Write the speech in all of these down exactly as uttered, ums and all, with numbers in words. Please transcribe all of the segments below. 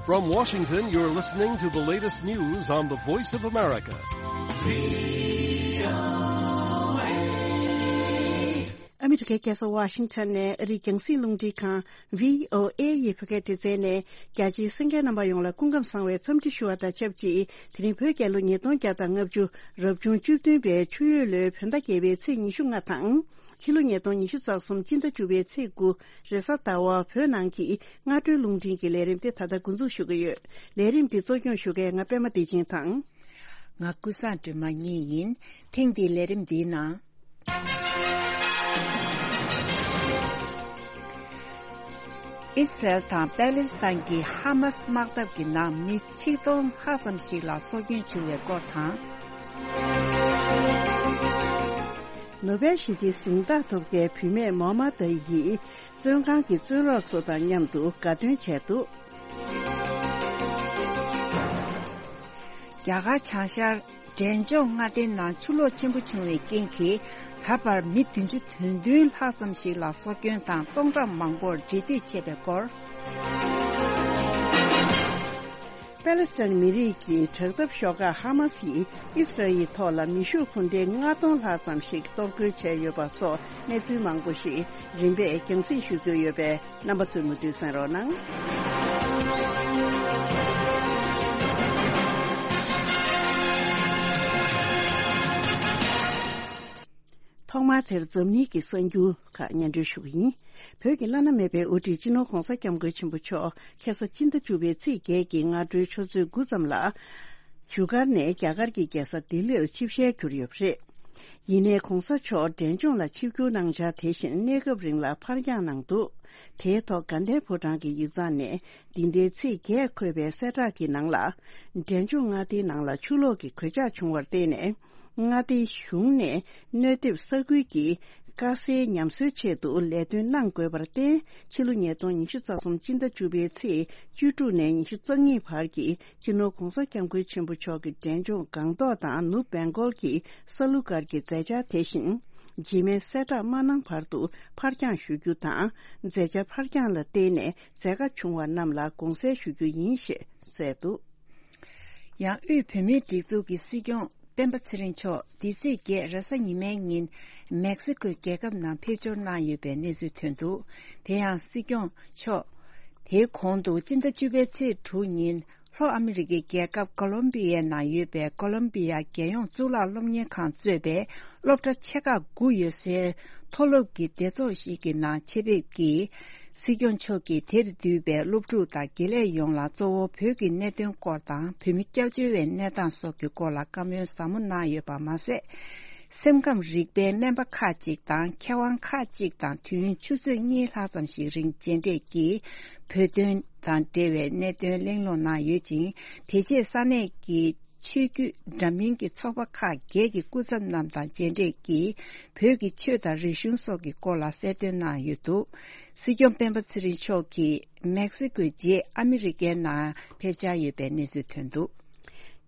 From Washington, you're listening to the latest news on the Voice of America. ཨ་མི་རི་ཀའི་རྒྱལ་ས་ཝ་ཤིང་ཊོན་ནས་ཨ་རིའི་རྒྱང་སྲིང་རླུང་འཕྲིན་ཁང་བྷི་ཨོ་ཨེ་ཡི་བོད་སྐད་སྡེ་ཚན་ནས་རྒྱ་ཆེའི་གསན་མཁན་རྣམ་པ་ཡོངས་ལ་སྐུ་ཁམས་བཟང་བའི་འཚམས་འདྲི་ཞུ་བ་དང་ཆབས་ཅིག་དེ་རིང་བོད་རྒྱལ་ལོ་ཉིས་སྟོང་བརྒྱ་དང་ལྔ་བཅུ་རབ་བྱུང་བཅུ་བདུན་པའི་ཆུ་ཡོས་ལོའི་བོད་ཟླ་བརྒྱད་པའི་ཚེས་ཉི་ཤུ་ལྔ་དང་། ཕྱི་ལོ་ཉིས་སྟོང་ཉི་ཤུ་རྩ་གསུམ་སྤྱི་ཟླ་བཅུ་པའི་ཚེས་དགུ་རེས་གཟའ་ཟླ་བ་བོད་ནང་གི་སྔ་དྲོའི་རླུང་འཕྲིན་གྱི་ལས་རིམ་དེ་ད་ལྟ་འགོ་འཛུགས་ཞུ་གི་ཡོད། ལས་རིམ་འདི་གཙོ་སྐྱོང་ཞུ་མཁན་ང་པད་མ་བདེ་ཆེན་དང་། ང་ཀུན་བཟང་སྒྲོལ་མ་གཉིས་ཡིན། ཐེངས་འདིའི་ལས་རིམ་འདིའི་ནང་། ཨི་སི་རལ་དང་པེ་ལེ་སི་ཐན་གྱི་ཧ་མ་སི་དམག་འཐབ་ཀྱི་ནང་མི་ཆིག་སྟོང་ལྷག་ཙམ་ཞིག་ལ་སྲོག་སྐྱོན་བྱུང་བའི་སྐོར་དང་། ནོ་བེལ་ཞི་བདེའི་གཟེངས་རྟགས་ཐོབ་མཁན་བུད་མེད་མོ་མ་ད་ཡིས་བཙོན་ཁང་གི་བཙོན་རོགས་ཚོ་དང་མཉམ་དུ་དགའ་སྟོན་བྱས་འདུག་རྒྱ་གར་བྱང་ཤར་འབྲས་ལྗོངས་མངའ་སྡེའི་ནང་ཆུ་ལོག་ཆེན་པོ་བྱུང་བའི་རྐྱེན་གྱིས་ད་བར་མི་བདུན་ཅུ་དོན་བདུན་ལྷག་ཙམ་ཞིག་ལ་སྲོག་སྐྱོན་དང་སྟོང་ཕྲག་མང་པོར་འབྲེལ་མཐུད་བྱས་པའི་སྐོར། པེ་ལེ་སི་ཐན་མི་རིགས་ཀྱི་དྲག་འཐབ་ཤོག་ཁག་ཧ་མ་སི་ཡིས་ཨི་སི་རལ་ཡི་ཐོག་ལ་མེ་ཤུགས་འཕུར་མདེལ་ལྔ་སྟོང་ལྷག་ཙམ་ཞིག་གཏོར་རྒོལ་བྱས་ཡོད་པ་སོགས་གནས་ཚུལ་མང་པོ་ཞིག་རིམ་པས་རྒྱང་སྲིང་ཞུ་རྒྱུ་ཡོད་པས། རྣམ་པ་ཚོས་མུ་མཐུད་གསན་རོགས་གནང་། ཐོག་མར་དེར་འཛམ་གླིང་གི་གསར་འགྱུར་ཁག་སྙན་སྒྲོན་ཞུ་གི་ཡིན། བོད་ཀྱི་བླ་ན་མེད་པའི་དབུ་ཁྲིད་སྤྱི་ནོར་༧གོང་ས་༧སྐྱབས་མགོན་ཆེན་པོ་མཆོག་ཁ་སང་སྤྱི་ཟླ་བཅུ་པའི་ཚེས་བརྒྱད་ཀྱི་སྔ་དྲོའི་ཆུ་ཚོད་དགུ་ཙམ་ལ། བཞུགས་སྒར་ནས་རྒྱ་གར་གྱི་རྒྱལ་ས་ལྡི་ལིར་ཆིབས་ཞལ་གྱུར་ཡོད་པ་རེད། ཡིན་ནའི་གོང་ས་མཆོག་འབྲས་ལྗོངས་ལ་ཆིབས་བསྒྱུར་གནང་འཆར་དེ་བཞིན་གནས་སྐབས་རིང་ལ་ཕར་འགྱངས་གནང་འདུག་དེའི་ཐོག་དགའ་ལྡན་ཕོ་བྲང་གི་ཡིག་ཚང་ནས་འདི་ཟླའི་ཚེས་བརྒྱད་འཁོད་པའི་གསལ་བསྒྲགས་ཀྱི་ནང་ལ། འབྲས་ལྗོངས་མངའ་སྡེའི་ནང་ལ་ཆུ་ལོག་གི་གོད་ཆག་བྱུང་བར་བརྟེན་ནས། མངའ་སྡེའི་གཞུང་ནས་གནོད་ཐེབས་ས་ཁུལ་གྱི་དཀའ་སེལ་ཉམས་གསོའི་ཆེད་དུ་ལས་དོན་གནང་དགོས་པར་བརྟེན། ཕྱི་ལོ་ཉིས་སྟོང་ཉི་ཤུ་རྩ་གསུམ་སྤྱི་ཟླ་བཅུ་པའི་ཚེས་བཅུ་དྲུག་ནས་ཉི་ཤུ་རྩ་གཉིས་བར་གྱི་སྤྱི་ནོར་༧གོང་ས་༧སྐྱབས་མགོན་ཆེན་པོ་མཆོག་གིས་འབྲས་ལྗོངས་སྒང་ཏོག་དང་ནུབ་བེང་གོལ་གྱི་ས་ལུ་སྒར་གྱི་མཛད་འཆར་དེ་བཞིན། རྗེས་མའི་གསལ་བསྒྲགས་མ་གནང་བར་དུ་ཕར་འགྱངས་ཞུ་རྒྱུ་དང་། མཛད་འཆར་ཕར་འགྱངས་ལ་བརྟེན་ནས་མཛད་དཀའ་བྱུང་བ་རྣམས་ལ་དགོངས་སེལ་ཞུ་རྒྱུ་ཡིན་ཞེས་གསལ་འདུག་ཡང་དབུས་བོད་མིའི་སྒྲིག་འཛུགས་ཀྱི་སྲིད་སྐྱོང་སྤེན་པ་ཚེ་རིང་མཆོག་འདི་ཚེས་བརྒྱད་རེས་གཟའ་ཉི་མའི་ཉིན་མེག་སི་ཀོའི་རྒྱལ་ཁབ་ནང་ཕེབས་འབྱོར་གནང་ཡོད་པའི་གནས་ཚུལ་ཐོན་འདུག་དེ་ཡང་སྲིད་སྐྱོང་མཆོག་དེའི་གོང་དུ་སྤྱི་ཟླ་བཅུ་པའི་ཚེས་དྲུག་ཉིན་ལྷོ་ཨ་མི་རི་ཀའི་རྒྱལ་ཁབ་ཀོ་ལོམ་བི་ཡའི་ནང་ཡོད་པའི་ཀོ་ལོམ་བི་ཡ་རྒྱལ་ཡོངས་གཙུག་ལག་སློབ་གཉེར་ཁང་གཙོས་པའི་སློབ་གྲྭ་ཆེ་ཁག་དགུ་ཡོད་སའི་མཐོ་སློབ་ཀྱི་སྡེ་ཚོགས་ཤིག་གི་ནང་ཆེད་ཕེབས་ཀྱིས། སྲིད་སྐྱོང་མཆོག་གིས་དེར་འདུས་པའི་སློབ་ཕྲུག་དང་དགེ་ལས་ཡོངས་ལ་གཙོ་བོ་བོད་ཀྱི་གནད་དོན་སྐོར་དང་བོད་མི་སྐྱབས་བཅོལ་བའི་གནས་སྟངས་སོགས་ཀྱི་སྐོར་ལ་བཀའ་མོལ་ཟབ་མོ་གནང་ཡོད་པ་མ་ཟད། སེམས་ཁམས་རིག་པའི་སྨན་པ་ཁག་ཅིག་དང་མཁས་དབང་ཁག་ཅིག་དང་དུས་ཡུན་ཆུ་ཚོད་གཉིས་ལྷག་ཙམ་ཞིག་རིང་མཇལ་འཕྲད་ཀྱིས་བོད་དོན་དང་འབྲེལ་བའི་གནད་དོན་གླེང་སློང་གནང་ཡོད་ཅིང་། དེ་རྗེས་ས་གནས་ཀྱི་ཆོས་བརྒྱུད་འདྲ་མིན་གྱི་ཚོགས་པ་ཁག་བརྒྱད་ཀྱི་སྐུ་ཚབ་རྣམས་དང་མཇལ་འཕྲད་ཀྱིས་བོད་ཀྱི་ཆོས་དང་རིག་གཞུང་སོགས་ཀྱི་སྐོར་ལ་གསལ་སྟོན་གནང་ཡོད་འདུག་སྲིད་སྐྱོང་སྤེན་པ་ཚེ་རིང་མཆོག་གིས་མེག་སི་ཀོའི་རྗེས་ཨ་མི་རི་ཀའི་ནང་ཕེབས་འཆར་ཡོད་པའི་གནས་ཚུལ་ཐོན་འདུག་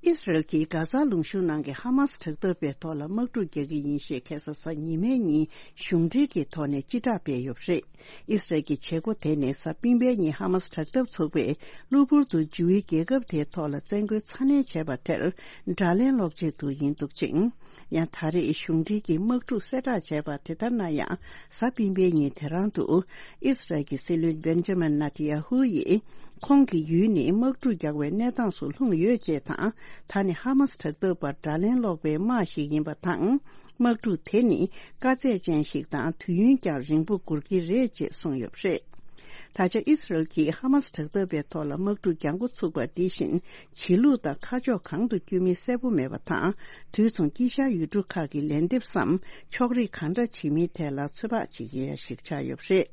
ཨི་སི་རལ་གྱིས་གྷ་ཛ་ལུང་གཤོང་ནང་གི་ཧ་མ་སི་དྲག་འཐབ་པའི་ཐོག་ལ་དམག་འཁྲུག་རྒྱག་གི་ཡིན་ཞེས་ཁ་སང་གཟའ་ཉི་མའི་ཉིན་གཞུང་འབྲེལ་གྱི་ཐོག་ནས་སྤྱི་བསྒྲགས་སྤེལ་ཡོད་པ་རེད། ཨི་སི་རལ་གྱི་བྱེད་སྒོ་དེ་ནི་གཟའ་སྤེན་པའི་ཉིན་ཧ་མ་སི་དྲག་འཐབ་ཚོགས་པས་གློ་བུར་དུ་ཇུའུ་ཝེ་རྒྱལ་ཁབ་དེའི་ཐོག་ལ་བཙན་རྒོལ་ཚ་ནན་བྱས་པ་དེར་དགྲ་ལན་སློག་ཆེད་དུ་ཡིན་འདུག་ཅིང་། ཡང་ད་རེས་གཞུང་འབྲེལ་གྱིས་དམག་འཁྲུག་གསལ་བསྒྲགས་བྱས་པ་དེ་ལྟར་ན་ཡང་། གཟའ་སྤེན་པའི་ཉིན་དེ་རང་དུ་ཨི་སི་རལ་གྱི་སྲིད་བློན་བེན་ཇ་མིན་ནེ་ཐན་ཡ་ཧུ་ཡིས། ཁོང་གི་ཡུལ་ནི་དམག་འཁྲུག་རྒྱག་པའི་གནས་སྟངས་སུ་ལྷུང་ཡོད་ཅེས་དང་། ད་ནི་ཧ་མ་སི་དྲག་འཐབ་པར་དགྲ་ལན་སློག་པའི་དམག་ཞིག་ཡིན་པ་དང་། དམག་འཁྲུག་དེ་ནི་དཀའ་ཚེགས་ཅན་ཞིག་དང་དུས་ཡུན་ཀྱང་རིང་པོ་འགོར་གྱི་རེད་ཅེས་གསུངས་ཡོད་པ་རེད། ད་ཆ་ཨི་སི་རལ་གྱིས་ཧ་མ་སི་དྲག་འཐབ་པའི་ཐོག་ལ་དམག་འཁྲུག་རྒྱག་འགོ་ཚུགས་པ་འདི་བཞིན་བྱེད་ལུགས་དང་ཁ་ཕྱོགས་གང་དུ་བསྐྱོད་མིན་གསལ་པོ་མེད་པ་དང་། དུས་མཚུངས་དཀྱིལ་ཤར་ཡུལ་གྲུ་ཁག་གི་ལན་འདེབས་སམ་ཕྱོགས་རིས་གང་འདྲ་བྱེད་མིན་ཐད་ལ་ཚོད་དཔག་བྱེད་ཀྱི་ཡ་ཞིག་ཆགས་ཡོད་པ་རེད།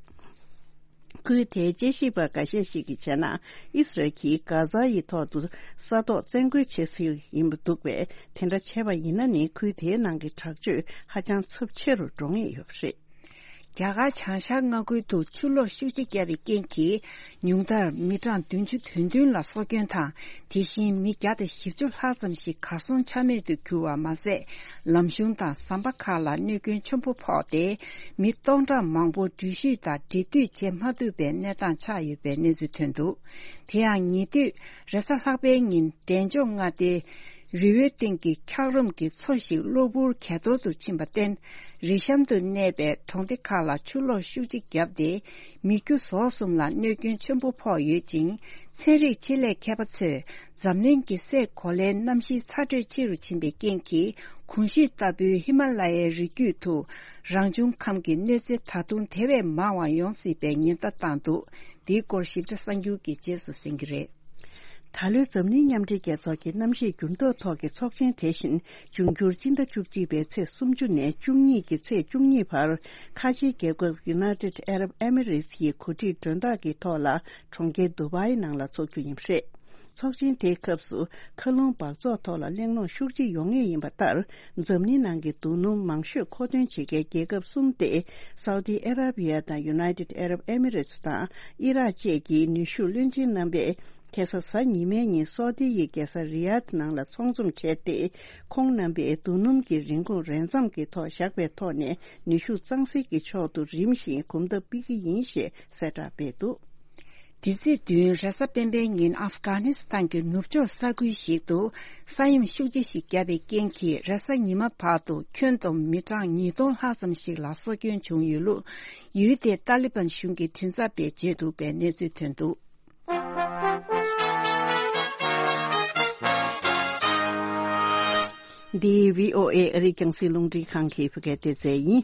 ཁུལ་དེའི་དཔྱད་ཞིབ་པ་འགའ་ཤས་ཤིག་གིས་བྱས་ན། ཨི་སི་རལ་གྱིས་གྷ་ཛ་ཡི་ཐོག་ཏུ་ས་ཐོག་བཙན་རྒོལ་བྱེད་སྲིད་ཡིན་པ་འདུག་པས། དེ་འདྲ་བྱས་པ་ཡིན་ན་ནི་ཁུལ་དེའི་ནང་གི་དྲག་སྤྱོད་ཧ་ཅང་ཚབས་ཆེ་རུ་འགྲོ་ངེས་ཡོད་པ་རེད། རྒྱ་གར་བྱང་ཤར་མངའ་ཁུལ་དུ་ཆུ་ལོག་ཤུགས་ཆེ་བརྒྱབ་པའི་རྐྱེན་གྱིས། ཉུང་མཐར་མི་གྲངས་བདུན་ཅུ་དོན་བདུན་ལ་སྲོག་སྐྱོན་དང་། དེ་བཞིན་མི་བརྒྱ་དང་བཞི་བཅུ་ལྷག་ཙམ་ཞིག་གར་སོང་ཆ་མེད་དུ་གྱུར་བ་མ་ཟད། ལམ་གཞུང་དང་ཟམ་པ་ཁག་ལ་གནོད་སྐྱོན་ཆེན་པོ་ཕོག་སྟེ། མི་སྟོང་ཕྲག་མང་པོ་འགྲུལ་བཞུད་དང་འབྲེལ་མཐུད་བྱེད་མ་ཐུབ་པའི་གནས་སྟངས་ཆགས་ཡོད་པའི་གནས་ཚུལ་ཐོན་འདུག། དེ་ཡང་ཉེ་དུས་རེས་གཟའ་ལྷག་པའི་ཉིན། འབྲས་ལྗོངས་མངའ་སྡེའི་རི་བོའི་སྟེང་གི་འཁྱགས་རོམ་གྱི་མཚོ་ཞིག་གློ་བུར་གས་གཏོར་དུ་ཕྱིན་པར་བརྟེན། རི་གཤམ་དུ་གནས་པའི་གྲོང་སྡེ་ཁག་ལ་ཆུ་ལོག་ཤུགས་ཆེ་བརྒྱབ་སྟེ། མི་རྒྱུ་ཟོག་གསུམ་ལ་གནོད་སྐྱོན་ཆེན་པོ་ཕོག་ཡོད་ཅིང་། ཚན་རིག་ཆེད་ལས་མཁས་པ་ཚོས་འཛམ་གླིང་གི་སའི་གོ་ལའི་གནམ་གཤིས་ཚ་དྲོད་ཆེ་རུ་ཕྱིན་པའི་རྐྱེན་གྱིས། གོང་ཞུས་ལྟ་བུའི་ཧི་མ་ལ་ཡའི་རི་རྒྱུད་དུ་རང་བྱུང་ཁམས་ཀྱི་གནོད་འཚེ་ད་དུང་དེ་བས་མང་བ་ཡོང་སྲིད་པའི་ཉེན་བརྡ་བཏང་འདུག། འདིའི་སྐོར་ཞིབ་ཕྲ་གསར་འགྱུར་གྱི་རྗེས་སུ་གསན་གྱི་རེད། ད་ལོའི་འཛམ་གླིང་མཉམ་འབྲེལ་རྒྱལ་ཚོགས་ཀྱི་གནམ་གཤིས་འགྱུར་ལྡོག་ཐོག་གི་ཚོགས་ཆེན་དེ་བཞིན་འབྱུང་འགྱུར་སྤྱི་ཟླ་བཅུ་གཅིག་པའི་ཚེས་སུམ་ཅུ་ནས་བཅུ་གཉིས་ཀྱི་ཚེས་བཅུ་གཉིས་བར། ཁ་ཆེའི་རྒྱལ་ཁབ་United Arab Emirates་ཡི་གོ་སྒྲིག་མགྲོན་བདག་གི་ཐོག་ལ་གྲོང་ཁྱེར་དུ་བའི་ནང་ལ་འཚོགས་རྒྱུ་ཡིན་པ་རེད། ཚོགས་ཆེན་དེའི་སྐབས་སུ་མཁའ་རླུང་འབག་བཙོག་ཐོག་ལ་གླེང་སློང་ཤུགས་ཆེ་ཡོང་ངེས་ཡིན་པ་ལྟར། འཛམ་གླིང་ནང་གི་རྡོ་སྣུམ་མང་ཤོས་མཁོ་འདོན་བྱེད་མཁན་རྒྱལ་ཁབ་གསུམ་སྟེ། Saudi Arabia་དང་United Arab Emirates་དང་ཨི་རག་བཅས་ཀྱི་ནུས་ཤུགས་བློན་ཆེན་རྣམ་པས། ཁ་སང་གཟའ་ཉི་མའི་ཉིན་སོ་ཏི་ཡི་རྒྱལ་ས་རི་ཡཱད་ནང་ལ་ཚོགས་འཛོམས་བྱས་ཏེ། ཁོང་རྣམ་པས་རྡོ་སྣུམ་གྱི་རིན་གོང་རན་འཚམ་གྱི་ཐོག་བཞག་པའི་ཐོག་ནས་ནུས་ཤུགས་གཙང་སེལ་གྱི་ཕྱོགས་སུ་རིམ་བཞིན་གོམ་སྟབས་སྤོས་ཀྱི་ཡིན་ཞེས་གསལ་བསྒྲགས་སྤེལ་འདུག། དེ་ཚེས་བདུན་རེས་གཟའ་སྤེན་པའི་ཉིན་ཨབ་གྷ་ནི་སི་ཐན་གྱི་ནུབ་ཕྱོགས་ས་ཁུལ་ཞིག་ཏུ་ས་ཡོམ་ཤུགས་ཆེ་ཞིག་བརྒྱབ་པའི་རྐྱེན་གྱིས་རེས་གཟའ་ཉི་མ་བར་དུ་ཁྱོན་བསྡོམས་མི་གྲངས་ཉིས་སྟོང་ལྷག་ཙམ་ཞིག་ལ་སྲོག་སྐྱོན་བྱུང་ཡོད་ལུགས། ཡུལ་དེའི་ཏཱ་ལི་བན་གཞུང་གི་མགྲིན་ཚབ་པས་བརྗོད་འདུག་པའི་གནས་ཚུལ་ཐོན་འདུག། འདི་བྷི་ཨོ་ཨེ་ཨ་རིའི་རྒྱང་སྲིང་རླུང་འཕྲིན་ཁང་གི་བོད་སྐད་སྡེ་ཚན་ཡིན།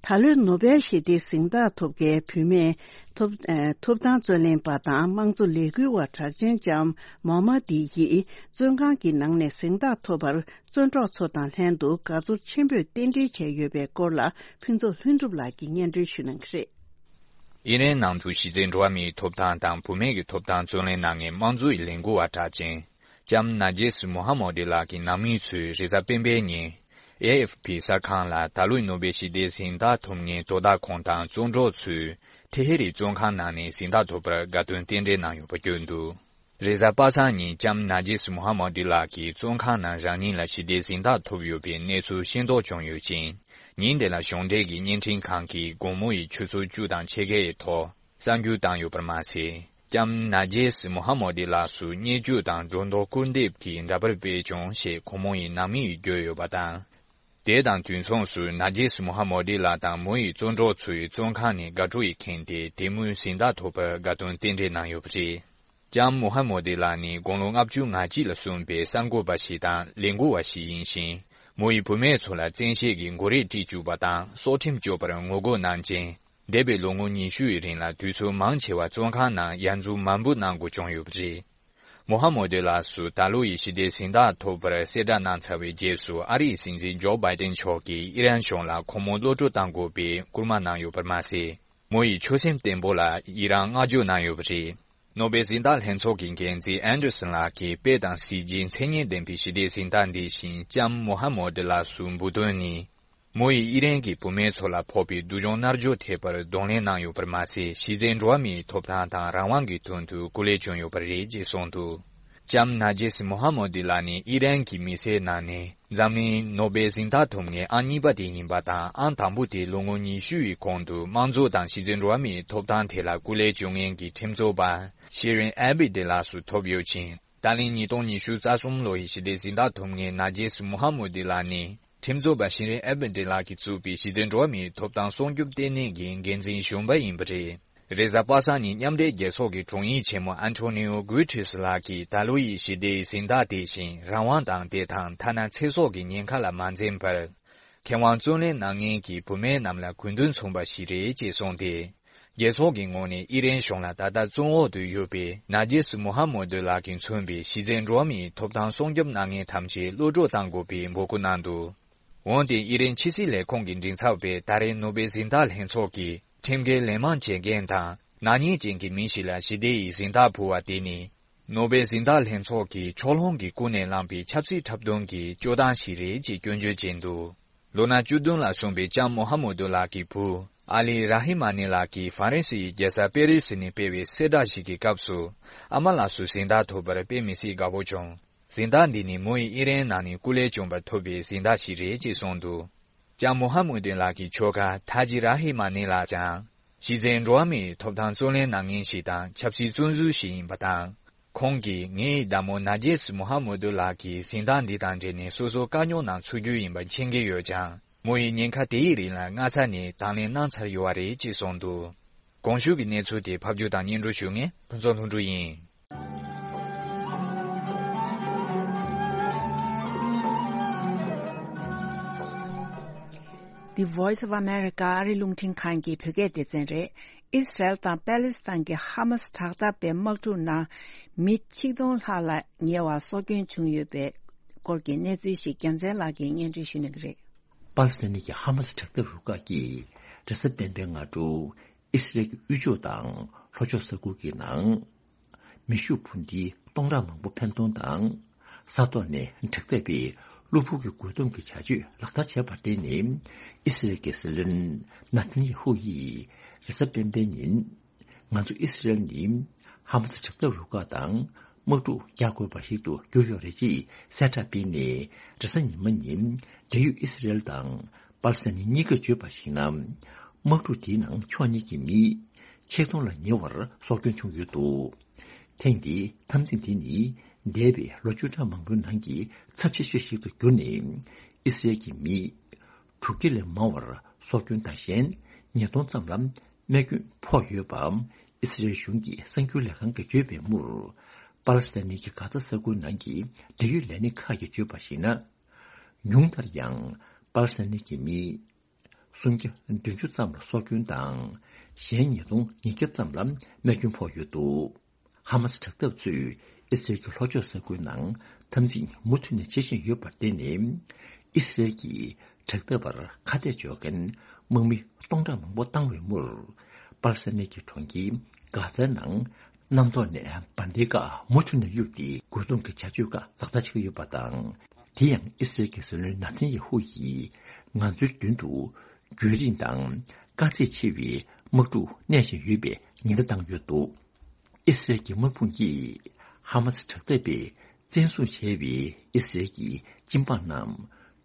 ད་ལོའི་ནོ་བེལ་ཞི་བདེའི་གཟེངས་རྟགས་ཐོབ་མཁན་བུད་མེད་ཐོབ་ཨ་ཐོབ་ཐང་རྩོད་ལེན་པ་དང་དམངས་གཙོ་ལས་འགུལ་བ་གྲགས་ཅན་ལྕམ་མོ་མ་དི་ཡིས་བཙོན་ཁང་གི་ནང་ནས་གཟེངས་རྟགས་ཐོབ་པར་བཙོན་གྲོགས་ཚོ་དང་ལྷན་དུ་དགའ་ཚོར་ཆེན་པོས་རྟེན་འབྲེལ་བྱས་ཡོད་པའི་སྐོར་ལ་ཕུན་ཚོགས་ལྷུན་གྲུབ་ལགས་ཀྱིས་སྙན་སྒྲོན་ཞུ་གནང་གི་རེད། ཨི་རན་ནང་དུ་གཞི་རྩའི་འགྲོ་བ་མིའི་ཐོབ་ཐང་དང་བུད་མེད་ཀྱི་ཐོབ་ཐང་རྩོད་ལེན་གནང་མཁན་དམངས་གཙོའི་ལས་འགུལ་བ་གྲགས་ཅན་ལྕམ་ནཱ་ཇེས་མོ་ཧ་མོ་ཏི་ལགས་ཀྱི་ནང་མི་ཚོས་རེས་གཟའ་སྤེན་པའི་ཉིན། ཨེ་ཨེཕ་ཕི་གསར་ཁང་ལ་ད་ལོའི་ནོ་བེལ་ཞི་བདེའི་གཟེངས་རྟགས་ཐོབ་མཁན་དོ་བདག་ཁོང་དང་བཙོན་གྲོགས་ཚོས་ཐེ་ཧེ་རི་བཙོན་ཁང་ནང་ནས་གཟེངས་རྟགས་ཐོབ་པར་དགའ་སྟོན་རྟེན་འབྲེལ་གནང་ཡོད་པ་བརྗོད་འདུག། རེས་གཟའ་པ་སངས་ཉིན་ལྕམ་ནཱ་ཇེས་མོ་ཧ་མོ་ཏི་ལགས་ཀྱིས་བཙོན་ཁང་ནང་རང་ཉིད་ལ་ཞི་བདེའི་གཟེངས་རྟགས་ཐོབ་ཡོད་པའི་གནས་ཚུལ་ཤེས་རྟོགས་བྱུང་ཡོད་ཅིང་། ཉིན་དེ་ལ་གཞུང་འབྲེལ་གྱི་བརྙན་འཕྲིན་ཁང་གིས་དགོང་མོ་ཡི་ཆུ་ཚོད་བཅུ་དང་ཕྱེད་ཀའི་ཐོག་གསར་འགྱུར་བཏང་ཡོད་པར་མ་ཟད། ལྕམ་ནཱ་ཇེས་མོ་ཧ་མོ་ཏི་ལགས་སུ་བརྙས་བཅོས་དང་སྒྲོ་འདོགས་སྐུར་འདེབས་ཀྱི་འདྲ་པར་སྤེལ་བྱུང་ཞེས་ཁོང་མོ་ཡི་ནང་མི་ཡིས་བརྗོད་ཡོད་པ་དང་། དེ་དང་དུས་མཚུངས་སུ་ནཱ་ཇེས་མོ་ཧ་མོ་ཏི་ལགས་དང་མོ་ཡི་བཙོན་གྲོགས་ཚོས་བཙོན་ཁང་ནས་དགའ་སྤྲོ་ཡིས་ཁེངས་ཏེ་དེ་མུར་གཟེངས་རྟགས་ཐོབ་པར་དགའ་སྟོན་རྟེན་འབྲེལ་གནང་ཡོད་པ་རེད། ལྕམ་མོ་ཧ་མོ་ཏི་ལགས་ནི་དགུང་ལོ་ལྔ་བཅུ་ང་གཅིག་ལ་སོན་པའི་གསར་འགོད་པ་ཞིག་དང་ལས་འགུལ་བ་ཞིག་ཡིན་ཞིང་། མོ་ཡིས་བུད་མེད་ཚོ་ལ་བཙན་ཤེད་ཀྱིས་མགོ་རས་དཀྲིས་བཅུག་པ་དང་སྲོག་ཁྲིམས་གཅོད་པར་ངོ་རྒོལ་གནང་རྐྱེན། འདས་པའི་ལོ་ངོ་ཉི་ཤུ་ཡི་རིང་ལ་དུས་ཚོད་མང་ཆེ་བ་བཙོན་ཁང་ནང་ཡར་འཛུགས་མར་འབུད་གནང་དགོས་བྱུང་ཡོད་པ་རེད། མོ་ཧ་མོ་ཏི་ལགས་སུ་ད་ལོ་ཡི་ཞི་བདེའི་གཟེངས་རྟགས་ཐོབ་པར་གསལ་བསྒྲགས་གནང་ཚར་བའི་རྗེས་སུ་ཨ་རིའི་སྲིད་འཛིན་ཇོ་བྷའི་ཏན་མཆོག་གིས་ཨི་རན་གཞུང་ལ་ཁོང་མོ་གློད་གྲོལ་གཏང་དགོས་པའི་སྐུལ་མ་གནང་ཡོད་པར་མ་ཟད། མོ་ཡི་ཆོད་སེམས་བརྟན་པོ་ལ་ཡི་རང་བསྔགས་བརྗོད་གནང་ཡོད་པ་རེད། ནོ་བེལ་གཟེངས་རྟགས་ལྷན་ཚོགས་ཀྱི་འགན་འཛིན་ཨན་ཌར་སན་ལགས་ཀྱིས་དཔེ་དང་གཟི་བརྗིད་མཚན་སྙན་ལྡན་པའི་ཞི་བདེའི་གཟེངས་རྟགས་འདི་བཞིན་ལྕམ་མོ་ཧ་མོ་ཏི་ལགས་སུ་འབུལ་དོན་ནི། མོ་ཡིས་ཨི་རན་གྱི་བུད་མེད་ཚོ་ལ་ཕོག་པའི་སྡུག་སྦྱོང་མནར་གཅོད་ཐེབས་པར་གདོང་ལེན་གནང་ཡོད་པར་མ་ཟད། གཞི་རྩའི་འགྲོ་བ་མིའི་ཐོབ་ཐང་དང་རང་དབང་གི་དོན་དུ་སྐུ་ལས་བསྐྱོན་ཡོད་པ་རེད་ཅེས་གསུངས་འདུག། ལྕམ་ནཱ་ཇེས་མོ་ཧ་མོ་ཏི་ལགས་ནི་ཨི་རན་གྱི་མི་སེར་ནང་ནས་འཛམ་གླིང་ནོ་བེལ་གཟེངས་རྟགས་ཐོབ་མཁན་ཨང་གཉིས་པ་དེ་ཡིན་པ་དང་། ཨང་དང་པོ་དེ་ལོ་ངོ་ཉི་ཤུ་ཡི་གོང་དུ་དམངས་གཙོ་དང་གཞི་རྩའི་འགྲོ་བ་མིའི་ཐོབ་ཐང་ཐད་ལ་སྐུ་ལས་བསྐྱོན་མཁན་གྱི་ཁྲིམས་རྩོད་པ་ཤི་རིན་ཨེ་བྷི་ཏི་ལགས་སུ་ཐོབ་ཡོད་ཅིང་། ད་ལན་ཉིས་སྟོང་ཉི་ཤུ་རྩ་གསུམ་ལོ་ཡི་ཞི་བདེའི་གཟེངས་རྟགས་ཐོབ་མཁན་ནཱ་ཇེས་མོ་ཧ་མོ་ཏི་ལགས་ནི། ཁྲིམས་རྩོད་པ་ཤི་རིན་ཨེ་བྷི་ཏི་ལགས་ཀྱིས་བཙུགས་པའི་གཞི་རྩའི་འགྲོ་བ་མིའི་ཐོབ་ཐང་སྲུང་སྐྱོབ་ལྟེ་གནས་ཀྱི་འགན་འཛིན་གཞོན་པ་ཡིན་པ་རེད། རེས་གཟའ་པ་སངས་ཉིན་མཉམ་འབྲེལ་རྒྱལ་ཚོགས་ཀྱི་དྲུང་ཡིག་ཆེན་མོ་ཨན་ཐོ་ནིའོ་གུ་ཏྲེས་ལགས་ཀྱིས་ད་ལོ་ཡི་ཞི་བདེའི་གཟེངས་རྟགས་དེ་བཞིན་རང་དབང་དང་བདེ་ཐང་ཐ་ན་ཚེ་སྲོག་གི་ཉེན་ཁ་ལ་མ་འཛེམས་པར། མཁས་དབང་བརྩོན་ལེན་གནང་མཁན་གྱི་བུད་མེད་རྣམས་ལ་གུས་འདུན་མཚུངས་པ་ཞིག་རེད་ཅེས་གསུངས་ཏེ། རྒྱལ་ཚོགས་ཀྱི་ངོས་ནས་ཨི་རན་གཞུང་ལ་ད་ལྟ་བཙོན་འོག་ཏུ་ཡོད་པའི་ནཱ་ཇེས་མོ་ཧ་མོ་ཏི་ལགས་ཀྱིས་མཚོན་པའི་གཞི་རྩའི་འགྲོ་བ་མིའི་ཐོབ་ཐང་སྲུང་སྐྱོབ་གནང་མཁན་ཐམས་ཅད་གློད་གྲོལ་གཏང་དགོས་པའི་འབོད་སྐུལ་གནང་འདུག། འོན་ཏེ་ཨི་རན་ཕྱི་སྲིད་ལས་ཁུངས་ཀྱི་མགྲིན་ཚབ་པས་ད་རེས་ནོ་བེལ་གཟེངས་རྟགས་ལྷན་ཚོགས་ཀྱིས་ཁྲིམས་འགལ་ལན་མང་བྱེད་མཁན་དང་ནག་ཉེས་ཅན་གྱི་མི་ཞིག་ལ་ཞི་བདེ་ཡི་གཟེངས་རྟགས་ཕུལ་བ་དེ་ནི། ནོ་བེལ་གཟེངས་རྟགས་ལྷན་ཚོགས་ཀྱིས་ཕྱོགས་ལྷུང་གིས་ཀུན་ནས་བསླངས་པའི་ཆབ་སྲིད་འཁྲབ་སྟོན་གྱི་སྤྱོད་སྟངས་ཤིག་རེད་ཅེས་སྐྱོན་བརྗོད་བྱས་འདུག། ལོ་ན་བཅུ་བདུན་ལ་སོན་པའི་ལྕམ་མོ་ཧ་མོ་ཏུ་ལགས་ཀྱི་བུ་ ཨ་ལི་ར་ཧི་མ་ནི་ལགས་ཀྱིས་ཧྥ་རན་སི་ཡི་རྒྱལ་ས་པེ་རི་སི་ནས་སྤེལ་བའི་གསལ་བསྒྲགས་ཤིག་གི་སྐབས་སུ། ཨ་མ་ལགས་སུ་གཟེངས་རྟགས་ཐོབ་པར་དཔེ་མི་སྲིད་དགའ་པོ་བྱུང་། གཟེངས་རྟགས་འདི་ནི་མོ་ཡིས་ཨི་རན་ནང་ནས་སྐུ་ལས་བསྐྱོན་པར་ཐོབ་པའི་གཟེངས་རྟགས་ཤིག་རེད་ཅེས་གསུངས་འདུག། ལྕམ་མོ་ཧ་མུ་དིན་ལགས་ཀྱི་ཁྱོ་ག་ཐ་ཇི་ར་ཧི་མ་ནི་ལགས་ཀྱང་། གཞི་རྩའི་འགྲོ་བ་མིའི་ཐོབ་ཐང་རྩོད་ལེན་གནང་མཁན་ཞིག་དང་ཆབ་སྲིད་བཙོན་ཟུར་ཞིག་ཡིན་པ་དང་། ཁོང་གིས་ངའི་བདག་མོ་ནར་ཇེས་མོ་ཧ་མུ་དུ་ལགས་ཀྱི་གཟེངས་རྟགས་འདི་དང་འབྲེལ་ནས་སོ་སོ་དཀའ་རྙོག་ནང་ཚུད་རྒྱུ་ཡིན་པ་མཁྱེན་གྱི་ཡོད་ཀྱང་། མོ་ཡིས་ཉེན་ཁ་དེའི་རིགས་ལ་སྔ་ས་ནས་དང་ལེན་གནང་ཚར་ཡོད་པ་རེད་ཅེས་གསུངས་འདུག། གོང་ཞུས་ཀྱི་གནས་ཚུལ་དེ་ཕབ་སྒྱུར་དང་སྙན་སྒྲོན་ཞུ་མཁན་ཕུན་ཚོགས་ལྷུན་གྲུབ་ཡིན། The Voice of America ཨ་རི་རླུང་འཕྲིན་ཁང་གི་བོད་སྐད་སྡེ་ཚན་རེད། ཨིས་རལ་དང་པེ་ལེ་སི་ཐན་གྱི་ཧ་མ་སི་དྲག་འཐབ་པའི་དམག་འཁྲུག་ནང་མི་ཆིག་སྟོང་ལྷག་ལ་ཉེ་བ་སྲོག་སྐྱོན་བྱུང་ཡོད་པའི་སྐོར་གྱི་གནས་ཚུལ་ཞིག་རྒྱལ་མཚན་ལགས་ཀྱིས་སྙན་སྒྲོན་ཞུ་གནང་གི་རེད། པ་ལི་སི་ཐན་གྱི་ཧ་མ་སི་དྲག་འཐབ་རུ་ཁག་གིས་རེས་གཟའ་སྤེན་པའི་སྔ་དྲོ་ཨིས་རལ་གྱི་དབུས་ཕྱོགས་དང་ལྷོ་ཕྱོགས་ས་ཁུལ་གྱི་ནང་མེ་ཤུགས་འཕུར་མདེལ་སྟོང་ཕྲག་མང་པོ་འཕེན་གཏོང་དང་། ས་ཐོག་ནས་དྲག་འཐབ་པའི་གློ་བུར་གྱི་རྒོལ་རྡུང་གི་བྱ་སྤྱོད་ལག་བསྟར་བྱས་པར་བརྟེན་ནས། ཨི་སི་རལ་གྱི་སྲིད་བློན་ནཱ་ཐན་ཡེ་ཧུ་ཡིས་རེས་གཟའ་སྤེན་པའི་ཉིན། ང་ཚོ་ཨི་སི་རལ་ནི་ཧ་མ་སི་དྲག་འཐབ་རུ་ཁག་དང་དམག་འཁྲུག་རྒྱག་དགོས་པ་ཞིག་ཏུ་གྱུར་ཡོད་རེད་ཅེས་གསལ་བསྒྲགས་སྤེལ་ནས། རེས་གཟའ་ཉི་མ་ཉིན་འབྲེལ་ཡོད་ཨི་སི་རལ་དང་པ་ལི་སི་ཐན་གཉིས་ཀས་བརྗོད་པར་གཞིགས་ན། དམག་འཁྲུག་དེའི་ནང་ཕྱོགས་གཉིས་ཀྱི་མི་ཆིག་སྟོང་ལ་ཉེ་བར་སྲོག་སྐྱོན་བྱུང་ཡོད་འདུག། ཐེངས་འདིའི་འཐབ་འཛིང་དེ་ནི་འདས་པའི་ལོ་བཅུ་ཕྲག་མང་པོའི་ནང་གི་ཚབས་ཆེ་ཤོས་ཤིག་ཏུ་གྱུར་ནས། ཨི་སི་རལ་གྱི་མི་དྲུག་བརྒྱ་ལས་མང་བར་སྲོག་སྐྱོན་དང་གཞན་ཉིས་སྟོང་ཙམ་ལ་རྨས་སྐྱོན་ཕོག་ཡོད་པའམ། ཨི་སི་རལ་གཞུང་གི་གསར་འགྱུར་ལས་ཁང་གིས་བརྗོད་པའི་མུར། པ་ལི་སི་ཐན་གྱི་གྷ་ཛ་ས་ཁུལ་ནང་གི་འབྲེལ་ཡོད་ལས་སྣེ་ཁག་གིས་བརྗོད་པར་གཞིགས་ན། ཉུང་མཐར་ཡང་པ་ལི་སི་ཐན་གྱི་མི་སུམ་བརྒྱ་བདུན་ཅུ་ཙམ་ལ་སྲོག་སྐྱོན་དང་། གཞན་ཉིས་སྟོང་ཉིས་བརྒྱ་ཙམ་ལ་རྨས་སྐྱོན་ཕོག་ཡོད་འདུག། ཧ་མ་སི་དྲག་འཐབ་ཚོས་ཨི་སི་རལ་གྱི་ལྷོ་ཕྱོགས་ས་ཁུལ་ནང་འཐབ་འཛིང་མུ་མཐུད་ནས་བྱེད་བཞིན་ཡོད་པར་བརྟེན་ནས། ཨི་སི་རལ་གྱིས་དྲག་འཐབ་པར་ཁ་གཏད་གཅོག་མཁན་དམག་མི་སྟོང་ཕྲག་མང་པོ་བཏང་བའི་མུར། པ་ལི་སི་ཐན་གྱི་གྲོང་ཁྱེར་གྷ་ཛའི་ནང་གནམ་ཐོག་ནས་འབར་མདེལ་ཁག་མུ་མཐུད་ནས་གཡུགས་ཏེ། རྒོལ་རྡུང་གི་བྱ་སྤྱོད་ཁག་ལག་བསྟར་བྱེད་ཀྱི་ཡོད་པ་དང་། དེ་ཡང་ཨི་སི་རལ་གྱི་སྲིད་བློན་ནཱ་ཐན་ཡེ་ཧུ་ཡིས་ང་ཚོའི་མདུན་དུ་རྒྱུན་རིང་དང་དཀའ་ཚེགས་ཆེ་བའི་དམག་འཁྲུག་གནས་བཞིན་ཡོད་པའི་ཉེན་བརྡ་བཏང་ཡོད་འདུག། ཨི་སི་རལ་གྱི་དམག་དཔུང་གིས་ཧ་མ་སི་དྲག་འཐབ་པས་བཙན་བཟུང་བྱས་པའི་ཨི་སི་རལ་གྱི་སྤྱི་འབངས་རྣམས་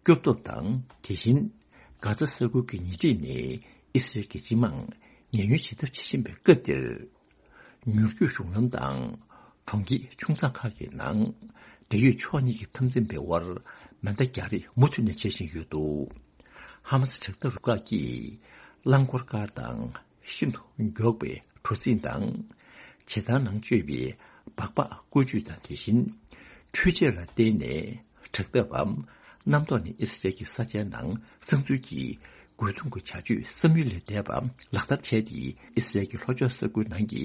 སྐྱོབ་ཐབས་དང་། དེ་བཞིན་གྷ་ཛ་ས་ཁུལ་གྱི་ཉེ་འཁྲིས་ནས་ཨི་སི་རལ་གྱི་སྤྱི་དམངས་ཉེན་གཡོལ་བྱེད་ཐབས་བྱེད་བཞིན་པའི་སྐབས་འདིར། མྱུར་སྐྱོབ་གཞུང་ལམ་དང་གྲོང་ཁྱེར་ཆུང་ཚགས་ཁག་གི་ནང་འབྲེལ་ཡོད་ཕྱོགས་གཉིས་ཀྱི་འཐབ་འཛིང་འབད་བར་མེ་མདའ་རྒྱག་རེས་མུ་མཐུད་ནས་བྱེད་བཞིན་ཡོད་འདུག། ཧ་མ་སི་དྲག་འཐབ་རུ་ཁག་གིས་རླངས་འཁོར་ཀར་དང་ཤིན་ཏུ་མགྱོགས་པའི་གྲུ་གཟིངས་དང་། བྱེ་ཐང་ནང་སྤྱོད་པའི་སྦག་སྦག་བཀོལ་སྤྱོད་དང་། དེ་བཞིན་འཕྲུལ་ཆས་ལ་བརྟེན་ནས་དྲག་འཐབ་པ་གནམ་ཐོག་ནས་ཨི་སི་རལ་གྱི་ས་ཆའི་ནང་གསང་འཛུལ་གྱིས་རྒོལ་རྡུང་གི་བྱ་སྤྱོད་བསམ་ཡུལ་ལས་འདས་པ་ལག་བསྟར་བྱས་ཏེ། ཨི་སི་རལ་གྱི་ལྷོ་ཕྱོགས་ས་ཁུལ་ནང་གི་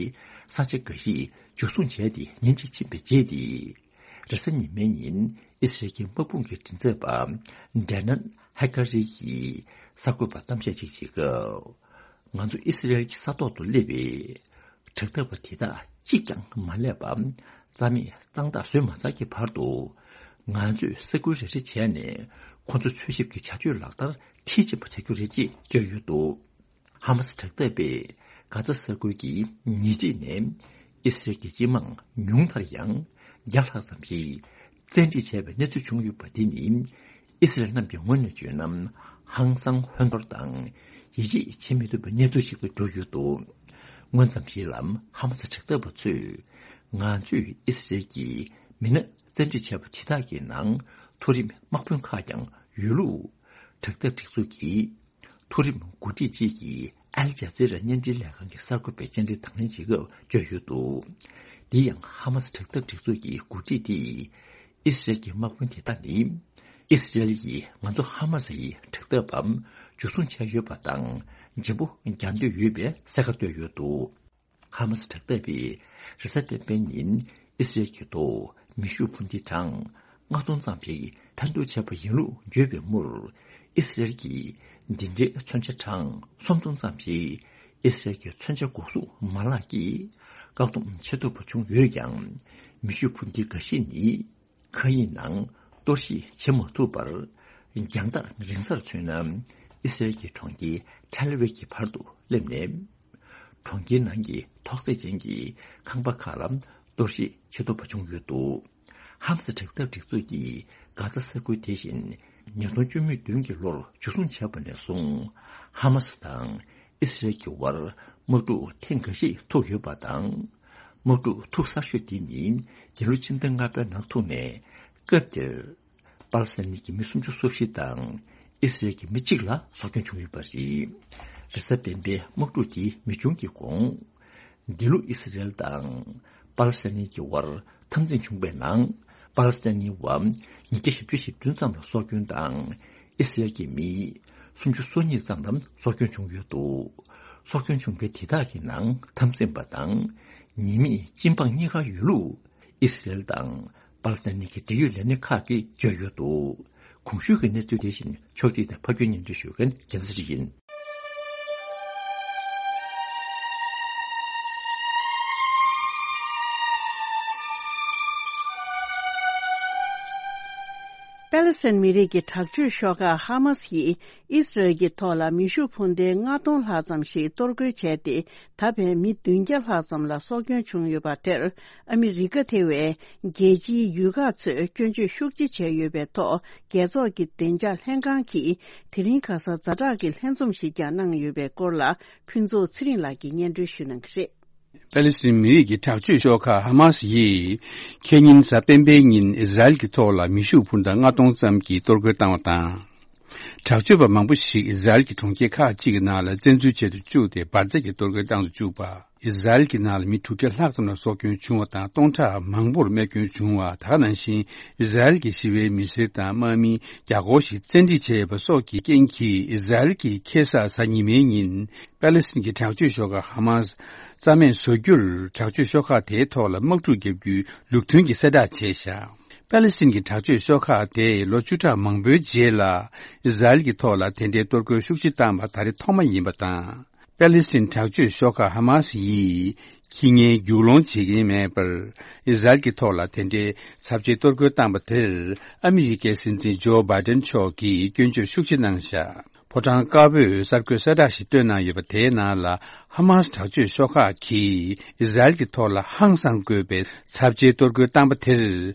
ས་ཆ་འགའ་ཞིག་འཇུ་བཟུང་བྱས་ཏེ། ཉིན་གཅིག་ཕྱིན་པའི་རྗེས་ཏེ། རེས་གཟའ་ཉི་མའི་ཉིན་ཨི་སི་རལ་གྱི་དམག་དཔུང་གི་མགྲིན་ཚབ་པ་ཌེ་ནན་ཧེ་ཀ་རི་ཡིས་གསར་འགོད་པར་གཏམ་བཤད་ཅིག་བྱེད་སྐབས། ང་ཚོ་ཨི་སི་རལ་གྱི་ས་ཐོག་ཏུ་སླེབས་པའི་དྲག་འཐབ་པ་དེ་དག་གཅིག་ཀྱང་མ་སླེབས་པ། རྩ་མེད་གཙང་དག་བཟོས་མ་ཚར་གྱི་བར་དུ། ང་ཚོས་ས་ཁུལ་རེ་རེ་བྱས་ནས་ཁོ་ཚོ་འཚོལ་ཞིབ་ཀྱི་བྱ་སྤྱོད་ལག་བསྟར་མཐིལ་ཕྱིན་པ་བྱ་རྒྱུ་རེད་ཅེས་བརྗོད་ཡོད་འདུག། ཧ་མ་སི་དྲག་འཐབ་པས་གྷ་ཛ་ས་ཁུལ་གྱི་ཉེ་འཁྲིས་ནས་ཨི་སི་རལ་གྱི་སྤྱི་དམངས་ཉུང་མཐར་ཡང་བརྒྱ་ལྷག་ཙམ་ཞིག་བཙན་ཁྲིད་བྱས་པའི་གནས་ཚུལ་བྱུང་ཡོད་པ་འདི་ནི། ཨི་སི་རལ་རྣམས་ཀྱི་ངོས་ནས་བརྗོད་ན་ཧང་སང་ཧོན་ཐོར་དང་ཡིད་ཆེས་བྱེད་མི་ཐུབ་པའི་གནས་ཚུལ་ཞིག་ཏུ་གྱུར་ཡོད་འདུག། སྔོན་ཙམ་ཞིག་ལ་ཧ་མ་སི་དྲག་འཐབ་པ་ཚོས། ང་ཚོས་ཨི་སི་རལ་གྱི་མི་སྣ་བཙན་ཁྲིད་བྱས་པ་དེ་དག་གི་ནང་མཐོ་རིམ་དམག་དཔོན་ཁག་ཀྱང་ཡོད་ལུགས། དྲག་འཐབ་སྒྲིག་འཛུགས་ཀྱི་མཐོ་རིམ་འགོ་ཁྲིད་ཅིག་གིས་ཨལ་ཇ་ཛི་ར་བརྙན་འཕྲིན་ལས་ཁང་གི་གསར་འགོད་པའི་བཅར་འདྲི་དང་ལེན་བྱེད་སྐབས་བརྗོད་ཡོད་འདུག། འདི་ཡང་ཧ་མ་སི་དྲག་འཐབ་སྒྲིག་འཛུགས་ཀྱི་འགོ་ཁྲིད་དེས། ཨི་སི་རལ་གྱི་དམག་དཔོན་དེ་དག་ནི། ཨི་སི་རལ་ཡིས་ང་ཚོ་ཧ་མ་སི་ཡི་དྲག་འཐབ་པ་འཇུ་བཟུང་བྱས་ཡོད་པ་དང་། འཇིམ་པོ་རྒྱག་འདོད་ཡོད་པའི་གསལ་ཁ་བཏོད་ཡོད་འདུག། ཧ་མ་སི་དྲག་འཐབ་པས་རེས་གཟའ་སྤེན་པའི་ཉིན་ཨི་སི་རལ་གྱི་ཐོག་མེ་ཤུགས་འཕུར་མདེལ་གྲངས་ལྔ་སྟོང་ཙམ་ཞིག་འཕེན་གཏོང་བྱས་པ་ཡིན་ལུགས་བརྗོད་པའི་མུར། ཨི་སི་རལ་གྱིས་འདི་འདྲའི་མཚོན་ཆ་གྲངས་སུམ་སྟོང་ཙམ་ཞིག་ཨི་སི་རལ་གྱི་མཚོན་ཆ་འགོག་སྲུང་མ་ལག་གིས་བཀག་སྡོམ་བྱེད་ཐུབ་པ་བྱུང་ཡོད་ཀྱང་། མེ་ཤུགས་འཕུར་མདེལ་འགའ་ཤས་ནི། མཁའ་དབྱིངས་ནང་གཏོར་བཤིག་བྱེད་མ་ཐུབ་པར། རྒྱང་ཐག་རིང་སར་མཚོན་ན། ཨི་སི་རལ་གྱི་གྲོང་ཁྱེར་ ཐེལ་ཝིབ་ཀྱི་བར་དུ་སླེབས་ནས། གྲོང་ཁྱེར་ནང་གི་ཐོག་བརྩེགས་ཅན་གྱི་ཁང་པ་ཁག་ལ་གཏོར་བཤིག་བྱེད་ཐུབ་པ་བྱུང་ཡོད་འདུག། ཧམ་སི་དྲག་འཐབ་སྒྲིག་འཛུགས་ཀྱིས་གྷ་ཛ་ས་ཁུལ་དེ་བཞིན་ཉིས་སྟོང་བཅུ་མེད་བདུན་གྱི་ལོར་འཇུ་བཟུང་བྱས་པ་ནས་བཟུང་། ཧ་མ་སི་དང་ཨི་སི་རལ་གྱི་དབར་དམག་འཁྲུག་ཐེངས་འགའ་ཞིག་ཐུག་ཡོད་པ་དང་། དམག་འཁྲུག་ཐུག་གསར་ཤོས་དེ་ནི་འདི་ལོ་ཕྱི་ཟླ་ལྔ་པའི་ནང་ཐུག་ནས། སྐབས་དེར་པ་ལི་སི་ཐན་གྱི་མི་སུམ་ཅུ་སོ་བཞི་དང་ཨི་སི་རལ་གྱི་མི་གཅིག་ལ་སྲོག་སྐྱོན་བྱུང་ཡོད་པ་རེད། རེས་གཟའ་སྤེན་པའི་དམག་འཁྲུག་དེ་མི་བྱུང་གི་གོང་། འདི་ལོ་ཨི་སི་རལ་དང་པ་ལི་སི་ཐན་གྱི་དབར་འཐབ་འཛིང་བྱུང་པའི་ནང་། པ་ལི་སི་ཐན་བ་ཉིས་བརྒྱ་བཞི་བཅུ་ཞེ་བདུན་ཙམ་ལ་སྲོག་སྐྱོན་དང་། ཨི་སི་རལ་གྱི་མི་སུམ་ཅུ་སོ་གཉིས་ཙམ་ལ་སྲོག་སྐྱོན་བྱུང་ཡོད་འདུག། སྲོག་སྐྱོན་བྱུང་མཁན་དེ་དག་གི་ནང་འཐབ་འཛིང་པ་དང་ཉེས་མེད་སྤྱི་འབངས་གཉིས་ཀ་ཡོད་ལུགས། ཨི་སི་རལ་དང་པ་ལི་སི་ཐན་གྱི་འབྲེལ་ཡོད་ལས་སྣེ་ཁག་གིས་བརྗོད་ཡོད་འདུག། གོང་ཞུས་ཀྱི་གནས་ཚུལ་དེ་བཞིན་ཕྱོགས་སྒྲིག་དང་ཕབ་སྒྱུར་སྙན་སྒྲོན་ཞུ་མཁན་རྒྱལ་མཚན་ཡིན། པ་ལི་སི་ཐན་མི་རིགས་ཀྱི་དྲག་སྤྱོད་ཤོག་ཁག་ཧ་མ་སི་ཡིས། ཨིས་རལ་གྱི་ཐོག་ལ་མེ་ཤུགས་འཕུར་མདེལ་ལྔ་སྟོང་ལྷག་ཙམ་ཞིག་གཏོར་རྒོལ་བྱས་ཏེ། ད་ཕན་མི་བདུན་བརྒྱ་ལྷག་ཙམ་ལ་སྲོག་སྐྱོན་བྱུང་ཡོད་པ་དེར། ཨ་མི་རི་ཀ་ཐེ་བའི་རྒྱལ་སྤྱིའི་ཡུལ་ཁག་ཚོས་སྐྱོན་བརྗོད་ཤུགས་ཆེ་བྱས་ཡོད་པའི་ཐོག་རྒྱལ་ཚོགས་ཀྱི་བདེ་འཇགས་ལྷན་ཁང་གིས་དེ་རིང་ཁ་སང་ཛ་དྲག་གི་ལྷན་འཛོམས་ཤིག་ཀྱང་གནང་ཡོད་པའི་སྐོར་ལ། ཕུན་ཚོགས་ཚེ་རིང་ལགས་ཀྱིས་སྙན་སྒྲོན་ཞུ་གནང་གི་རེད། པ་ལི་སི་ཐན་མི་རིགས་ཀྱི་དྲག་སྤྱོད་ཤོག་ཁག་ཧ་མ་སི་ཡིས། ཁེ་ཉིན་གཟའ་སྤེན་པའི་ཉིན་ཨི་ཟ་རེལ་གྱི་ཐོག་ལ་མེ་ཤུགས་འཕུར་མདའ་ལྔ་སྟོང་ཙམ་གྱིས་གཏོར་རྒོལ་བཏང་བ་དང་། དྲག་སྤྱོད་པ་མང་པོ་ཞིག་ཨི་ཟ་རེལ་གྱི་གྲོང་ཁྱེར་ཁག་ཅིག་གི་ནང་ལ་བཙན་འཛུལ་བྱེད་དུ་བཅུག་སྟེ་འབར་རྫས་ཀྱི་གཏོར་རྒོལ་བཏང་དུ་བཅུག་པ། ཨི་ཟ་རེལ་གྱི་ནང་ལ་མི་དྲུག་བརྒྱ་ལྷག་ཙམ་ལ་སྲོག་སྐྱོན་བྱུང་བ་དང་། སྟོང་ཕྲག་མང་པོར་རྨས་སྐྱོན་བྱུང་བ། ད་ག་ནང་བཞིན་ཨི་ཟ་རེལ་གྱི་ཞི་བའི་མི་སེར་དང་དམག་མི་བརྒྱ་སྐོར་ཞིག་བཙན་ཁྲིད་བྱས་པ་སོགས་ཀྱི་རྐྱེན་གྱིས། ཨི་ཟ་རེལ་གྱིས་ཁ་སང་གཟའ་ཉི་མའི་ཉིན། པ་ལི་སི་ཐན་གྱི་དྲག་སྤྱོད་ཤོག་ཁག་ཧ་མ་སི་རྩ་མེད་བཟོ་རྒྱུར། དྲག་སྤྱོད་ཤོག་ཁག་དེའི་ཐོག་ལ་དམག་འཁྲུག་བརྒྱབ་རྒྱུའི་ལུགས་མཐུན་གྱི་གསལ་བསྒྲགས་བྱས་བཞག། པ་ལི་སི་ཐན་གྱི་དྲག་སྤྱོད་ཤོག་ཁག་དེས་ལོ་བཅུ་ཕྲག་མང་པོའི་རྗེས་ལ། ཨི་ཟ་རེལ་གྱི་ཐོག་ལ་དེ་འདྲའི་གཏོར་རྒོལ་ཤུགས་ཆེ་བཏང་བ་ད་རེས་ཐོག་མ་ཡིན་པ་དང་། པ་ལི་སི་ཐན་དྲག་སྤྱོད་ཤོག་ཁག་ཧ་མ་སི་ཡིས་ཁྱི་ངན་རྒྱུག་ལོང་བྱེད་ཀྱིན་མེད་པར། ཨི་ཟ་རེལ་གྱི་ཐོག་ལ་དེ་འདྲའི་ཚབས་ཆེའི་གཏོར་རྒོལ་བཏང་པ་དེར། ཨ་མི་རི་ཀའི་སྲིད་འཛིན་ཇོ་བྷའི་ཏན་མཆོག་གིས་སྐྱོན་བརྗོད་ཤུགས་ཆེ་གནང་བཞག། ཕོ་བྲང་དཀར་པོས་གསར་འགོད་གསལ་བསྒྲགས་ཤིག་བཏོན་གནང་ཡོད་པ། དེའི་ནང་ལ། ཧ་མ་སི་དྲག་སྤྱོད་ཤོག་ཁག་གིས་ཨི་ཟ་རེལ་གྱི་ཐོག་ལ་ཧང་སངས་དགོས་པའི་ཚབས་ཆེའི་གཏོར་རྒོལ་བཏང་པ་དེར།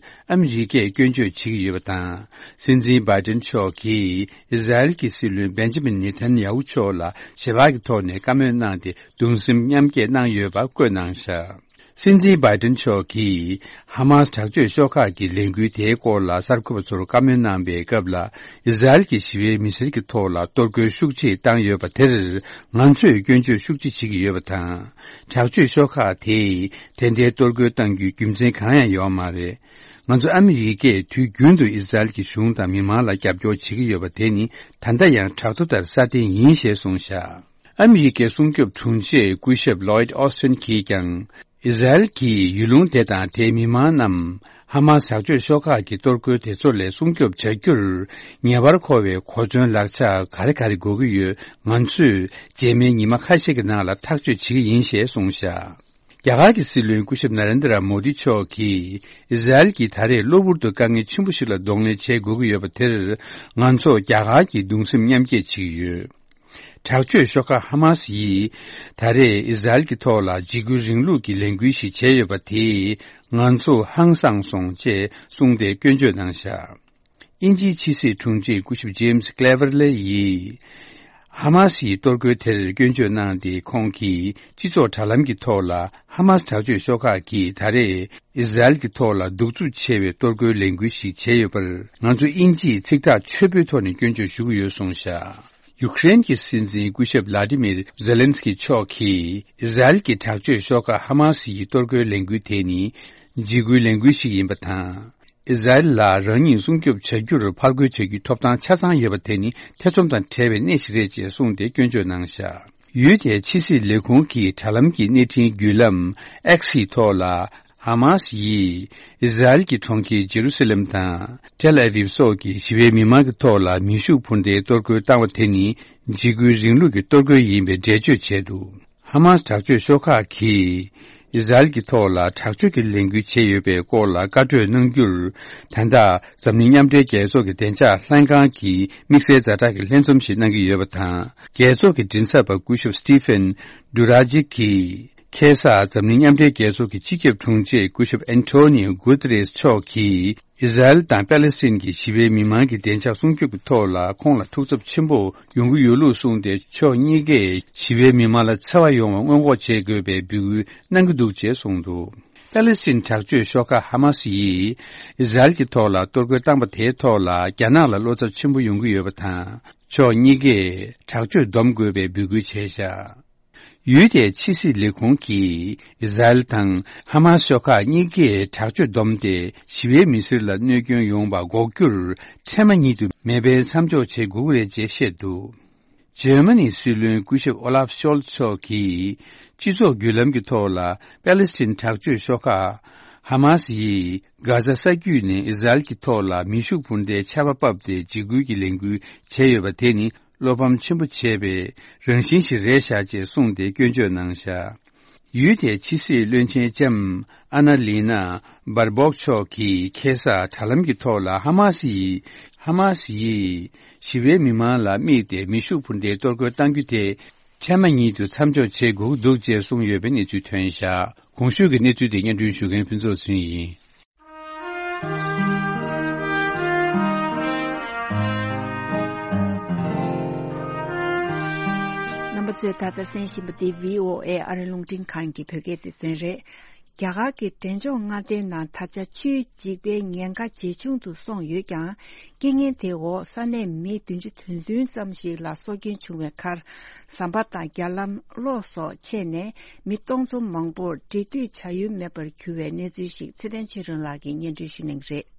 ཨ་མི་རི་ཀས་སྐྱོན་བརྗོད་བྱེད་ཀྱི་ཡོད་པ་དང་། སྲིད་འཛིན་བྷའི་ཏན་མཆོག་གིས་ཨི་ཟ་རེལ་གྱི་སྲིད་བློན་བེན་ཇི་མིན་ནེ་ཐན་ཡ་ཧུ་མཆོག་ལ་ཞལ་པར་གྱི་ཐོག་ནས་བཀའ་མོལ་གནང་སྟེ། གདུང་སེམས་མཉམ་སྐྱེད་གནང་ཡོད་པ་བཀོད་གནང་བཞག། སྲིད་འཛིན་བྷའི་ཏན་མཆོག་གིས་ཧ་མ་སི་དྲག་སྤྱོད་ཤོག་ཁག་གི་ལས་འགུལ་དེའི་སྐོར་ལ་གསར་འགོད་པ་ཚོར་བཀའ་མོལ་གནང་པའི་སྐབས་ལ། ཨི་ཟ་རེལ་གྱི་ཞི་བའི་མི་སེར་གྱི་ཐོག་ལ་གཏོར་རྒོལ་ཤུགས་ཆེ་བཏང་ཡོད་པ་དེར། ང་ཚོས་སྐྱོན་བརྗོད་ཤུགས་ཆེ་བྱེད་ཀྱི་ཡོད་པ་དང་། དྲག་སྤྱོད་ཤོག་ཁག་དེས་དེ་འདྲའི་གཏོར་རྒོལ་གཏང་རྒྱུའི་རྒྱུ་མཚན་གང་ཡང་ཡོད་མ་རེད། ང་ཚོ་ཨ་མི་རི་ཀས་དུས་རྒྱུན་དུ་ཨི་ཟ་རེལ་གྱི་གཞུང་དང་མི་མང་ལ་རྒྱབ་སྐྱོར་བྱེད་ཀྱི་ཡོད་པ་དེ་ནི་ད་ལྟ་ཡང་དྲག་ཐོག་ལྟར་སྲ་བརྟན་ཡིན་ཞེས་གསུངས་བཞག། ཨ་མི་རི་ཀའི་སྲུང་སྐྱོབ་དྲུང་ཆེ་སྐུ་ཞབས་ལོའིད་ཨོ་སི་ཐིན་གྱིས་ཀྱང་། ཨི་ཟ་རེལ་གྱི་ཡུལ་ལུང་དེ་དང་དེའི་མི་མང་རྣམས་ཧ་མ་སི་དྲག་སྤྱོད་ཤོག་ཁག་གི་གཏོར་རྒོལ་དེ་ཚོ་ལས་སྲུང་སྐྱོབ་བྱ་རྒྱུར། ངེས་པར་མཁོ་བའི་གོ་མཚོན་ལག་ཆ་ག་རེ་ག་རེ་དགོས་ཀྱི་ཡོད། ང་ཚོས་རྗེས་མའི་ཉི་མ་ཁ་ཤས་ཀྱི་ནང་ལ་ཐག་གཅོད་བྱེད་ཀྱི་ཡིན་ཞེས་གསུངས་བཞག། རྒྱ་གར་གྱི་སྲིད་བློན་སྐུ་ཞབས་ན་རེན་དྲ་མོ་དི་མཆོག་གིས། ཨི་ཟ་རེལ་གྱིས་ད་རེས་གློ་བུར་དུ་དཀའ་ངལ་ཆེན་པོ་ཞིག་ལ་གདོང་ལེན་བྱེད་དགོས་ཀྱི་ཡོད་པ་དེར། ང་ཚོ་རྒྱ་གར་གྱིས་གདུང་སེམས་མཉམ་སྐྱེད་བྱེད་ཀྱི་ཡོད། དྲག་སྤྱོད་ཤོག་ཁག་ཧ་མ་སི་ཡིས་ད་རེས་ཨི་ཟ་རེལ་གྱི་ཐོག་ལ་འཇིགས་སྐུལ་རིང་ལུགས་ཀྱི་ལས་འགུལ་ཞིག་བྱས་ཡོད་པ་དེས་ང་ཚོ་ཧང་སངས་སོང་ཅེས་གསུངས་ཏེ་སྐྱོན་བརྗོད་གནང་བཞག། དབྱིན་ཇིའི་ཕྱི་སྲིད་དྲུང་ཆེ་སྐུ་ཞབས་ཇེམ་སི་ཀླེ་ཝར་ལེ་ཡིས། ཧ་མ་སིའི་གཏོར་རྒོལ་དེར་སྐྱོན་བརྗོད་གནང་སྟེ། ཁོང་གིས་སྤྱི་ཚོགས་དྲ་ལམ་གྱི་ཐོག་ལ། ཧ་མ་སི་དྲག་སྤྱོད་ཤོག་ཁག་གིས་ད་རེས་ཨི་ཟ་རེལ་གྱི་ཐོག་ལ་གདུག་རྩུབ་ཆེ་བའི་གཏོར་རྒོལ་ལས་འགུལ་ཞིག་བྱས་ཡོད་པར། ང་ཚོ་དབྱིན་ཇིས་ཚིག་ཐག་ཆོད་པོའི་ཐོག་ནས་སྐྱོན་བརྗོད་ཞུ་གི་ཡོད་གསུངས་བཞག། ཡུ་ཀེ་རེན་གྱི་སྲིད་འཛིན་སྐུ་ཞབས་བླ་ཏི་མིར་ཛེ་ལན་སི་ཀི་མཆོག་གིས། ཨི་ཟ་རེལ་གྱི་དྲག་སྤྱོད་ཤོག་ཁག་ཧ་མ་སི་ཡི་གཏོར་རྒོལ་ལས་འགུལ་དེ་ནི་འཇིགས་སྐུལ་ལས་འགུལ་ཞིག་ཡིན་པ་དང་། ཨི་ཟ་རེལ་ལ་རང་ཉིད་སྲུང་སྐྱོབ་བྱ་རྒྱུར་ཕར་རྒོལ་བྱ་རྒྱུའི་ཐོབ་ཐང་ཆ་ཚང་ཡོད་པ་དེ་ནི་ཐེ་ཚོམ་དང་བྲལ་བའི་གནས་ཤིག་རེད་ཅེས་གསུངས་ཏེ་སྐྱོན་བརྗོད་གནང་བཞག། ཡུལ་དེའི་ཕྱི་སྲིད་ལས་ཁུངས་ཀྱི་དྲ་ལམ་གྱི་བརྙན་འཕྲིན་བརྒྱུད་ལམ་ཨེག་སི་ཐོག་ལ། ཧ་མ་སི་ཡིས་ཨི་ཟ་རེལ་གྱི་གྲོང་ཁྱེར་ཇེ་རུ་སི་ལེམ་དང་ཏེལ་ཨ་བིབ་སོགས་ཀྱི་ཞི་བའི་མི་མང་གི་ཐོག་ལ་མེ་ཤུགས་འཕུར་མདའི་གཏོར་རྒོལ་བཏང་བ་དེ་ནི་འཇིགས་སྐུལ་རིང་ལུགས་ཀྱི་གཏོར་རྒོལ་ཡིན་པའི་འགྲེལ་བརྗོད་བྱས་འདུག། ཧ་མ་སི་དྲག་སྤྱོད་ཤོག་ཁག་གིས། ཨི་ཟ་རེལ་གྱི་ཐོག་ལ་དྲག་སྤྱོད་ཀྱི་ལས་འགུལ་བྱས་ཡོད་པའི་སྐོར་ལ་བཀའ་གྲོས་གནང་རྒྱུར། ད་ལྟ་འཛམ་གླིང་མཉམ་འབྲེལ་རྒྱལ་ཚོགས་ཀྱི་བདེ་འཇགས་ལྷན་ཁང་གིས་དམིགས་བསལ་ཛ་དྲག་གི་ལྷན་འཛོམས་ཤིག་གནང་གི་ཡོད་པ་དང་། རྒྱལ་ཚོགས་ཀྱི་མགྲིན་ཚབ་པ་སྐུ་ཞབས་སི་ཏི་ཕན་ཌུ་ར་ཇིག་གིས། ཁ་སང་འཛམ་གླིང་མཉམ་འབྲེལ་རྒྱལ་ཚོགས་ཀྱི་སྤྱི་ཁྱབ་དྲུང་ཆེ་སྐུ་ཞབས་ཨན་ཐོ་ནིའོ་གུ་ཏེ་རེས་མཆོག་གིས། ཨི་ཟ་རེལ་དང་པེ་ལེ་སི་ཐན་གྱི་ཞི་བའི་མི་མང་གི་བདེ་འཇགས་སྲུང་སྐྱོབ་ཀྱི་ཐོག་ལ་ཁོང་ལ་ཐུགས་འཚབ་ཆེན་པོ་ཡོང་གི་ཡོད་ལུགས་གསུངས་ཏེ། ཕྱོགས་གཉིས་ཀས་ཞི་བའི་མི་མང་ལ་འཚེ་བ་ཡོང་བ་སྔོན་འགོག་བྱེད་དགོས་པའི་འབོད་སྐུལ་གནང་གི་འདུག་ཅེས་གསུངས་འདུག་པེ་ལེ་སི་ཐན་དྲག་སྤྱོད་ཤོག་ཁག་ཧ་མ་སི་ཡིས་ཨི་ཟ་རེལ་གྱི་ཐོག་ལ་གཏོར་རྒོལ་བཏང་པ་དེའི་ཐོག་ལ་རྒྱ་ནག་ལ་བློ་འཚབ་ཆེན་པོ་ཡོང་གི་ཡོད་པ་དང་། ཕྱོགས་གཉིས་ཀས་དྲག་སྤྱོད་སྡོམ་དགོས་པའི་འབོད་སྐུལ་བྱས་བཞག་ཡུལ་དེའི་ཕྱི་སྲིད་ལས་ཁུངས་ཀྱིས། ཨི་ཟ་རེལ་དང་ཧ་མ་སི་ཤོག་ཁག་གཉིས་ཀས་དྲག་སྤྱོད་བསྡོམས་ཏེ། ཞི་བའི་མི་སེར་ལ་གནོད་སྐྱོན་ཡོང་བ་འགོག་རྒྱུར། འཕྲལ་མ་ཉིད་དུ་མེ་འཕེན་མཚམས་འཇོག་བྱེད་དགོས་ཀྱི་རེད་ཅེས་བཤད་འདུག་འཇར་མ་ནིའི་སྲིད་བློན་སྐུ་ཞབས་ཨོ་ལཱབ་ཤོལ་མཆོག་གིས། སྤྱི་ཚོགས་བརྒྱུད་ལམ་གྱི་ཐོག་ལ། པེ་ལེ་སི་ཐན་དྲག་སྤྱོད་ཤོག་ཁག་ཧ་མ་སི་ཡིས། གྷ་ཟ་ས་རྒྱུད་ནས་ཨི་ཟ་རེལ་གྱི་ཐོག་ལ། མེ་ཤུགས་འཕུར་མདའི་ཆར་པ་ཕབ་སྟེ། འཇིགས་སྐུལ་གྱི་ལས་འགུལ་བྱས་ཡོད་པ་དེ་ནི། བློ་ཕམ་ཆེན་པོ་བྱས་པའི་རང་བཞིན་ཞིག་རེད་བཞག་ཅེས་གསུངས་ཏེ་སྐྱོན་བརྗོད་གནང་བཞག་ཡུལ་དེའི་ཕྱི་སྲིད་བློན་ཆེན་ལྕམ་ཨ་ན་ལི་ན་སྦར་སྦོག་མཆོག་གིས་ཁ་སང་དྲ་ལམ་གྱི་ཐོག་ལ་ཧ་མ་སི་ཡིས། ཧ་མ་སི་ཡིས་ཞི་བའི་མི་མང་ལ་དམིགས་ཏེ་མེ་ཤུགས་འཕུར་མདའི་གཏོར་རྒོལ་གཏང་རྒྱུ་དེ་འཕྲལ་མ་ཉིད་དུ་མཚམས་འཇོག་བྱེད་དགོས་ཀྱི་འདུག་ཅེས་གསུངས་ཡོད་པའི་གནས་ཚུལ་ཐོན་བཞག་གོང་ཞུས་ཀྱི་གནས་ཚུལ་དེ་སྙན་སྒྲོན་ཞུ་མཁན་ཕུན་ཚོགས་ཚུན་ཡིན། རྣམ་པ་ཚོས་ད་ལྟ་གསན་བཞིན་པ་འདི་བྷི་ཨོ་ཨེ་ཨ་རི་རླུང་འཕྲིན་ཁང་གི་བོད་སྐད་སྡེ་ཚན་རེད། རྒྱ་གར་གྱི་འབྲས་ལྗོངས་མངའ་སྡེའི་ནང་ད་ཆ་ཆུའི་འཇིགས་པའི་ཉེན་ཁ་ཇེ་ཆུང་དུ་སོང་ཡོད་ཀྱང་། རྐྱེན་ངན་དེའི་འོག་ས་གནས་མི་བདུན་ཅུ་དོན་བདུན་ཙམ་ཞིག་ལ་སྲོག་སྐྱོན་བྱུང་བའི་ཁར། ཟམ་པ་དང་རྒྱ་ལམ། གློག་སོགས་ཆད་ནས་མི་སྟོང་ཚོ་མང་པོར་འབྲེལ་མཐུད་བྱ་ཡུལ་མེད་པར་གྱུར་བའི་གནས་ཚུལ་ཞིག་ཚེ་བརྟན་ཆོས་སྒྲོན་ལགས་ཀྱིས་སྙན་སྒྲོན་ཞུ་གནང་གི་རེད།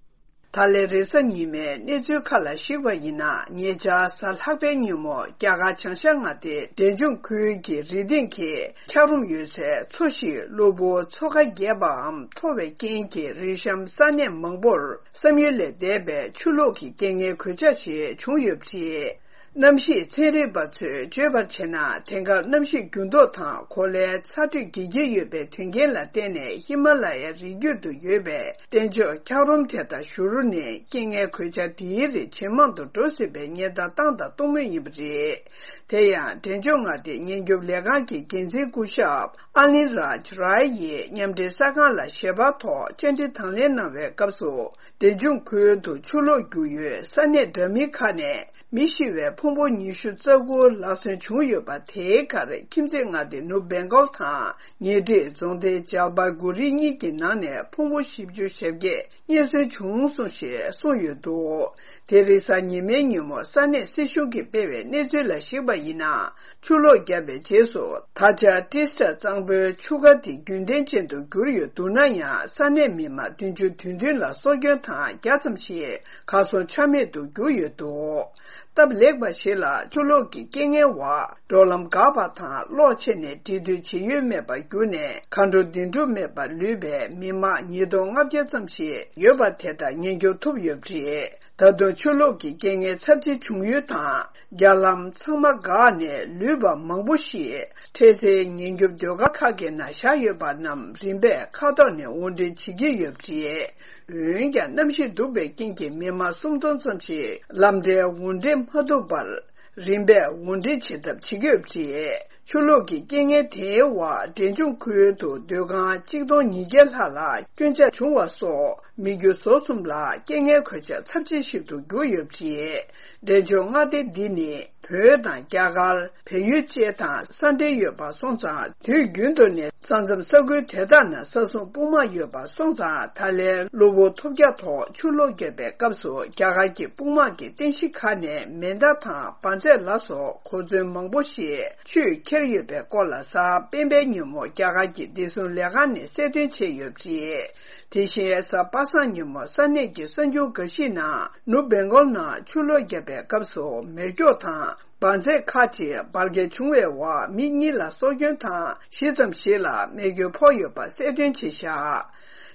ད་ལན་རེས་གཟའ་ཉི་མའི་གནས་ཚུལ་ཁག་ལ་གཞིགས་པ་ཡིན་ན། ཉེ་ཆར་གཟའ་ལྷག་པའི་ཉིན་མོ་རྒྱ་གར་བྱང་ཤར་མངའ་སྡེའི་འབྲས་ལྗོངས་ཁུལ་གྱི་རི་སྟེང་གི་འཁྱགས་རོམ་ཡོད་སའི་མཚོ་ཞིག་གློ་བུར་མཚོ་ཁ་རྒྱས་པའམ་མཐོ་བའི་རྐྱེན་གྱིས་རི་གཤམ་ས་གནས་མང་པོར་བསམ་ཡུལ་ལས་འདས་པའི་ཆུ་ལོག་གི་རྐྱེན་ངན་གོད་ཆག་ཞིག་བྱུང་ཡོད་པ་རེད། གནམ་གཤིས་ཚན་རིག་པ་ཚོས་བརྗོད་པར་བྱས་ན། དེང་སྐབས་གནམ་གཤིས་འགྱུར་ལྡོག་དང་གོ་ལའི་ཚ་དྲོད་རྒྱས་ཀྱི་ཡོད་པའི་དོན་རྐྱེན་ལ་བརྟེན་ནས། ཧི་མ་ལ་ཡའི་རི་རྒྱུད་དུ་ཡོད་པའི་གཏན་མཆོག་འཁྱགས་རོམ་དེ་དག་བཞུར་ནས། རྐྱེན་ངན་གོད་ཆག་འདིའི་རིགས་ཇེ་མང་དུ་འགྲོ་སྲིད་པའི་ཉེན་བརྡ་བཏང་དང་གཏོང་མུས་ཡིན་པ་རེད། དེ་ཡང་འབྲས་ལྗོངས་མངའ་སྡེའི་ཉེན་སྐྱོབ་ལས་ཁང་གི་འགན་འཛིན་སྐུ་ཞབས་ཨ་ལིན་རཱཇ་རའི་ཡིས་མཉམ་འབྲེལ་གསར་ཁང་ལ་ཞལ་པར་ཐོག་བཅར་འདྲི་དང་ལེན་གནང་བའི་སྐབས་སུ། འབྲས་ལྗོངས་ཁུལ་དུ་ཆུ་ལོག་རྒྱུག་ཡུལ་ས་གནས་འདྲ་མིན་ཁག་ནས། མི་ཤི་བའི་ཕུང་པོ་ཉི་ཤུ་རྩ་དགུ་ལག་སོན་བྱུང་ཡོད་པ། དེའི་ཁར་ཁྱིམ་མཚེས་མངའ་སྡེ་ནུབ་སྦེང་གོལ་དང་ཉེ་འཁྲིས་རྫོང་སྡེ་ཇལ་པའི་གུ་རི་གཉིས་ཀྱི་ནང་ནས་ཕུང་པོ་བཞི་བཅུ་ཞེ་བརྒྱད་རྙེད་སོན་བྱུང་སོང་ཞེས་གསུངས་ཡོད་འདུག་དེ་རིང་གཟའ་ཉི་མའི་ཉིན་མོ་ས་གནས་སྲིད་གཞུང་གིས་སྤེལ་བའི་གནས་ཚུལ་ལ་གཞིགས་པ་ཡིན་ན། ཆུ་ལོག་བརྒྱབ་པའི་རྗེས་སུ། ད་ཆ་ཏྲིས་ཊ་གཙང་པོའི་ཆུ་ཁ་དེ་རྒྱུན་ལྡན་ཅན་དུ་གྱུར་ཡོད་འདུག་ན་ཡང་། ས་གནས་མི་མང་བདུན་ཅུ་དོན་བདུན་ལ་སྲོག་སྐྱོན་དང་། བརྒྱ་ཙམ་ཞིག་གར་སོང་ཆ་མེད་དུ་གྱུར་ཡོད་འདུག་སྟབས་ལེགས་པ་ཞིག་ལ། ཆུ་ལོག་གི་རྐྱེན་ངན་འོག་འགྲོ་ལམ་འགག་པ་དང་། གློག་ཆད་ནས་འབྲེལ་མཐུད་བྱེད་ཡུལ་མེད་པར་གྱུར་ནས། གང་འགྲོ་དེ་འགྲོ་མེད་པར་ལུས་པའི་མི་མང་ཉིས་སྟོང་ལྔ་བརྒྱ་ཙམ་ཞིག་ཡོད་པ་དེ་དག་ཉེན་སྐྱོབ་ཐུབ་ཡོད་པ་རེད། ད་དུང་ཆུ་ལོག་གི་རྐྱེན་ངན་ཚབས་ཆེ་བྱུང་ཡུལ་དང་། རྒྱ་ལམ་ཚང་མ་འགག་ནས། ལུས་པ་མང་པོ་ཞིག་འཕྲལ་སེལ་ཉེན་སྐྱོབ་སྡོད་སྒར་ཁག་གི་ནང་བཞག་ཡོད་པ་རྣམས། རིམ་པས་མཁའ་ཐོག་ནས་དབོར་འདྲེན་བྱེད་ཀྱི་ཡོད་པ་རེད། འོན་ཀྱང་། གནམ་གཤིས་སྡུག་པའི་རྐྱེན་གྱིས། མི་མང་སུམ་སྟོང་ཙམ་ཞིག་ལམ་འཕྲལ་དབོར་འདྲེན་མ་ཐུབ་པར། རིམ་པས་དབོར་འདྲེན་བྱེད་ཐབས་བྱེད་ཀྱི་ཡོད་པ་རེད། ཆུ་ལོག་གི་རྐྱེན་ངན་དེའི་འོག་འབྲས་ལྗོངས་ཁུལ་དུ་སྡོད་ཁང་གཅིག་སྟོང་ཉིས་བརྒྱ་ལྷག་ལ་སྐྱོན་ཆག་བྱུང་བ་སོགས། མི་རྒྱུ་ཟོག་གསུམ་ལ་རྐྱེན་ངན་གོད་ཆག་ཚབས་ཆེ་ཞིག་ཏུ་གྱུར་ཡོད་པ་རེད། འབྲས་ལྗོངས་མངའ་སྡེ་འདི་ནི། བོད་དང་རྒྱ་གར། བལ་ཡུལ་བཅས་དང་ས་འབྲེལ་ཡོད་པ་སོང་ཙང་། དུས་རྒྱུན་དུ་ནས་ས་མཚམས་ས་ཁུལ་དེ་དག་ནང་ས་སྲུང་དཔུང་དམག་ཡོད་པ་སོང་ཙང་། ད་ལན་གློ་བུར་ཐོལ་རྒྱག་ཐོག་ཆུ་ལོག་བརྒྱབ་པའི་སྐབས་སུ། རྒྱ་གར་གྱི་དཔུང་དམག་གི་རྟེན་གཞི་ཁག་ནས་མེ་མདའ་དང་འབར་རྫས་ལ་སོགས་གོ་མཚོན་མང་པོ་ཞིག་ཆུས་ཁྱེར་ཡོད་པའི་སྐོར་ལ། གཟའ་སྤེན་པའི་ཉིན་མོ་རྒྱ་གར་གྱི་བདེ་སྲུང་ལས་ཁང་ནས་གསལ་སྟོན་བྱས་ཡོད་པ་རེད། དེ་བཞིན་གཟའ་པ་སངས་ཉིན་མོ་ས་གནས་ཀྱི་གསར་འགྱུར་འགའ་ཞིག་ནང་། ནུབ་སྦེང་གོལ་ནང་ཆུ་ལོག་བརྒྱབ་པའི་སྐབས་སུ། མེ་སྒྱོགས་དང་འབར་རྫས་ཁག་ཅིག་འབར་གས་བྱུང་བའི་འོག་མི་གཉིས་ལ་སྲོག་སྐྱོན་དང་། བཞི་ཙམ་ཞིག་ལ་རྨས་སྐྱོན་ཕོག་ཡོད་པ་གསལ་སྟོན་བྱས་བཞག་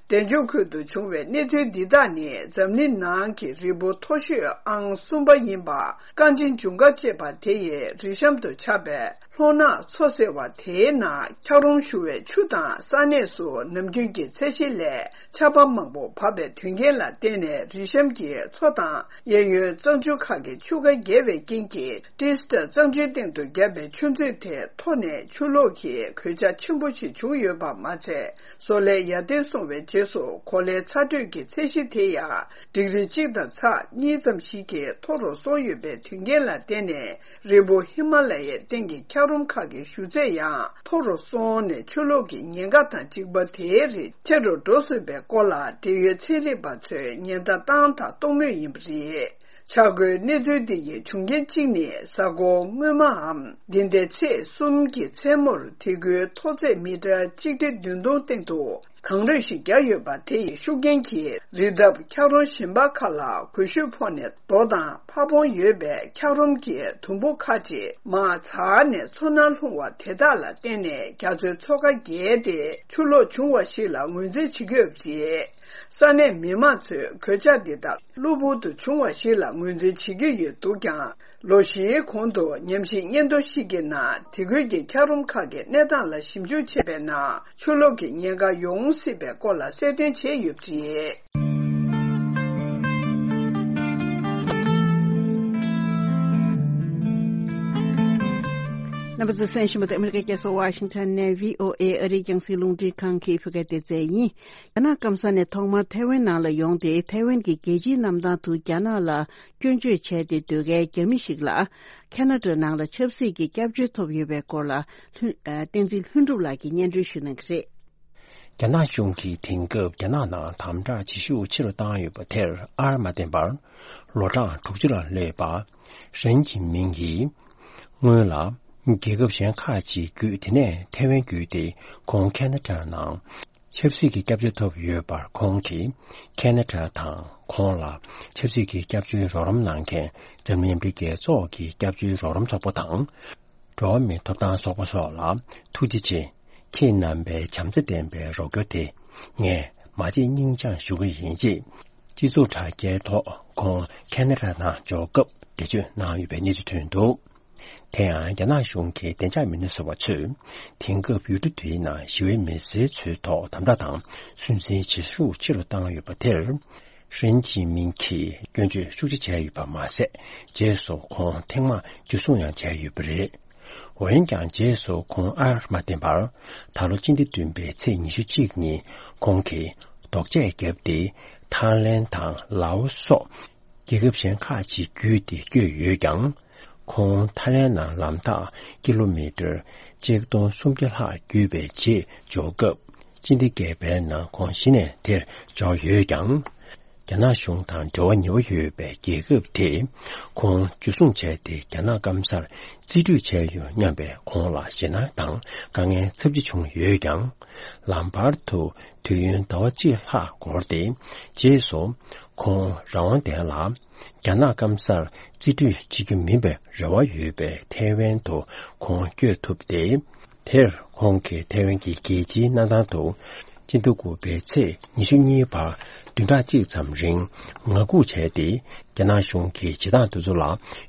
འབྲས་ལྗོངས་ཁུལ་དུ་བྱུང་བའི་གནས་ཚུལ་འདི་དག་ནི། འཛམ་གླིང་ནང་གི་རི་བོ་མཐོ་ཤོས་ཨང་གསུམ་པ་ཡིན་པ། ཀ་ཅིན་ཇུང་ག་ཅེས་པ་དེ་ཡི་རི་གཤམ་དུ་ཆགས་པའི་ ལྷོ་ནག་མཚོ་ཟེར་བ་དེའི་ནང་འཁྱགས་རོམ་ཞུ་བའི་ཆུ་དང་ས་གནས་སུ་ནམ་རྒྱུན་གྱི་ཚད་གཞི་ལས་ཆར་པ་མང་པོ་བབས་པའི་དོན་རྐྱེན་ལ་བརྟེན་ནས། རི་གཤམ་གྱི་མཚོ་དང་གཡས་གཡོན་གཙང་ཆུ་ཁག་གི་ཆུ་ཁ་བརྒལ་བའི་རྐྱེན་གྱིས། ཏི་སི་ཏྲ་གཙང་ཆུའི་སྟེང་དུ་བརྒྱབ་པའི་ཆུ་མཛོད་དེ་མཐོ་ནས་ཆུ་ལོག་གིས་གོད་ཆག་ཆེན་པོ་ཞིག་བྱུང་ཡོད་པ་མ་ཚད། བཟོ་ལས་ཡར་ཐོན་སོང་བའི་རྗེས་སུ། གོ་ལའི་ཚ་དྲོད་ཀྱི་ཚད་གཞི་དེ་ཡང་ཌིག་རི་གཅིག་དང་ཚེག་གཉིས་ཙམ་ཞིག་གིས་མཐོ་རུ་སོང་ཡོད་པའི་དོན་རྐྱེན་ལ་བརྟེན་ནས། རི་བོ་ཧི་མ་ལ་ཡའི་སྟེང་གི་འཁྱགས་རོམ་ཁག་གི་ཞུ་ཚད་ཡང་མཐོ་རུ་སོང་ནས། ཆུ་ལོག་གི་ཉེན་ཁ་དང་གཅིག་པ་དེའི་རིགས་ཆེ་རུ་འགྲོ་སྲིད་པའི་སྐོར་ལ། འབྲེལ་ཡོད་ཚན་རིག་པ་ཚོས་ཉེན་བརྡ་བཏང་དང་གཏོང་མུས་ཡིན་པ་རེད། ཆག་སྒོའི་གནས་ཚུལ་འདི་ཡི་བྱུང་རྐྱེན་གཅིག་ནི། གཟའ་འཁོར་སྔོན་མའམ་འདི་ཟླའི་ཚེས་གསུམ་གྱི་མཚན་མོར། དེ་ཁུལ་མཐོ་ཚད་མི་ཊར་གཅིག་ཁྲི་བདུན་སྟོང་སྟེང་དུ་གངས་རུད་ཞིག་བརྒྱབ་ཡོད་པ། དེ་ཡི་ཤུགས་རྐྱེན་གྱིས་རི་འདབས་འཁྱགས་རོམ་གཞན་པ་ཁག་ལ་གོས་ཤུད་ཕོག་ནས། རྡོ་དང་ཕ་བོང་ཡོད་པའི་འཁྱགས་རོམ་གྱི་དུམ་བུ་ཁག་ཅིག་མར་འཛགས་ནས་མཚོ་ནང་ལྷུང་བ་དེ་དག་ལ་བརྟེན་ནས། རྒྱ་མཚོའི་མཚོ་ཁ་བརྒལ་ཏེ་ཆུ་ལོག་བྱུང་བ་ཞིག་ལ་ངོས་འཛིན་བྱེད་ཀྱི་ཡོད་པ་རེད། ས་གནས་མི་མང་ཚོས་གོད་ཆག་འདི་དག་གློ་བུར་དུ་བྱུང་བ་ཞིག་ལ་ངོས་འཛིན་བྱེད་ཀྱི་ཡོད་འདུག་ཀྱང་། ལོ་བཞིའི་གོང་དུ་ཉམས་ཞིབ་སྙན་ཐོ་ཞིག་གི་ནང་། དེ་ཁུལ་གྱི་འཁྱགས་རོམ་ཁག་གི་གནས་སྟངས་ལ་ཞིབ་འཇུག་བྱས་པའི་ནང་། ཆུ་ལོག་གི་ཉེན་ཁ་ཡོང་སྲིད་པའི་སྐོར་ལ་གསལ་སྟོན་བྱས་ཡོད་པ་རེད། རྣམ་པ་ཚོས་གསན་བཞིན་པ་དེ་ཨ་མི་རི་ཀའི་རྒྱལ་ས་ཝ་ཤིང་ཊོན་ནས་བྷི་ཨོ་ཨེ་ཨ་རིའི་རྒྱང་སྲིང་རླུང་འཕྲིན་ཁང་གི་བོད་སྐད་སྡེ་ཚན་ཡིན། རྒྱ་ནག་སྐམ་ས་ནས་ཐོག་མར་ཐའེ་ཝན་ནང་ལ་ཡོང་སྟེ། ཐའེ་ཝན་གྱི་རྒྱལ་སྤྱིའི་གནམ་ཐང་དུ་རྒྱ་ནག་ལ་སྐྱོན་བརྗོད་བྱས་ཏེ་སྡོད་མཁན་རྒྱ་མི་ཞིག་ལ། ཁ་ན་ཌ་ནང་ལ་ཆབ་སྲིད་ཀྱི་སྐྱབས་བཅོལ་ཐོབ་ཡོད་པའི་སྐོར་ལ། ལྷུན། ཨ། བསྟན་འཛིན་ལྷུན་གྲུབ་ལགས་ཀྱིས་སྙན་སྒྲོན་ཞུ་གནང་གི་རེད། རྒྱ་ནག་གཞུང་གིས་དེང་སྐབས་རྒྱ་ནག་ནང་དམ་དྲག་བྱེད་ཤུགས་ཆེ་རུ་བཏང་ཡོད་པ་དེར་ཨར་མ་བརྟེན་པར། ལོ་གྲངས་དྲུག་ཅུ་ལ་སླེབས་པ་ཧྲེན་ཅིན་མིང་གིས། སྔོན་ལ་རྒྱལ་ཁབ་གཞན་ཁག་ཅིག་བརྒྱུད། དེ་ནས་ཐའེ་ཝན་བརྒྱུད་དེ་ཁོང་ཁ་ན་ཌ་ནང་ཆབ་སྲིད་ཀྱི་སྐྱབས་བཅོལ་ཐོབ་ཡོད་པར། ཁོང་གིས་ཁ་ན་ཌ་དང་ཁོང་ལ་ཆབ་སྲིད་ཀྱི་སྐྱབས་བཅོལ་རོགས་རམ་གནང་མཁན་འཛམ་གླིང་མཉམ་འབྲེལ་རྒྱལ་ཚོགས་ཀྱི་སྐྱབས་བཅོལ་རོགས་རམ་ཚོགས་པ་དང་། འགྲོ་བ་མིའི་ཐོབ་ཐང་ཚོགས་པ་སོགས་ལ་ཐུགས་རྗེ་ཆེ། ཁྱེད་རྣམ་པའི་བྱམས་བརྩེ་ལྡན་པའི་རོགས་སྐྱོར་དེ་ངས་མ་བརྗེད་སྙིང་བཅངས་ཞུ་གི་ཡིན། ཅེས་སྤྱི་ཚོགས་དྲ་རྒྱའི་ཐོག་ཁོང་ཁ་ན་ཌ་ནང་འབྱོར་སྐབས་འགྲེལ་བརྗོད་གནང་ཡོད་པའི་གནས་ཚུལ་ཐོན་འདུག་དེ་ཡང་རྒྱ་ནག་གཞུང་གི་བདེ་འཇགས་མི་སྣ་ཟུར་པ་ཚོས་དེང་སྐབས་ཡུལ་གྲུ་དེའི་ནང་ཞི་བའི་མི་སེར་ཚོའི་ཐོག་དམ་དྲག་དང་སུན་གཙེར་བྱེད་ཤུགས་ཆེ་རུ་བཏང་ཡོད་པ་དེར། ཧྲེན་ཅིན་མིང་གིས་སྐྱོན་བརྗོད་ཤུགས་ཆེ་བྱས་ཡོད་པ་མ་ཟད། རྗེས་སུ་ཁོང་ཐེངས་མང་འཇུ་བཟུང་ཡང་བྱས་ཡོད་པ་རེད། འོན་ཀྱང་། རྗེས་སུ་ཁོང་ཨར་མ་བརྟེན་པར། ད་ལོ་སྤྱི་ཟླ་བདུན་པའི་ཚེས་ཉི་ཤུ་གཅིག་ཉིན་ཁོང་གིས་ལྡོག་ཆས་བརྒྱབ་སྟེ། ཐའི་ལེན་དང་ལའོ་སོགས་རྒྱལ་ཁབ་གཞན་ཁག་ཅིག་བརྒྱུད་དེ་བསྐྱོད་ཡོད་ཀྱང་། ཁོང་ཐའི་ལེན་ནང་ལམ་ཐག་ཀི་ལོ་མི་ཊར་ཆིག་སྟོང་སུམ་བརྒྱ་ལྷག་བརྒྱུད་པའི་རྗེས་འབྱོར་སྐབས། སྤྱི་ཟླ་བརྒྱད་པའི་ནང་ཁོང་གཞི་ནས་དེར་འབྱོར་ཡོད་ཀྱང་། རྒྱ་ནག་གཞུང་དང་འབྲེལ་བ་ཉེ་བོ་ཡོད་པའི་རྒྱལ་ཁབ་དེས་ཁོང་འཇུ་བཟུང་བྱས་ཏེ། རྒྱ་ནག་སྐམ་སར་རྩིས་སྤྲོད་བྱས་ཡོད་སྙམ་པའི་ཁོང་ལ་ཞེད་སྣང་དང་དཀའ་ངལ་ཚབས་ཆེ་བྱུང་ཡོད་ཀྱང་། ལམ་བར་དུ་དུས་ཡུན་ཟླ་བ་གཅིག་ལྷག་འགོར་ཏེ། རྗེས་སུ་ཁོང་རང་དབང་ལྡན་ལ་རྒྱ་ནག་སྐམ་སར་རྩིས་སྤྲོད་བྱེད་རྒྱུ་མིན་པའི་རེ་བ་ཡོད་པའི་ཐའེ་ཝན་དུ་ཁོང་བསྐྱོད་ཐུབ་སྟེ། དེར་ཁོང་གིས་ཐའེ་ཝན་གྱི་རྒྱལ་སྤྱིའི་གནམ་ཐང་དུ་སྤྱི་ཟླ་དགུ་པའི་ཚེས་ཉི་ཤུ་གཉིས་བར་བདུན་ཕྲག་གཅིག་ཙམ་རིང་ངང་སྒུག་བྱས་ཏེ། རྒྱ་ནག་གཞུང་གི་བྱེད་སྟངས་དེ་ཚོ་ལ་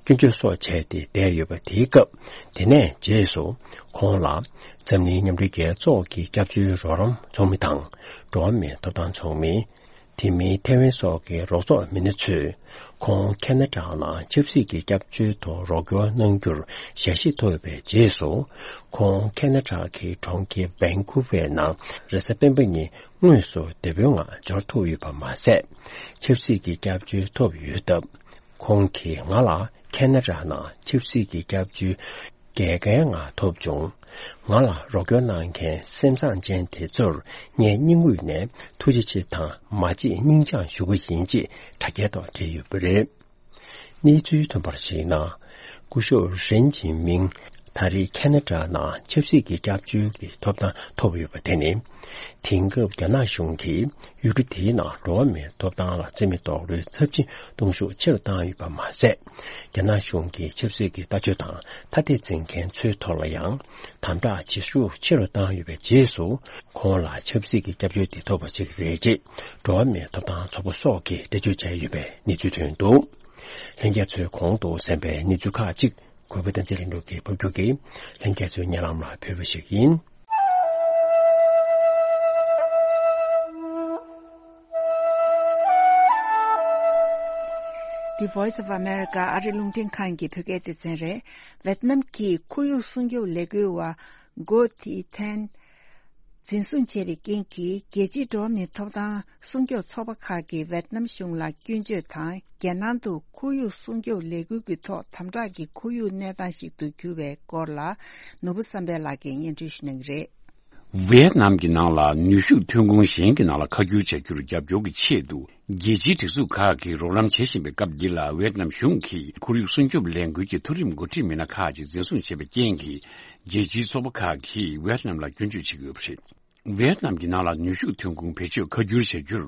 སྐྱོན་བརྗོད་སོགས་བྱས་ཏེ་བསྡད་ཡོད་པ་དེའི་སྐབས། དེ་ནས་རྗེས་སུ་ཁོང་ལ་འཛམ་གླིང་མཉམ་འབྲེལ་རྒྱལ་ཚོགས་ཀྱི་སྐྱབས་བཅོལ་རོགས་རམ་ཚོགས་མི་དང་འགྲོ་བ་མིའི་ཐོབ་ཐང་ཚོགས་མི། དེ་མིན་ཐའེ་ཝན་སོགས་ཀྱི་རོགས་ཚོགས་མི་སྣ་ཚོས་ཁོང་ཁ་ན་ཌ་ནང་ཆབ་སྲིད་ཀྱི་སྐྱབས་བཅོལ་དུ་རོགས་སྐྱོར་གནང་རྒྱུར་ཞལ་བཞེས་ཐོབ་པའི་རྗེས་སུ། ཁོང་ཁ་ན་ཌ་གི་གྲོང་ཁྱེར་བན་ཀུ་ཝེར་ནང་རེས་གཟའ་སྤེན་པ་ཉིན་དངོས་སུ་བདེ་པོའི་ངང་འབྱོར་ཐུབ་ཡོད་པ་མ་ཟད། ཆབ་སྲིད་ཀྱི་སྐྱབས་བཅོལ་ཐོབ་ཡོད་སྟབས། ཁོང་གིས་ང་ལ་ཁ་ན་ཌ་ནང་ཆབ་སྲིད་ཀྱི་སྐྱབས་བཅོལ་རྒྱལ་ཁའི་ངང་ཐོབ་བྱུང་། ང་ལ་རོགས་སྐྱོར་གནང་མཁན་སེམས་བཟང་ཅན་དེ་ཚོར་ངས་སྙིང་དབུས་ནས་ཐུགས་རྗེ་ཆེ་དང་མ་བརྗེད་སྙིང་བཅངས་ཞུ་གི་ཡིན། ཅེས་དྲ་རྒྱའི་ཐོག་བྲིས་ཡོད་པ་རེད། གནས་ཚུལ་ཐོན་པར་གཞིགས་ན། སྐུ་ཞབས་ཧྲེན་ཅིན་མིང་ད་རེས་ཁ་ན་ཌ་ནང་ཆབ་སྲིད་ཀྱི་སྐྱབས་བཅོལ་གྱི་ཐོབ་ཐང་ཐོབ་ཡོད་པ་དེ་ནི། དེང་སྐབས་རྒྱ་ནག་གཞུང་གིས་ཡུལ་གྲུ་དེའི་ནང་འགྲོ་བ་མིའི་ཐོབ་ཐང་ལ་བརྩི་མེད་རྡོག་རོལ་ཚབས་ཆེན་གཏོང་ཤུགས་ཆེ་རུ་བཏང་ཡོད་པ་མ་ཟད། རྒྱ་ནག་གཞུང་གིས་ཆབ་སྲིད་ཀྱི་ལྟ་སྤྱོད་དང་ཐ་དད་འཛིན་མཁན་ཚོའི་ཐོག་ལ་ཡང་དམ་དྲག་བྱེད་ཤུགས་ཆེ་རུ་བཏང་ཡོད་པའི་རྗེས་སུ། ཁོང་ལ་ཆབ་སྲིད་ཀྱི་སྐྱབས་བཅོལ་དེ་ཐོབ་པ་ཞིག་རེད་ཅེས་འགྲོ་བ་མིའི་ཐོབ་ཐང་ཚོགས་པ་སོགས་ཀྱིས་འགྲེལ་བརྗོད་བྱས་ཡོད་པའི་གནས་ཚུལ་ཐོན་འདུག་ལྷན་རྒྱས་ཚོས་གོང་དུ་གསན་པའི་གནས་ཚུལ་ཁག་ཅིག་ གུས་པ་བསྟན་འཛིན་ལྷུན་གྲུབ་ཀྱིས་ཕབ་སྒྱུར་གྱིས་ལྷན་རྒྱས་ཚོའི་སྙན་ལམ་ལ་ཕུལ་བ་ཞིག་ཡིན། The Voice of America ཨ་རི་རླུང་འཕྲིན་ཁང་གི་བོད་སྐད་སྡེ་ཚན་རེད། ཝེད་ནམ་གྱི་ཁོར་ཡུག་སྲུང་སྐྱོབ་ལས་འགུལ་བ་གོ་ཐི་ཐན་འཛིན་བཟུང་བྱས་པའི་རྐྱེན་གྱིས། རྒྱལ་སྤྱིའི་འགྲོ་བ་མིའི་ཐོབ་ཐང་སྲུང་སྐྱོབ་ཚོགས་པ་ཁག་གིས་ཝེད་ནམ་གཞུང་ལ་སྐྱོན་བརྗོད་དང་། རྒྱལ་ནང་དུ་ཁོར་ཡུག་སྲུང་སྐྱོབ་ལས་འགུལ་གྱི་ཐོག་དམ་དྲག་གི་ཁོར་ཡུག་གནས་སྟངས་ཤིག་ཏུ་གྱུར་བའི་སྐོར་ལ། ནོར་བུ་བསམ་འཕེལ་ལགས་ཀྱིས་སྙན་སྒྲོན་ཞུ་གནང་གི་རེད། ཝེད་ནམ་གྱི་ནང་ལ་ནུས་ཤུགས་ཐོན་ཁུངས་གཞན་གྱི་ནང་ལ་ཁ་བསྒྱུར་བྱ་རྒྱུར་རྒྱབ་སྐྱོར་གྱི་ཆེད་དུ། རྒྱལ་སྤྱིའི་སྒྲིག་འཛུགས་ཁག་གིས་རོགས་རམ་བྱེད་བཞིན་པའི་སྐབས་འདི་ལ། ཝེད་ནམ་གཞུང་གིས་ཁོར་ཡུག་སྲུང་སྐྱོབ་ལས་འགུལ་གྱི་མཐོ་རིམ་འགོ་ཁྲིད་མི་སྣ་ཁག་ཅིག་འཛིན་བཟུང་བྱས་པའི་རྐྱེན་གྱིས། རྒྱལ་སྤྱིའི་ཚོགས་པ་ཁག་གིས་ཝེད་ནམ་ལ་སྐྱོན་བརྗོད་བྱེད་ཀྱི་ཡོད་པ་རེད། ཝེད་ནམ་གྱི་ནང་ལ་ནུས་ཤུགས་ཐོན་ཁུངས་བེད་སྤྱོད་ཁ་བསྒྱུར་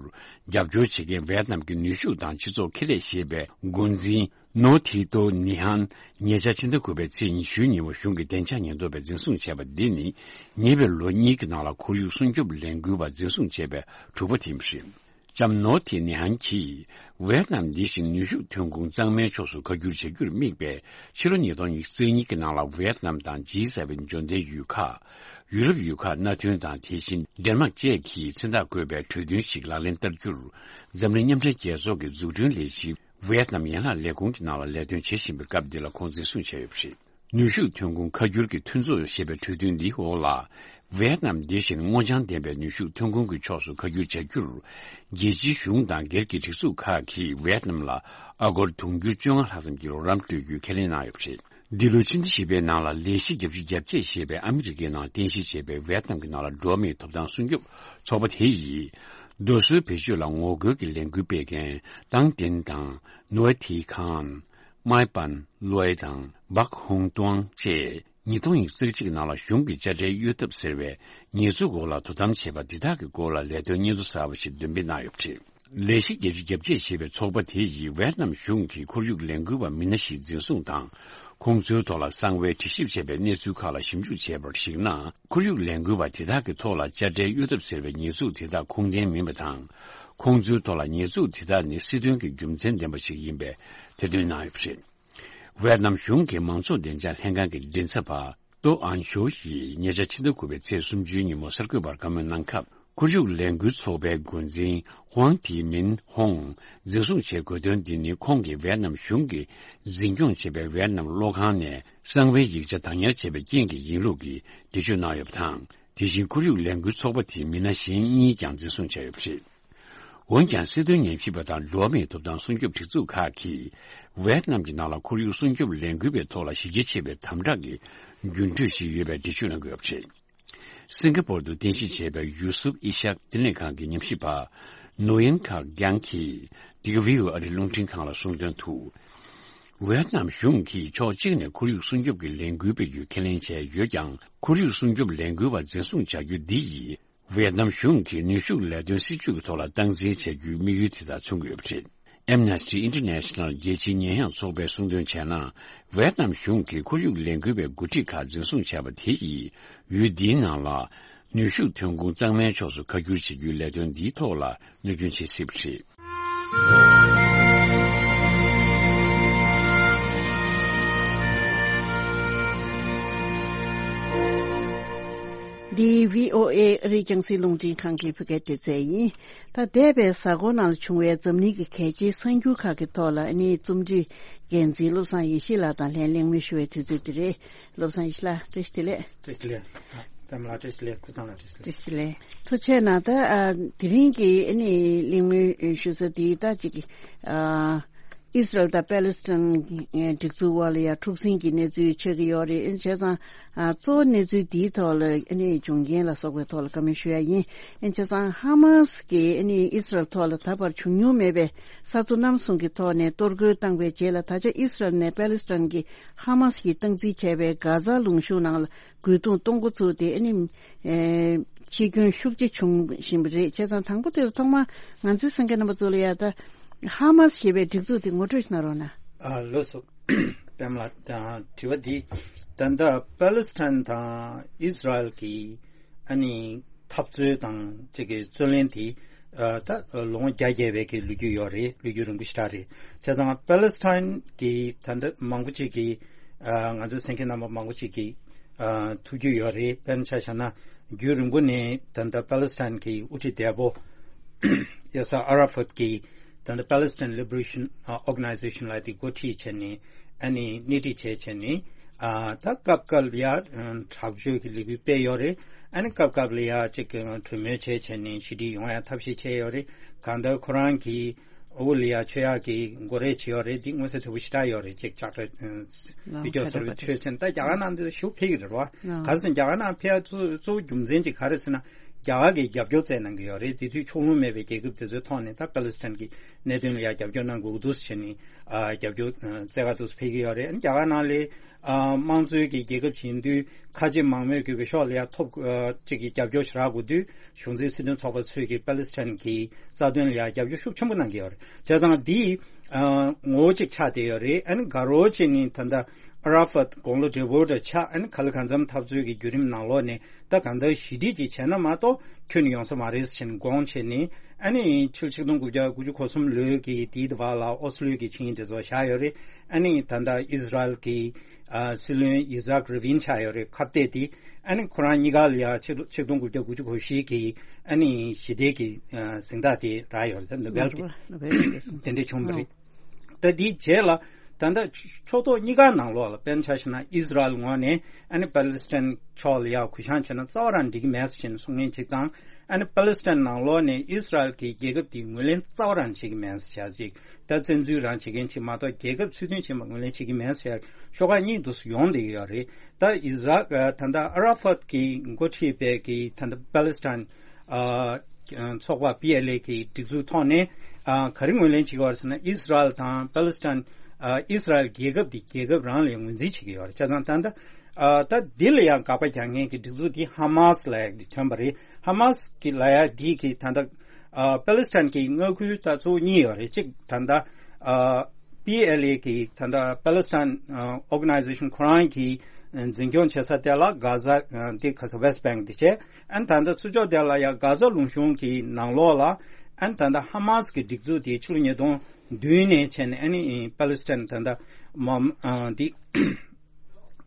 བྱ་རྒྱུར་རྒྱབ་སྐྱོར་བྱེད་མཁན་ཝེད་ནམ་གྱི་ནུས་ཤུགས་དང་སྤྱི་ཚོགས་ཁེ་ལས་ཞེས་པའི་འགོ་འཛིན་ནོ་ཐི་ཏོ་ནི་ཧན་ཉེ་ཆར་ཕྱི་ཟླ་དགུ་པའི་ཚེས་ཉི་ཤུའི་ཉིན་མོ་གཞུང་གི་བདེ་འཇགས་ཉེན་རྟོག་པས་འཛིན་བཟུང་བྱས་པ་འདི་ནི། ཉེ་བའི་ལོ་གཉིས་ཀྱི་ནང་ལ་ཁོར་ཡུག་སྲུང་སྐྱོབ་ལས་འགུལ་བ་འཛིན་བཟུང་བྱས་པའི་དྲུག་པ་དེ་ཡིན་པ་རེད། ལྕམ་ནོ་ཐི་ནི་ཧན་གྱིས། ཝེད་ནམ་འདི་བཞིན་ནུས་ཤུགས་ཐོན་ཁུངས་གཙང་མའི་ཕྱོགས་སུ་ཁ་བསྒྱུར་བྱ་རྒྱུར་དམིགས་པའི་ཕྱི་ལོ་ཉིས་སྟོང་ཉི་ཤུ་རྩ་གཉིས་ཀྱི་ནང་ལ། ཝེད་ནམ་དང་ཇི་སེ་ཝེན་འབྱོར་ལྡན་ཡུལ་ཁག་ཡུ་རོབ་ཡུལ་ཁག་མནའ་མཐུན་དང་། དེ་བཞིན་ཌེན་མཱག་བཅས་ཀྱིས་མཚན་རྟགས་བཀོད་པའི་གྲོས་མཐུན་ཞིག་ལག་ལེན་བསྟར་རྒྱུར། འཛམ་གླིང་མཉམ་འབྲེལ་རྒྱལ་ཚོགས་ཀྱི་འཛུགས་སྐྲུན་ལས་གཞི་ཝེད་ནམ་ཡན་ལག་ལས་ཁུངས་ཀྱི་ནང་ལ་ལས་དོན་བྱེད་བཞིན་པའི་སྐབས་འདི་ལ་ཁོང་འཛིན་བཟུང་བྱས་ཡོད་པ་རེད། ནུས་ཤུགས་ཐོན་ཁུངས་ཁ་བསྒྱུར་གྱི་མཐུན་ཚོགས་ཞེས་པའི་གྲོས་མཐུན་འདིའི་འོག་ལ། ཝེད་ནམ་འདི་བཞིན་སྔོ་ལྗང་ལྡན་པའི་ནུས་ཤུགས་ཐོན་ཁུངས་ཀྱི་ཕྱོགས་སུ་ཁ་བསྒྱུར་བྱ་རྒྱུར། རྒྱལ་སྤྱིའི་གཞུང་དང་སྒེར་གྱི་སྒྲིག་འཛུགས་ཁག་གིས་ཝེད་ནམ་ལ་ཨ་སྒོར་དུང་ཕྱུར་བཅོ་ལྔ་ལྷག་ཙམ་གྱི་རོགས་རམ་སྤྲོད་རྒྱུའི་ཁས་ལེན་གནང་ཡོད་པ་རེད། འདི་ལོའི་ཕྱི་ཟླ་བཞི་པའི་ནང་ལ། ལས་གཞི་བརྒྱད་ཅུ་གྱ་བརྒྱད་ཞེས་པའི་ཨ་མི་རི་ཀའི་ནང་རྟེན་གཞི་བྱས་པའི་ཝེད་ནམ་གྱི་ནང་ལ་འགྲོ་བ་མིའི་ཐོབ་ཐང་སྲུང་སྐྱོབ་ཚོགས་པ་དེ་ཡིས། རྡོ་སོལ་བེད་སྤྱོད་ལ་ངོ་རྒོལ་གྱི་ལས་འགུལ་སྤེལ་མཁན་ཏང་ཏིན་དང་། ནུའེ་ཐི་ཁང་། མའེ་པན་ལོའེ་དང་། སྦག་ཧུང་ཏུའང་བཅས། ཉིས་སྟོང་ཉི་ཤུ་རྩ་གཅིག་ནང་ལ་གཞུང་གིས་དཔྱ་ཁྲལ་གཡོལ་ཐབས་ཟེར་བའི་ཉེས་འཛུགས་འོག་ལ་དོ་དམ་བྱས་པ་འདི་དག་གི་སྐོར་ལ་ལས་དོན་སྙན་ཐོ་གསར་པ་ཞིག་འདོན་སྤེལ་གནང་ཡོད་པ་རེད། ལས་གཞི་བརྒྱད་ཅུ་གྱ་བརྒྱད་ཞེས་པའི་ཚོགས་པ་དེ་ཡིས་ཝེད་ནམ་གཞུང་གིས་ཁོར་ཡུག་ལས་འགུལ་བ་མི་སྣ་ཞིག་འཛིན་བཟུང་དང་། ཁོང་ཚོའི་ཐོག་ལ་གསང་བའི་དྲི་ཞིབ་བྱས་པའི་གནས་ཚུལ་ཁག་ལ་ཞིབ་འཇུག་བྱས་པར་གཞིགས་ན། ཁོར་ཡུག་ལས་འགུལ་བ་དེ་དག་གི་ཐོག་ལ་དཔྱ་ཁྲལ་གཡོལ་ཐབས་ཟེར་བའི་ཉེས་འཛུགས་དེ་དག་ཁུངས་ལྡན་མིན་པ་དང་། ཁོང་ཚོའི་ཐོག་ལ་ཉེས་འཛུགས་དེ་དག་ནི་སྲིད་དོན་གྱི་རྒྱུ་མཚན་ལྡན་པ་ཞིག་ཡིན་པའི་ཐེར་འདོན་གནང་ཡོད་པ་རེད། ཝེད་ནམ་གཞུང་གི་མང་ཚོགས་བདེ་འཇགས་ལྷན་ཁང་གི་མགྲིན་ཚབ་པ། ཏོ་ཨན་ཞོ་ཡིས་ཉེ་ཆར་ཕྱི་ཟླ་དགུ་པའི་ཚེས་སུམ་ཅུའི་ཉིན་མོ་གསར་འགོད་པར་བཀའ་མོལ་གནང་སྐབས། ཁོར་ཡུག་ལས་འགུལ་ཚོགས་པའི་འགོ་འཛིན་ཧུའང་ཐི་མིན་ཧོང་འཛིན་བཟུང་བྱས་དགོས་དོན་འདི་ནི། ཁོང་གིས་ཝེད་ནམ་གཞུང་གིས་འཛིན་སྐྱོང་བྱེད་པའི་ཝེད་ནམ་གློག་ཁང་ནས་གསང་བའི་ཡིག་ཆ་བདག་ཉར་བྱས་པའི་རྐྱེན་གྱིས་ཡིན་ལུགས་ཀྱི་འགྲེལ་བརྗོད་གནང་ཡོད་པ་དང་། དེ་བཞིན་ཁོར་ཡུག་ལས་འགུལ་ཚོགས་པ་དེའི་མི་སྣ་གཞན་གཉིས་ཀྱང་འཛིན་བཟུང་བྱས་ཡོད་པ་རེད། འོན་ཀྱང་། སྲིད་དོན་ཉམས་ཞིབ་པ་དང་འགྲོ་བ་མིའི་ཐོབ་ཐང་སྲུང་སྐྱོབ་སྒྲིག་འཛུགས་ཁག་གིས། ཝེད་ནམ་གྱི་ནང་ལ་ཁོར་ཡུག་སྲུང་སྐྱོབ་ལས་འགུལ་བའི་ཐོག་ལ་གཞི་རྒྱ་ཆེ་བའི་དམ་དྲག་གི་འགྱུར་འགྲོས་ཤིག་ཡོད་པའི་འགྲེལ་བརྗོད་གནང་གི་ཡོད་པ་རེད། སིང་ག་པོར་དུ་རྟེན་གཞི་བྱས་པའི་ཡུ་སུབ་ཨི་ཤག་བསྟི་གནས་ཁང་གི་ཉམས་ཞིབ་པ་ནོ་ཡན་ཁག་རྒྱང་གིས། འདི་ག་བྷི་ཨོ་ཨེ་ཨ་རིའི་རླུང་འཕྲིན་ཁང་ལ་གསུངས་དོན་དུ། ཝེད་ནམ་གཞུང་གིས་ཕྱོགས་གཅིག་ནས་ཁོར་ཡུག་སྲུང་སྐྱོབ་ཀྱི་ལས་འགུལ་སྤེལ་རྒྱུའི་ཁས་ལེན་བྱས་ཡོད་ཀྱང་། ཁོར་ཡུག་སྲུང་སྐྱོབ་ལས་འགུལ་བ་འཛིན་བཟུང་བྱ་རྒྱུ་འདི་ཡིས། ཝེད་ནམ་གཞུང་གིས་ནུས་ཤུགས་ལས་དོན་སྲིད་ཇུས་ཀྱི་ཐོག་ལ་སྟངས་འཛིན་བྱ་རྒྱུའི་དམིགས་ཡུལ་དེ་དག་མཚོན་གྱི་ཡོད་པ་རེད། Amnesty International རྒྱལ་སྤྱིའི་ཉེས་ཡངས་ཚོགས་པས་གསུངས་དོན་བྱས་ན། ཝེད་ནམ་གཞུང་གིས་ཁོར་ཡུག་ལས་འགུལ་བའི་འགོ་ཁྲིད་ཁག་འཛིན་བཟུང་བྱས་པ་དེ་ཡིས། ཡུལ་འདིའི་ནང་ལ་ནུས་ཤུགས་ཐོན་ཁུངས་གཙང་མའི་ཕྱོགས་སུ་ཁ་བསྒྱུར་བྱེད་རྒྱུའི་ལས་དོན་འདིའི་ཐོག་ལ་གནོད་སྐྱོན་བྱེད་སྲིད་པ་རེད། འདི་བྷི་ཨོ་ཨེ་ཨ་རིའི་རྒྱང་སྲིང་རླུང་འཕྲིན་ཁང་གི་བོད་སྐད་སྡེ་ཚན་ཡིན། ད་འདས་པའི་གཟའ་འཁོར་ནང་བྱུང་བའི་འཛམ་གླིང་གི་གལ་ཆེའི་གསར་འགྱུར་ཁག་གི་ཐོག་ལ། ཨ་ནི་རྩོམ་སྒྲིག་འགན་འཛིན་བློ་བཟང་ཡེ་ཤེས་ལགས་དང་ལྷན་གླེང་མོལ་ཞུ་བའི་དུས་ཚོད་འདི་རེད། བློ་བཟང་ཡེ་ཤེས་ལགས། བཀྲ་ཤིས་བདེ་ལེགས། བཀྲ་ཤིས་བདེ་ལེགས། ཨ། པད་མ་ལགས་བཀྲ་ཤིས་བདེ་ལེགས། ཀུན་བཟང་ལགས་བཀྲ་ཤིས་བདེ་ལེགས། བཀྲ་ཤིས་བདེ་ལེགས། ཐུགས་རྗེ་གནང་། ད་ཨ་དེ་རིང་གི་ཨ་ནི་གླེང་མོལ་ཞུ་ས་འདི་ད་ཅིག་ཨ་ཨིས་རལ་དང་པེ་ལེ་སི་ཐན་སྒྲིག་འཛུགས་དབར་ལ་ཡང་འཁྲུག་ཟིང་གི་གནས་ཚུལ་ཆགས་ཀྱི་ཡོད་རེད། བྱས་ཙང་ཨ་གཙོ་བོ་གནས་ཚུལ་འདིའི་ཐོག་ལ་ཨ་ནི་འབྱུང་རྐྱེན་ལ་སོགས་པའི་ཐོག་ལ་བཀའ་མོལ་ཞུ་ཡ་ཡིན། བྱས་ཙང་ཧ་མ་སི་གིས་ཨ་ནི་ཨིས་རལ་ཐོག་ལ་ད་བར་བྱུང་མྱོང་མེད་པའི་ས་མཚོ་གནམ་གསུམ་གྱི་ཐོག་ནས་གཏོར་རྒོལ་བཏང་བའི་རྗེས་ལ། ད་ཆ་ཨིས་རལ་ནས་པེ་ལེ་སི་ཐན་གྱི་ཧ་མ་སི་ཡིས་སྟངས་འཛིན་བྱས་པའི་གྷ་ཛ་ལུང་གཤོང་ནང་ལ་རྒོལ་རྡུང་གཏོང་འགོ་ཚུགས་ཏེ། ཨ་ནི་ཨེ་འཆི་སྐྱོན་ཤུགས་ཆེ་བྱུང་བཞིན་པ་རེད། བྱས་ཙང་དང་པོ་དེར་ཐོག་མར་ང་ཚོའི་གསན་མཁན་རྣམ་པ་ཚོ་ལ་ཡ་ད་ཧ་མ་སི་ཞེས་པའི་སྒྲིག་འཛུགས་དེ་ངོ་སྤྲོད་ཞིག་གནང་རོགས་གནང་། ཨ་ལགས་སོ། པད་མ་ལགས། ཨ་དྲི་བ་འདི་ད་ལྟ་པེ་ལེ་སི་ཐན་དང་ཨིས་རལ་གྱི་ཨ་ནི་འཐབ་རྩོད་དང་གཅིག་གི་རྩོད་གླེང་དེ་ཨ་ད་ལོ་ངོ་བརྒྱ་བརྒལ་བའི་གི་ལོ་རྒྱུས་ཡོད་རེད། ལོ་རྒྱུས་རིང་པོ་ཞེ་དྲག་རེད། བྱས་ཙང་པེ་ལེ་སི་ཐན་གྱི་ད་ལྟ་མང་པོ་ཅིག་གིས་ ཨ། ང་ཚོའི་གསན་མཁན་རྣམ་པ་མང་པོ་ཅིག་གིས་ཨ་ཐུགས་རྒྱུས་ཡོད་རེད། དཔེར་ན་ཆ་བཞག་ན་རྒྱུན་རིང་པོ་ནས་ད་ལྟ་པ་ལི་སི་ཐན་གྱི་དབུ་ཁྲིད་འདས་པོ་ཡ་སར་ཨ་ར་ཕད་ཀྱིས་ད་ལྟ་Palestine Liberation Organization ལ་དེ་འགོ་ཁྲིད་བྱས་ནས་ཨ་ནི་སྣེ་ཁྲིད་བྱས་བྱས་ནས་ཨ་ད་སྐབས་སྐབས་ལ་ཡ་དྲག་སྤྱོད་ཀྱི་ལས་འགུལ་སྤེལ་ཡོད་རེད། ཨ་ནི་སྐབས་སྐབས་ལ་ཡ་ཅིག་གྲོས་མོལ་བྱས་བྱས་ནས་ཞི་འགྲིག་ཡོང་ཡ་ཐབས་ཤེས་བྱས་ཡོད་རེད། གང་ལྟར་ཁོ་རང་གིས་འོ་ལ་ཡ་ཆོས་ཡག་གི་འགོ་རེད་བྱས་ཡོད་རེད། འདི་མངོན་གསལ་དོད་པོ་ཞེ་དྲག་ཡོད་རེད། ཅིག་ལྕགས་ཁྲ་བི་ཌིའོ་སོགས་ཆོས་ཅན་ད་རྒྱ་གར་ནང་འདི་ཞུ་ཕེབས་ཀྱི་རེད་བ། ག་རེ་ཟེར་ན་རྒྱ་གར་ནང་ཕེབས་ཡ་གཙོ་གཙོ་བོ་རྒྱུ་མཚན་ཅིག་ག་རེ་ཟེར་ན་རྒྱ་གར་གྱིས་རྒྱབ་སྐྱོར་བཙལ་གནང་གི་ཡོད་རེད། དེ་དུས་ཕྱོགས་ལྷུང་མེད་པའི་རྒྱལ་ཁབ་དེ་ཚོའི་ཐོག་ནས་ད་པ་ལི་སི་ཐན་གྱི་གནད་དོན་ལ་ཡ་རྒྱབ་སྐྱོར་གནང་དགོས་ཀྱི་འདུག་ཟེར་ནས་ཨ་རྒྱབ་སྐྱོར་ཨ་བཙལ་ག་འདུག་ཕེབས་ཀྱི་ཡོད་རེད། ཨ་ནི་རྒྱ་གར་ནང་ལ་ཨ་དམངས་གཙོའི་གི་རྒྱལ་ཁབ་ཅིག་ཡིན་དུས་ཁ་ཆེ་མང་མོས་ཀྱི་འོས་ཤོག་ལ་ཡ་ཐོབ་ཨ་ཅིག་གི་རྒྱབ་སྐྱོར་ཞེ་དྲག་དགོས་དུས་གཞུང་འཛིན་སྲིད་དོན་ཚོགས་པ་ཚོས་ཀྱི་པ་ལི་སི་ཐན་གྱི་རྩ་དོན་ལ་ཡ་རྒྱབ་སྐྱོར་ཤུགས་ཆེན་པོ་གནང་གི་ཡོད་རེད། བྱས་ཙང་འདི་ཨ་ངོ་བོ་གཅིག་ཆགས་བསྡད་ཡོད་རེད། ཨ་ནི་དགའ་རོགས་བྱས་ནས་ད་ལྟ་ཨ་ར་ཕད་དགུང་ལོ་བགྲེས་པོ་འདྲ་ཆགས། ཨ་ནི་ག་ལེ་གང་འཚམ་འཐབ་རྩོད་ཀྱི་བརྒྱུད་རིམ་ནང་ལོགས་ནས་ད་གང་ལྟར་ཞི་འགྲིག་ཅིག་བྱས་ན་མ་གཏོགས་ཁྱོན་ནས་ཡོང་ས་མ་རེད་ཟེར་ནས་དགོངས་བྱས་ནས། ཨ་ནི་ཕྱི་ལོ་ཆིག་སྟོང་དགུ་བརྒྱ་དགུ་བཅུ་གོ་གསུམ་ལོའི་གི་དེའི་བར་ལ་ཨོ་སི་ལོའི་གི་ཆིངས་ཡིག་དེ་ཚོ་བཞག་ཡོད་རེད། ཨ་ནི་ད་ལྟ་ཨིས་ར་ཨེལ་གྱི་ཨ་སྲིད་བློན་ཡི་ཛག་ར་བིན་ཆགས་ཡོད་རེད། ཁ་གཏད་དེ་ཨ་ནི་ཁོ་རང་གཉིས་ཀ་ལ་ཡ་ཕྱི་ལོ་ཆིག་སྟོང་དགུ་བརྒྱ་དགུ་བཅུ་གོ་བཞི་གི་ཨ་ནི་ཞི་བདེ་གི་ཨ་གཟེངས་རྟགས་དེ་རག་ཡོད་རེད། ནོ་བེལ་གྱི་ནོ་བེལ་གྱི་གཟེངས་རྟགས་དེ་འདྲ་བྱུང་བ་རེད། ད་དེའི་རྗེས་ལ་ད་ལྟ་ཕྱོགས་གཏོགས་གཉིས་ཀ་ནང་ལོགས་ལ་དཔེར་ན་ཆ་བཞག་ན་ཨིས་ར་ཨེལ་ངོས་ནས་ཨ་ནི་པ་ལི་སི་ཐན་ཕྱོགས་ལ་ཡ་གུ་བཤངས་བྱས་ན་རྩ་བ་རང་འགྲིག་གི་མེད་ཟེར་ནས་གསུང་མཁན་གཅིག་དང་། ཨ་ནི་པ་ལི་སི་ཐན་ནང་ལོགས་ནས་ཨིས་ར་ཨེལ་གྱི་རྒྱལ་ཁབ་དེ་ངོས་ལེན་རྩ་བ་རང་བྱེད་ཀྱི་མེད་ཟེར་ཅིག་ད་བཙན་འཛུལ་རང་བྱེད་མཁན་ཅིག་མ་གཏོགས་རྒྱལ་ཁབ་ཚུལ་མཐུན་ཅིག་མ་ངོས་ལེན་བྱེད་ཀྱི་མེད་ཟེར་ཤོག་ཁག་གཉིས་འདུག་སེ་ཡོང་བསྡད་ཀྱི་ཡོད་རེད། ད་ཨི་ཟག་ད་ལྟ་ཨ་ར་ཕད་ཀྱིས་འགོ་ཁྲིད་པའི་གི་ད་ལྟ་པ་ལི་སི་ཐན་ཨ་ཚོགས་པ་པི་ཨེལ་ཨེ་གི་སྒྲིག་འཛུགས་ཐོག་ནས་ཨ་ག་རེ་ངོས་ལེན་བྱེད་ཀྱི་ཡོད་རེད་ཟེར་ན། ཨིས་ར་ཨེལ་དང་པ་ལི་སི་ཐན་ཨ་ཨིས་ར་ཨེལ་རྒྱལ་ཁབ་དེ་རྒྱལ་ཁབ་རང་ལ་ངོས་འཛིན་བྱེད་ཀྱི་ཡོད་རེད། བྱས་ཙང་ད་ལྟ་ཨ་ད་འདི་ལ་ཡང་དགག་པ་རྒྱག་མཁན་གྱི་སྒྲིག་འཛུགས་དེ་ཧ་མཱ་སི་ལབ་ཡག་དེ་ཐོན་པ་རེད། ཧ་མཱ་སི་གི་ལབ་ཡག་དེ་གི་ད་ལྟ་ཨ་པ་ལི་སི་ཐན་གྱི་མངའ་ཁུལ་ད་གཙོ་བོ་གཉིས་ཡོད་རེད། གཅིག་ད་ལྟ་ཨ་པི་ཨེལ་ཨེ་གི་ད་ལྟ་པ་ལི་སི་ཐན་ཨ་ཨོ་ག་ནའི་ཛེ་ཤན་ཁོ་རང་གི་འཛིན་སྐྱོང་བྱེད་ས་དེ་ལ་གྷ་ཟ་ཨ་དེ་ག་ས་West Bank དེ་བྱས། ཨ་ནི་ད་ལྟ་ཚུར་ཕྱོགས་དེ་ལ་ཡང་གྷ་ཟ་ལུང་གཤོང་གི་ནང་ལོགས་ལ་ཨ་ནི་ད་ལྟ་ཧ་མཱ་སི་གི་སྒྲིག་འཛུགས་དེ་ཕྱི་ལོ་ཉིས་སྟོང་བདུན་ནས་བྱས་ནས་ཨ་ནི་པ་ལི་སི་ཐན་ད་ལྟ་མ་ཨ་དེ་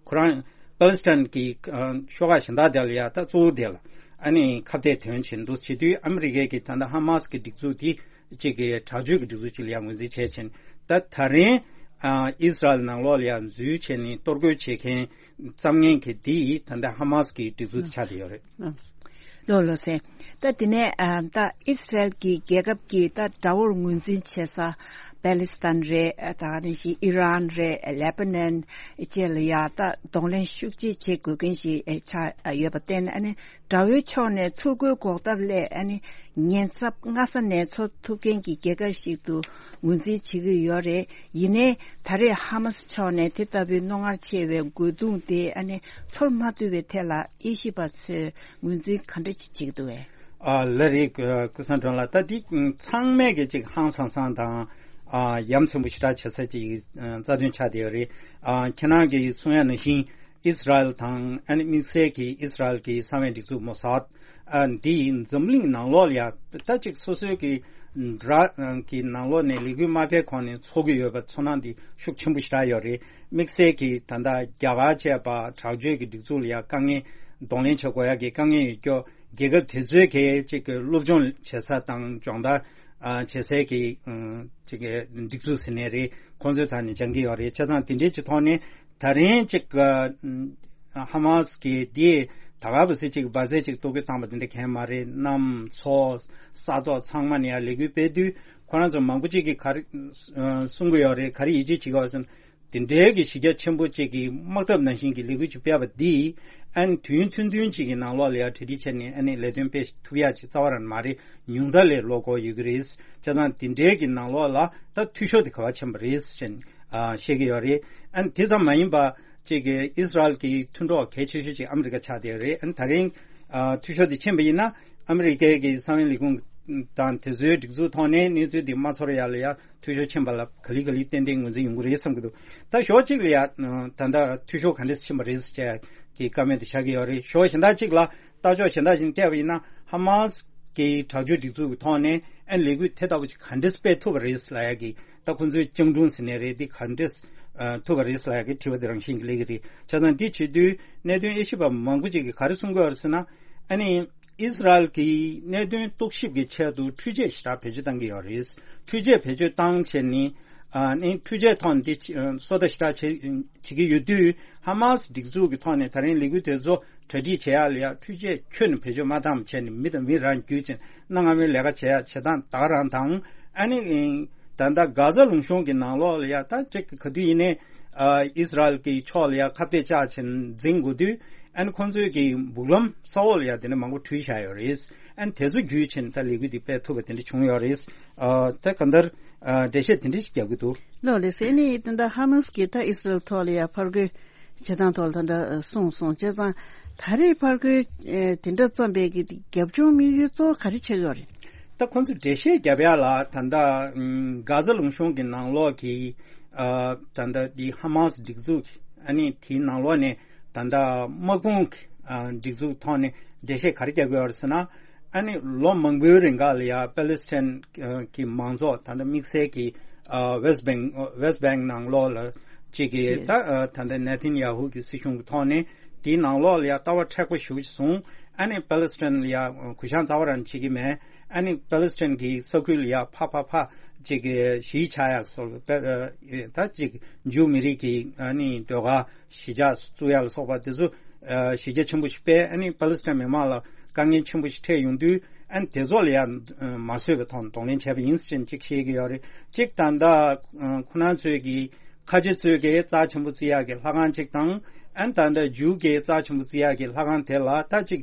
ཁོ་རང་པ་ལི་སི་ཐན་གྱི་ཨ་ཤོག་ཁག་གཞན་དག་དེ་ལ་ཡ་ད་གཙོ་བོ་དེ་ལ་ཨ་ནི་ཁ་གཏད་དོན་བྱེད་འདུག་བྱེད་དུས་ཨ་མི་རི་ཀའི་གི་ད་ལྟ་ཧ་མཱ་སི་གི་སྒྲིག་འཛུགས་དེ་གཅིག་གི་དྲག་སྤྱོད་ཀྱི་སྒྲིག་འཛུགས་གཅིག་ལ་ཡ་ངོས་འཛིན་བྱས་ཕྱིན། ད་ད་རིང་ཨ་ཨིས་ར་ཨེལ་ནང་ལོགས་ལ་ཡ་འཛུལ་བྱས་ནས་གཏོར་རྒོལ་བྱེད་མཁན་བཙམ་མཁན་གྱི་དེ་ཡིས་ད་ལྟ་ཧ་མཱ་སི་གི་སྒྲིག་འཛུགས་དེ་ཆགས་བསྡད་ཡོད་རེད། ལགས་ལགས་སེ། ད་དེ་ནས་ཨ་ད་ཨིས་ར་ཨེལ་གྱི་རྒྱལ་ཁབ་ཀྱི་ད་དགྲ་བོར་ངོས་འཛིན་བྱེད་ས་པ་ལི་སི་ཐན་རེད། ད་ག་ནང་བཞིན་ཨི་རན་རེད། ལེ་པ་ནན་བཅས་ལ་ཡ་ད་གདོང་ལེན་ཤུགས་ཆེ་བྱེད་དགོས་མཁན་ཞིག་ཨེ་ཆགས་ཡོད་པར་བརྟེན། ཨ་ནི་དགྲ་བོའི་ཕྱོགས་ནས་ཚུར་རྒོལ་འགོག་ཐབས་སླད་ཨ་ནི་ཉེན་ཚབས་སྔ་ས་ནས་འཚོལ་ཐུབ་མཁན་གྱི་རྒྱལ་ཁབ་ཞིག་ཏུ་ངོས་འཛིན་བྱེད་ཀྱི་ཡོད་རེད། ཡིན་ནའི་ད་རེས་ཧ་མ་སི་ཕྱོགས་ནས་དེ་ལྟ་བུའི་རྣོ་ངར་ཆེ་བའི་རྒོལ་རྡུང་དེ་ཨ་ནི་ཚོར་མ་ཐུབ་པའི་ཐད་ལ་དབྱེ་ཞིབ་པ་ཚོས་ངོས་འཛིན་ག་འདྲ་ཅིག་བྱེད་ཀྱི་འདུག་བས། ཨ་ལ་རེད། ཀུ་ཀུ་སང་སྒྲོན་ལགས། ད་འདི་ཚང་མས་ཀྱི་ཅིག་ཧང་སང་སང་དང་ཨ་ཡ་མཚན་པོ་ཞེ་དྲག་བྱེད་ས་ཅིག་རྩ་དོན་ཆགས་བསྡད་ཡོད་རེད། ཨ་ཁྱེད་རང་གིས་གསུང་ཡ་ནང་བཞིན་ཨིས་ར་ཨེལ་དང་ཨ་ནི་དམིགས་བསལ་གྱི་ཨིས་ར་ཨེལ་གྱི་གསང་བའི་སྒྲིག་འཛུགས་མོ་སཱད་ཨ་འདི་ཡིན་འཛམ་གླིང་ནང་ལོགས་ལ་ཡ་ད་ཅིག་སོ་སོའི་གི་དགྲ་གི་ནང་ལོགས་ནས་ལས་འགུལ་མ་སྤེལ་གོང་ནས་འཚོ་གི་ཡོད་པ་ཚོར་སྣང་འདི་ཤུགས་ཆེན་པོ་ཞེ་དྲག་ཡོད་རེད། དམིགས་བསལ་གྱི་ད་ལྟ་རྒྱ་གར་བཅས་པ་དྲག་སྤྱོད་ཀྱི་སྒྲིག་འཛུགས་ལ་ཡ་དཀའ་ངལ་གདོང་ལེན་བྱེད་དགོས་ཡ་གི་དཀའ་ངལ་ཡོད་སྐྱོ། རྒྱལ་ཁབ་དེ་ཚོའི་གི་ཅིག་གི་སློབ་སྦྱོང་བྱེད་ས་དང་སྦྱོང་བརྡར་ཨ་བྱེད་སའི་གི་ཨ་ཅིག་གི་སྒྲིག་འཛུགས་ཟེར་ནའི་རེད། ཁོང་ཚོའི་ཐད་ནས་སྦྱང་གི་ཡོད་རེད། བྱས་ཙང་དེ་འདྲའི་ཅིག་ཐོག་ནས་ད་རིང་ཅིག་གི་ཧ་མཱ་སི་གི་དེ་ད་ག་བ་སི་ཅིག་འབར་རྫས་ཅིག་གཏོར་རྒོལ་བཏང་པ་དེ་འདྲ་གང་ཡང་མ་རེད། གནམ་མཚོ་ས་ཐོག་ཚང་མ་ནས་ཡང་ལས་འགུལ་སྤེལ་དུས་ཁོ་རང་ཚོ་མང་པོ་ཅིག་གིས་ག་རེ་གསུང་གི་ཡོད་རེད། ག་རེ་ཡིད་ཆེས་བྱེད་ཀྱི་ཡོད་རེད་ཟེར་ན། དེ་འདྲའི་གི་གཞི་རྒྱ་ཆེན་པོ་ཅིག་གི་དམག་འཐབ་ནང་བཞིན་གྱི་ལས་འགུལ་ཅིག་སྤེལ་བ་འདིས་ཨ་ནི་དུས་ཡུན་ཐུང་ཐུང་ཅིག་གི་ནང་ལོགས་ལ་ཡང་གྲ་སྒྲིག་བྱས་ནས་ཨ་ནི་ལས་དོན་སྤེལ་ཐུབ་ཡ་ཅིག་རྩ་བ་རང་མ་རེད། ཉུང་མཐའ་ལས་ལོག་གོ་ཡོད་ཀྱི་རེད། བྱས་ཙང་དེ་འདྲའི་གི་ནང་ལོགས་ལ་ད་འཐུས་ཤོར་དེ་ག་བ་ཕྱིན་པ་རེད་ཅེས་ཨ་བཤད་ཀྱི་ཡོད་རེད། ཨ་ནི་དེ་ཙམ་མ་ཡིན་པ་ཅིག་གི་ཨིས་ར་ཨེལ་གྱི་མཐུན་གྲོགས་གལ་ཆེ་ཤོས་ཅིག་ཨ་མི་རི་ཀ་ཆགས་བསྡད་ཡོད་རེད། ཨ་ནི་ད་རིང་ཨ་འཐུས་ཤོར་དེ་ཕྱིན་པ་ཡིན་ན། ཨ་མི་རི་ཀའི་གི་གསང་བའི་ལས་ཁུངས་དང་དེ་ཚོའི་སྒྲིག་འཛུགས་ཐོག་ནས་གནས་ཚུལ་འདི་མ་ཚོར་ཡ་ལ་ཡ་འཐུས་ཤོར་ཕྱིན་པ་ལ་ག་ལེ་ག་ལེ་ཏན་ཏན་ངོས་འཛིན་ཡོང་གི་རེད་བསམ་གྱི་འདུག་ད་ཞོགས་གཅིག་ལ་ཡ་ད་ལྟ་འཐུས་ཤོར་ག་འདྲས་ཕྱིན་པ་རེད་ཟེར་གྱི་བཀའ་མོལ་དེ་བཞག་གི་ཡོད་རེད། ཞོགས་གཞན་དག་ཅིག་ལ་ལྟ་ཕྱོགས་གཞན་དག་ཅིག་བལྟས་པ་ཡིན་ན་ཧ་མཱ་སི་ གི་དྲག་སྤྱོད་སྒྲིག་འཛུགས་ཀྱི་ཐོག་ནས་ཨ་ནི་ལས་འགུལ་དེ་ལྟ་བུ་ཅིག་ག་འདྲས་སྤེལ་ཐུབ་པ་རེད་ལབ་ཡ་གི་ད་ཁོང་ཚོའི་སྤྱང་གྲུང་ཟེར་ནའི་རེད། འདི་ག་འདྲས་ཨ་ཐུབ་པ་རེད་ལབ་ཡ་གི་དྲི་བ་དེ་རང་བཞིན་གྱི་སླེབས་ཀྱི་རེད། བྱས་ཙང་འདི་བྱེད་དུས་གནད་དོན་དབྱེ་ཞིབ་པ་མང་པོ་ཅིག་གིས་ག་རེ་གསུང་གི་ཡོད་རེད་ཟེར་ན། ཨ་ནི་ཨིས་ར་ཨེལ་གྱི་གནད་དོན་རྟོག་ཞིབ་ཀྱི་ཆེད་དུ་འཕྲུལ་ཆས་ཞེ་དྲག་བེད་སྤྱོད་བཏང་གི་ཡོད་རེད། འཕྲུལ་ཆས་བེད་སྤྱོད་བཏང་བྱས་ནི་ཨ་ནི་འཕྲུལ་ཆས་ཐོག་ནས་འདི་ཨ་སོ་ལྟ་ཞེ་དྲག་བྱེད་བྱེད་ཀྱི་ཡོད་དུས། ཧ་མ་སི་སྒྲིག་འཛུགས་ཀྱི་ཐོག་ནས་ད་རིང་ལས་འགུལ་དེ་ཚོ་གྲ་སྒྲིག་བྱེད་ཡག་ལ་ཡ་འཕྲུལ་ཆས་ཁྱོན་ནས་བེད་སྤྱོད་མ་བཏང་བྱས་ནས་མི་དང་མི་རང་བརྒྱུད་བྱས་གནའ་སྔ་མོའི་ལས་ཀ་བྱེད་ཡག་བྱེད་སྟངས་ད་ག་རང་དང་། ཨ་ནི་ད་ལྟ་གྷ་ཛ་ལུང་གཤོང་གི་ནང་ལོགས་ལ་ཡ་ད་ཅིག་ག་དུས་ཡིན་ནའི་ཨ་ཨིས་ར་ཨེལ་གྱི་ཕྱོགས་ལ་ཡ་ཁ་གཏད་བཅག་བྱས་ནས་འཛིང་དགོས་དུས། ཨ་ནི་ཁོང་ཚོའི་གི་སྦུག་ལམ་ས་འོག་ལ་ཡ་དེ་འདྲ་མང་པོ་བྲུས་བཞག་ཡོད་རེད། ཨ་ནི་དེ་ཚོ་བརྒྱུད་བྱས་ནས་ད་ལས་འགུལ་འདི་སྤེལ་ཐུབ་པ་དེ་འདྲ་བྱུང་ཡོད་རེད། ཨ་ད་གང་ལྟར་ཨ་འགྲེལ་བཤད་དེ་འདྲ་ཞིག་རྒྱག་གི་འདུག་ལགས་ལགས་སེ། ཨ་ནི་ད་ལྟ་ཧ་མ་སི་གིས་ད་ཨིས་ར་ཨེལ་ཐོག་ལ་ཡ་ཕར་རྒོལ་བྱེད་སྟངས་ཐོག་ལ་ད་ལྟ་གསུངས་སོང་། བྱས་ཙང་ད་རེས་ཕར་རྒོལ་ཨེ་དེ་འདྲ་བརྩམས་པའི་གི་རྒྱབ་ལྗོངས་དམིགས་ཡུལ་གཙོ་བོ་ག་རེ་ཆགས་ཀྱི་ཡོད་རེད། ད་ཁོང་ཚོས་འགྲེལ་བཤད་རྒྱབ་ཡ་ལ་ད་ལྟ་ཨམ་གྷ་ཛ་ལུང་གཤོང་གི་ནང་ལོགས་ཀྱི་ཨ་ད་ལྟ་འདི་ཧ་མ་སི་སྒྲིག་འཛུགས་ཨ་ནི་དེའི་ནང་ལོགས་ནས་ད་ལྟ་དམག་དཔུང་གི་ཨ་སྒྲིག་འཛུགས་ཐོག་ནས་འགྲེལ་བཤད་ག་རེ་རྒྱག་གི་ཡོད་རེད་ཟེར་ན། ཨ་ནི་ལོ་མང་པོའི་རིང་ག་ལ་ཡ་པེ་ལེ་སི་ཐན་གྱི་མང་ཚོགས་ད་ལྟ་དམིགས་བསལ་གྱི་ཨ་West Bank West Bank ནང་ལོགས་ལ་གཅིག་གི་ད་ཨ་ད་ལྟ་ནེ་ཐན་ཡ་ཧུ་གི་སྲིད་གཞུང་གི་ཐོག་ནས་དེའི་ནང་ལོགས་ལ་ཡ་ལྟ་བ་མཁྲེགས་པོ་ཞེ་པོ་ཅིག་བཟུང་། ཨ་ནི་པེ་ལེ་སི་ཐན་ལ་ཡ་གུ་ཡངས་རྩ་བ་རང་བྱེད་ཀྱི་མེད། ཨ་ནི་པེ་ལེ་སི་ཐན་གྱི་ས་ཁུལ་ལ་ཡ་ཕ་ཕ་ཕ་གཅིག་གི་གཞིས་ཆགས་ཡག་སོགས་ད་གཅིག་ཇུའུ་མི་རིགས་ཀྱི་ཨ་ནི་ཟློས་གར་གཞིས་ཆགས་བཙུགས་ཡ་ལ་སོགས་པ་དེ་ཚོ་ཨ་གཞི་རྒྱ་ཆེན་པོ་ཞིག་སྤེལ། ཨ་ནི་པ་ལི་སི་ཐན་མི་མང་ལ་དཀའ་ངལ་ཆེན་པོ་ཞིག་འཕྲད་ཡོང་དུས། ཨ་ནི་དེ་ཚོ་ལ་ཡང་མ་བཟོད་པའི་ཐོག་ནས་གདོང་ལེན་བྱས་པ་ཡིན་ཟེར་ཅིག་བཤད་ཀྱི་ཡོད་རེད། གཅིག་ད་ལྟ་ཁོ་རང་ཚོས་ཀྱི་ཁ་ཆེ་ཚོས་ཀྱི་རྩ་ཆེན་པོ་བརྩི་ཡག་གི་ལྷ་ཁང་གཅིག་དང་། ཨ་ནི་ད་ལྟ་ཇུའུ་གི་རྩ་ཆེན་པོ་བརྩི་ཡག་གི་ལྷ་ཁང་དེ་ལ་ད་ཅིག་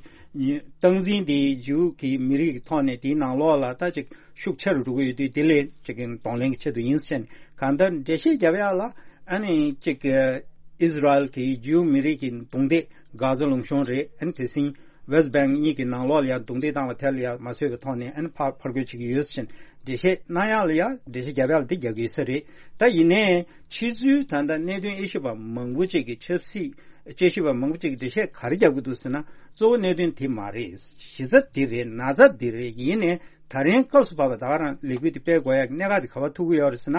སྟངས་འཛིན་དེ་ཇུའུ་གི་མི་རིགས་ཀྱི་ཐོག་ནས་དེའི་ནང་ལོགས་ལ་ད་ཅིག་ཤུགས་ཆེ་རུ་འགྲོ་གི་ཡོད་དུས། དེ་ལས་ཅིག་གདོང་ལེན་གྱི་ཆེད་དུ་ཡིན་ཟེར་ནས་གང་ལྟར་འགྲེལ་བཤད་རྒྱབ་ཡག་ལ། ཨ་ནི་ཅིག་ཨིས་ར་ཨེལ་གྱི་ཇིའུ་མི་རིགས་ཀྱི་རྡུང་རྡེག་གྷ་ཛ་ལུང་གཤོང་རེད། ཨ་ནི་དེ་བཞིན་ཝེ་སི་ཊི་བེང་གཉིས་ཀྱི་ནང་ལོགས་ལ་ཡང་རྡུང་རྡེག་བཏང་བ་དེ་ལ་ཡང་མ་བཟོད་པའི་ཐོག་ནས་ཨ་ནི་ཕར་ཕར་རྒོལ་བྱེད་ཀྱི་ཡོད་ཟེར་ནས་འགྲེལ་བཤད་གནང་ཡག་ལ་ཡང་འགྲེལ་བཤད་རྒྱབ་ཡག་ལ་འདི་རྒྱག་གི་ཡོད་ས་རེད། ད་ཡིན་ནའི་ཕྱི་ཚུལ་ད་ལྟ་གནད་དོན་དབྱེ་ཞིབ་པ་མང་པོ་ཅིག་གིས་ཆབ་སྲིད་དཔྱད་ཞིབ་པ་མང་པོ་ཅིག་གིས་འགྲེལ་བཤད་ག་རེ་རྒྱབ་ཀྱི་འདུག་ཟེར་ན། གཙོ་བོ་གནད་དོན་དེ་མ་རེད། གཞི་རྩ་འདི་རེད། ན་ཚ་འདི་རེད། ཡིན་ནའི་ད་རིང་སྐབས་སུ་བབས་པ་ད་ག་རང་ལས་འགུལ་འདི་སྤེལ་དགོས་ཡག་གི་གནད་འགག་འདི་ག་པར་ཐུག་གི་ཡོད་རེད་ཟེར་ན།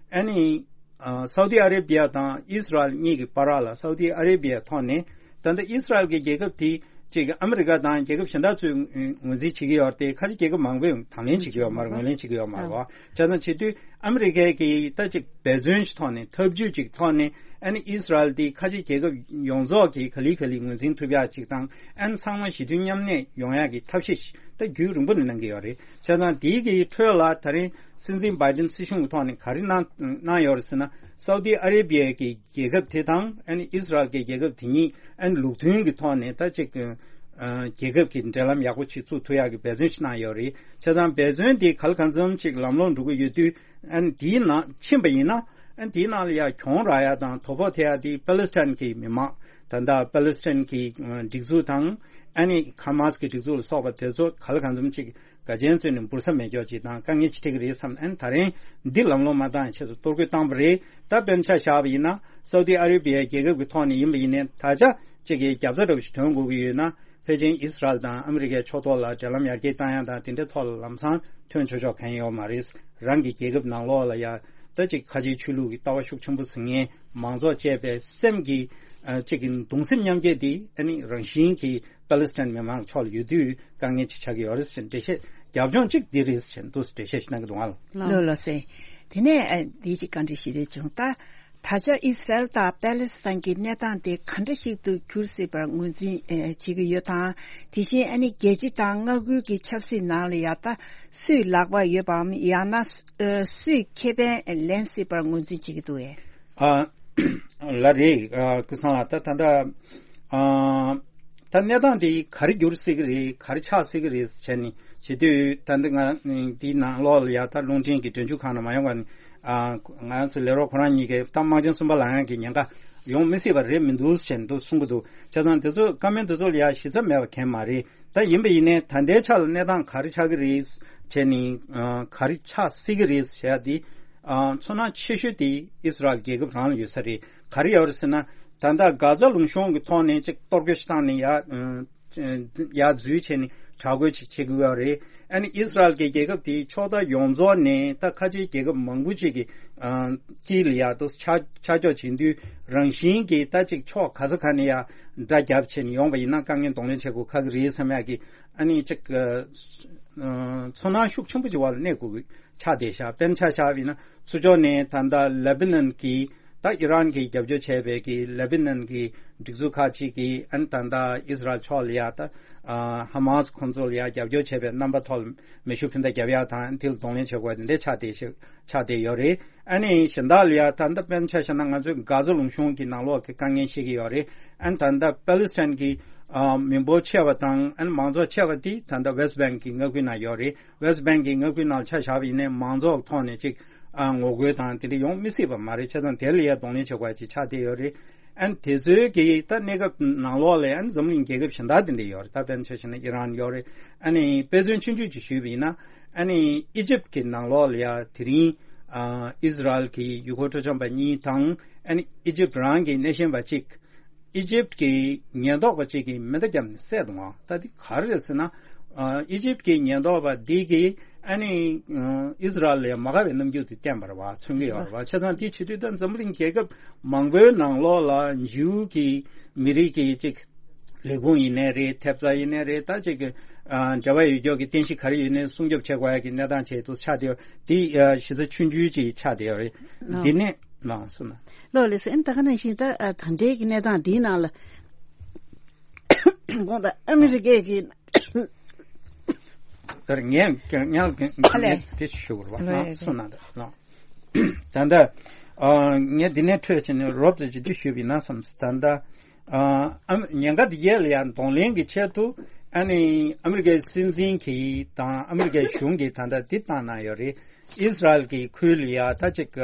ཨ་ནི་ཨ་སའུ་ཏི་ཨ་རེ་བྷི་ཡ་དང་ཨིས་ར་ཨེལ་གཉིས་ཀྱི་བར་ལ། སའུ་ཏི་ཨ་རེ་བྷི་ཡའི་ཐོག་ནས་ད་ལྟ་ཨིས་ར་ཨེལ་གྱི་རྒྱལ་ཁབ་དེ་ཅིག་ཨ་མི་རི་ཀ་དང་རྒྱལ་ཁབ་གཞན་དག་ཚོས་ངོས་འཛིན་བྱེད་ཀྱི་ཡོད་རེད་དེ། ཁ་ཆེ་རྒྱལ་ཁབ་མང་པོས་དང་ལེན་བྱེད་ཀྱི་ཡོད་མ་རེད། ངོས་ལེན་བྱེད་ཀྱི་ཡོད་མ་རེད་བ། བྱས་ཙང་བྱེད་དུས་ཨ་མི་རི་ཀའི་གི་ད་ཅིག་འབད་བརྩོན་ཞིག་ཐོག་ནས། ཐབས་ཇུས་ཅིག་ཐོག་ནས། ཨ་ནི་ཨིས་ར་ཨེལ་དེ་ཁ་ཆེ་རྒྱལ་ཁབ་ཡོངས་རྫོགས་ཀྱིས་ག་ལེ་ག་ལེ་ངོས་འཛིན་ཐུབ་ཡག་ཅིག་དང་། ཨ་ནི་ཚང་མ་ཞི་མཐུན་མཉམ་གནས་ཡོང་ཡག་གི་ཐབས་ཤེས་ཤིག་ད་རྒྱུན་རིང་པོ་ནས་གནང་གི་ཡོད་རེད། བྱས་ཙང་དེའི་གི་ཁྲོད་ལ་ད་རིང་སྲིད་འཛིན་བྷའི་ཌེན་སྲིད་གཞུང་གི་ཐོག་ནས་ག་རེ་གནང་གནང་ཡོད་རེད་ཟེར་ན། སའུ་ཏི་ཨ་རེ་བྷི་ཡའི་གི་རྒྱལ་ཁབ་དེ་དང་། ཨ་ནི་ཨིས་ར་ཨེལ་གྱི་རྒྱལ་ཁབ་དེ་གཉིས་ཨ་ནི་ལུགས་མཐུན་གྱི་ཐོག་ནས་ད་ཅིག་ཨ་རྒྱལ་ཁབ་ཀྱི་འབྲེལ་ལམ་ཡག་པོ་ཅིག་བཙུགས་ཐུབ་ཡག་གི་འབད་བརྩོན་ཞིག་གནང་ཡོད་རེད། བྱས་ཙང་འབད་བརྩོན་དེ་ག་ལ་གང་འཚམ་ཅིག་ལམ་ལྷོང་འགྲོ་གི་ཡོད་དུས། ཨ་ནི་དེའི་ནང་ཕྱིན་པ་ཡིན་ན། ཨ་ནི་དེའི་ནང་ལ་ཡང་གྱོང་རག་ཡག་དང་དོ་ཕོག་ཐེབས་ཡག་དེ་པ་ལི་སི་ཐན་གྱི་མི་མང་། ད་ལྟ་པ་ལི་སི་ཐན་གྱི་ཨ་སྒྲིག་འཛུགས་དང་། ཨ་ནི་ཧ་མ་སི་གི་སྒྲིག་འཛུགས་ལ་སོགས་པ་དེ་ཚོ་ག་ལ་གང་འཚམ་ཅིག་དགའ་ཆེན་བཙུགས་ནས་འབུར་ས་མེད་སྐྱོ་ཅིག་དང་དཀའ་ངལ་ཅིག་འཕྲད་ཀྱི་རེད་བསམ། ཨ་ནི་ད་རིང་འདི་ལམ་ལྷོང་མ་བཏང་ཆེད་དུ་གཏོར་རྒོལ་བཏང་པ་རེད། ད་དཔེར་ན་ཆ་བཞག་པ་ཡིན་ན། སའུ་ཏི་ཨ་རེ་བྷི་ཡའི་རྒྱལ་ཁབ་ཀྱི་ཐོག་ནས་ཡིན་པ་ཡིན་ནའི། ད་ཆ་གཅིག་གི་རྒྱབ་རྩ་འདྲ་བོ་ཞིག་ཐོན་དགོས་ཀྱི་ཡོད་ན། ཕལ་ཆེར་ཨིས་ར་ཨེལ་དང་ཨ་མི་རི་ཀའི་ཕྱོགས་གཏོགས་ལ་འབྲེལ་ལམ་ཡར་རྒྱས་བཏང་ཡག་དང་དེ་འདྲའི་ཐོག་ལ་ལམ་སང་ཐོན་ཆོག་ཆོག་གང་ཡང་ཡོད་མ་རེད། རང་གི་རྒྱལ་ཁབ་ནང་ལོགས་ལ་ཡ་ད་ཅིག་ཁ་ཆེའི་ཆོས་ལུགས་ཀྱི་ལྟ་བ་ཤུགས་ཆེན་པོ་ཟིན་མཁན་མང་ཚོགས་བཅས་པའི་སེམས་ཀྱི་ཨ་ཅིག་གི་གདུང་སེམས་མཉམ་སྐྱེད་དེ། ཨ་ནི་རང་བཞིན་གྱིས་པ་ལི་སི་ཐན་མི་མང་ཕྱོགས་ལ་ཡོད་དུས་དཀའ་ངལ་ཅིག་ཆགས་ཀྱི་ཡོད་རེད་ཟེར་འགྲེལ་བཤད། རྒྱབ་ལྗོངས་གཅིག་འདི་རེད་ཟེར་འདུག་འགྲེལ་བཤད་ཞིག་གནང་གི་འདུག་ཨ། ལགས་ལགས་སེ། དེ་ནས་ཨ་འདི་ཅིག་བཀའ་འདྲི་ཞུ་འདོད་བྱུང་། ད་ད་ཆ་ཨི་སི་རལ་དང་པེ་ལི་སི་ཐན་གྱི་གནས་སྟངས་དེ་ག་འདྲ་ཞིག་ཏུ་འགྱུར་སྲིད་པར་ངོས་འཛིན་ཨེ་བྱེད་ཀྱི་ཡོད་དམ། དེ་བཞིན་ཨ་ནི་རྒྱལ་སྤྱི་དང་མངའ་ཁུལ་གྱི་ཆབ་སྲིད་ནང་ལ་ཡ་ད་སུས་ལག་པ་ཡོད་པའམ། ཡང་ན་ཨ་སུས་ཁེ་ཕན་ལེན་སྲིད་པར་ངོས་འཛིན་བྱེད་ཀྱི་འདུག་ཨེ། ཨ་ལགས་རེད། ཨ་ཀུན་བཟང་ལགས། ད་ད་ལྟ་ཨ་ད་གནས་སྟངས་དེ་ག་རེ་འགྱུར་སྲིད་ཀྱི་རེད། ག་རེ་ཆགས་སྲིད་ཀྱི་རེད་བྱས་ནས་བྱེད་དུས། ད་ལྟ་ང་འདིའི་ནང་ལོགས་ལ་ཡ་ད་རླུང་འཕྲིན་གྱི་སྒྲ་འཇུག་ཁང་ནང་མ་ཡོང་བ་ནས། ཨ་ང་རང་ཚོ་ལས་རོགས་ཁོ་རང་གཉིས་ཀས་ད་དམག་ཆེན་གསུམ་པ་ལངས་ཡག་གི་ཉེན་ཁ་ཡོང་མི་སྲིད་པ་རེད་མི་འདུག་ཟེར་འདུག་གསུང་གི་འདུག་བྱས་ཙང་དེ་ཚོ་བཀའ་མོལ་དེ་ཚོ་ལ་ཡ་གཞི་རྩ་མེད་པ་གང་ཡང་མ་རེད། ད་ཡིན་པ་ཡིན་ནའི་ད་ལྟའི་ཆ་ལ་གནས་སྟངས་ག་རེ་ཆགས་ཀྱི་རེད་བྱས་ནས། ཨ་ག་རེ་ཆགས་སྲིད་ཀྱི་རེད་ཟེར་ཡ་དེ། ཨ་ཚོར་སྣང་ཆེ་ཤོས་དེ་ཨི་སི་རལ་རྒྱལ་ཁབ་རང་ལ་ཡོད་ས་རེད། ག་རེ་ཡོད་རེད་ཟེར་ན། ད་ལྟ་གྷ་ཛ་ལུང་གཤོང་གི་ཐོག་ནས་ཅིག་གཏོར་རྒོལ་ཞིག་བཏང་ནས་ཡ། ཨ། ཡར་འཛུལ་བྱས་ནས་དྲག་རྒོལ་བྱེད་བྱེད་དགོས་པ་རེད། ཨ་ནི་ཨི་སི་རལ་གྱི་རྒྱལ་ཁབ་དེའི་ཕྱོགས་མཐའ་ཡོངས་རྫོགས་ནས་ད་ཁ་ཆེའི་རྒྱལ་ཁབ་མང་པོ་ཅིག་གི་ཨ་དཀྱིལ་ལ་ཡར་དུ་ཆ་ཆ་འཇོག་བྱེད་དུས་རང་བཞིན་གྱིས་ད་ཅིག་ཕྱོགས་ག་ས་ག་ནས་ཡར་དགྲ་བརྒྱབ་བྱས་ནས་ཡོང་བ་ཡིན་ན་དཀའ་ངལ་གདོང་ལེན་བྱེད་དགོས་ཁག་གི་རེད་བསམ་ཡག་གི་ཨ་ནི་ཅིག་ཨ་ཚོར་སྣང་ཤུགས་ཆེན་པོ་ཅིག་བར་ལ་གནས་དགོས་ཀྱི་ཆགས་བསྡད་ཤག་དཔེར་ན་ཆ་བཞག་པ་ཡིན་ན་ཚུར་ཕྱོགས་ནས་ད་ལྟ་ལེ་བྷ་ནན་གྱི་ད་ཨི་རན་གྱིས་རྒྱབ་སྐྱོར་བྱས་པའི་གི་ལེ་བྷ་ནན་གྱི་སྒྲིག་འཛུགས་ཁག་ཅིག་གིས་ཨ་ནི་ད་ལྟ་ཨི་སི་རལ་ཕྱོགས་ལ་ཡ་ད་ཧ་མ་སི་ཁོང་ཚོ་ལ་ཡ་རྒྱབ་སྐྱོར་བྱས་པའི་རྣམ་པ་ཐོག་ལ་མེ་ཤུགས་འཕུར་མདའ་རྒྱབ་ཡག་དང་དེ་ལ་གདོང་ལེན་བྱེད་དགོས་དེ་འདྲ་ཆགས་བསྡད་ཤག་ཆགས་བསྡད་ཡོད་རེད། ཨ་ནི་གཞན་དག་ལ་ཡ་ད་ལྟ་དཔེར་ན་ཆ་བཞག་ན་ང་ཚོས་གྷ་ཛ་ལུང་གཤོང་གི་ནང་ལོགས་ཀྱི་དཀའ་ངལ་ཤེས་ཀྱི་ཡོད་རེད། ཨ་ནི་ད་ལྟ་པ་ལི་སི་ཐན་གྱི་ཨ་མི་འབོར་ཆེ་བ་དང་ཨ་ནི་མང་ཚོགས་ཆེ་བ་དེ་ད་ལྟ་ཝེ་སི་ཊི་བྷེང་གི་མངའ་ཁུལ་ནང་ཡོད་རེད། ཝེ་སི་ཊི་བྷེང་གི་མངའ་ཁུལ་ནང་ཆ་བཞག་པ་ཡིན་ནའི་མང་ཚོགས་ཐོག་ནས་ཅིག་ཨ་ངོ་རྒོལ་དང་དེ་འདྲ་ཡོང་མི་སྲིད་པ་མ་རེད། བྱས་ཙང་དེ་ལ་ཡ་གདོང་ལེན་བྱེད་དགོས་ཅིག་ཆགས་བསྡད་ཡོད་རེད། ཨ་ནི་དེ་ཚོའི་གི་ད་གནས་སྐབས་ནང་ལོགས་ལ་ཨ་ནི་འཛམ་གླིང་རྒྱལ་ཁབ་གཞན་དག་དེ་འདྲ་ཡོད་རེད། ད་དཔེར་ན་ཆ་བཞག་ན་ཨི་རན་ཡོད་རེད། ཨ་ནི་དཔེ་མཚོན་ཆུང་ཆུང་ཅིག་ཞུས་པ་ཡིན་ན་ཨ་ནི་ཨི་ཇིབ་ཀྱི་ནང་ལོགས་ལ་ཡ་དེ་རིང་ཨ་ཨི་སི་རལ་གྱི་ཡུལ་སྐོར་སྤྲོ་འཆམ་པ་གཉིས་དང་ཨ་ནི་ཨི་ཇིབ་རང་གི་སྣེ་ཤན་པ་གཅིག་ཨི་ཇིབ་ཀྱི་ཉེན་རྟོག་པ་གཅིག་གིས་མེ་མདའ་བརྒྱབ་ནས་བསད་འདུག་ད་འདི་ག་རེ་རེད་ཟེར་ན་ཨ་ཨི་ཇིབ་ཀྱི་ཉེན་རྟོག་པ་འདི་གིས་ཨ་ནི་ཨ་ཨི་སི་རལ་ལ་མ་དགའ་བའི་རྣམ་འགྱུར་དེ་བསྟན་པ་རེད་བ། མཚོན་གྱི་ཡོད་རེད་བ། བྱས་ཙང་དེ་བྱེད་དུས་ད་འཛམ་བུ་གླིང་རྒྱལ་ཁབ་མང་པོའི་ནང་ལོགས་ལ་འཇིའུ་གི་མི་རིགས་ཀྱི་ཅིག་ལས་ཁུངས་ཡིན་ནའི་རེད། ཐེབས་རྩ་ཡིན་ནའི་རེད། ད་ཅིག་གི་ཨ་འབྲེལ་བ་ཡོད་ཀྱོག་གི་རྟེན་གཞི་ག་རེ་ཡོད་ནའི་སྲུང་སྐྱོབ་བྱེད་དགོས་ཡ་གི་གནས་སྟངས་བྱས་འདུག་ཆགས་བསྡད་ཡོད། དེ་ཨ་གཞི་རྩ་ཆུང་ཆུང་ཅིག་ཆགས་བསྡད་ཡོད་རེད། ལགས། འདི་ནས་ལགས་སོ་ན། ལགས་ལགས་སོ། ཨ་ནི་ད་ག་ནང་བཞིན་ད་ཨ་ད་ལྟའི་གི་གནས་སྟངས་འདིའི་ནང་ལ་དགོངས་དག་ཨ་མི་རི་ཀའི་གི་ད་ངས་ངས་ངས་ཨ་ལས། དེ་ཞུ་དགོས་རེད་བ། ལགས་ལགས་སོ་ན། ད་ལགས། ད་ལྟ་ཨ་ངས་འདི་ནས་འཕྲོས་བྱས་ནས་རོབ་ཙམ་ཅིག་འདི་ཞུས་པ་ཡིན་ན་བསམ། ད་ལྟ་ཨ་ཨ་ཉེན་ཁ་འདི་ཡས་ལ་ཡང་གདོང་ལེན་གྱི་ཆེད་དུ་ཨ་ནི་ཨ་མི་རི་ཀའི་སྲིད་འཛིན་གྱིས་དང་ཨ་མི་རི་ཀའི་གཞུང་གིས་ད་ལྟ་འདི་བཏང་གནང་ཡོད་རེད། ཨིས་ར་ཨེལ་གྱི་ཁུལ་ལ་ཡ་ད་ཅིག་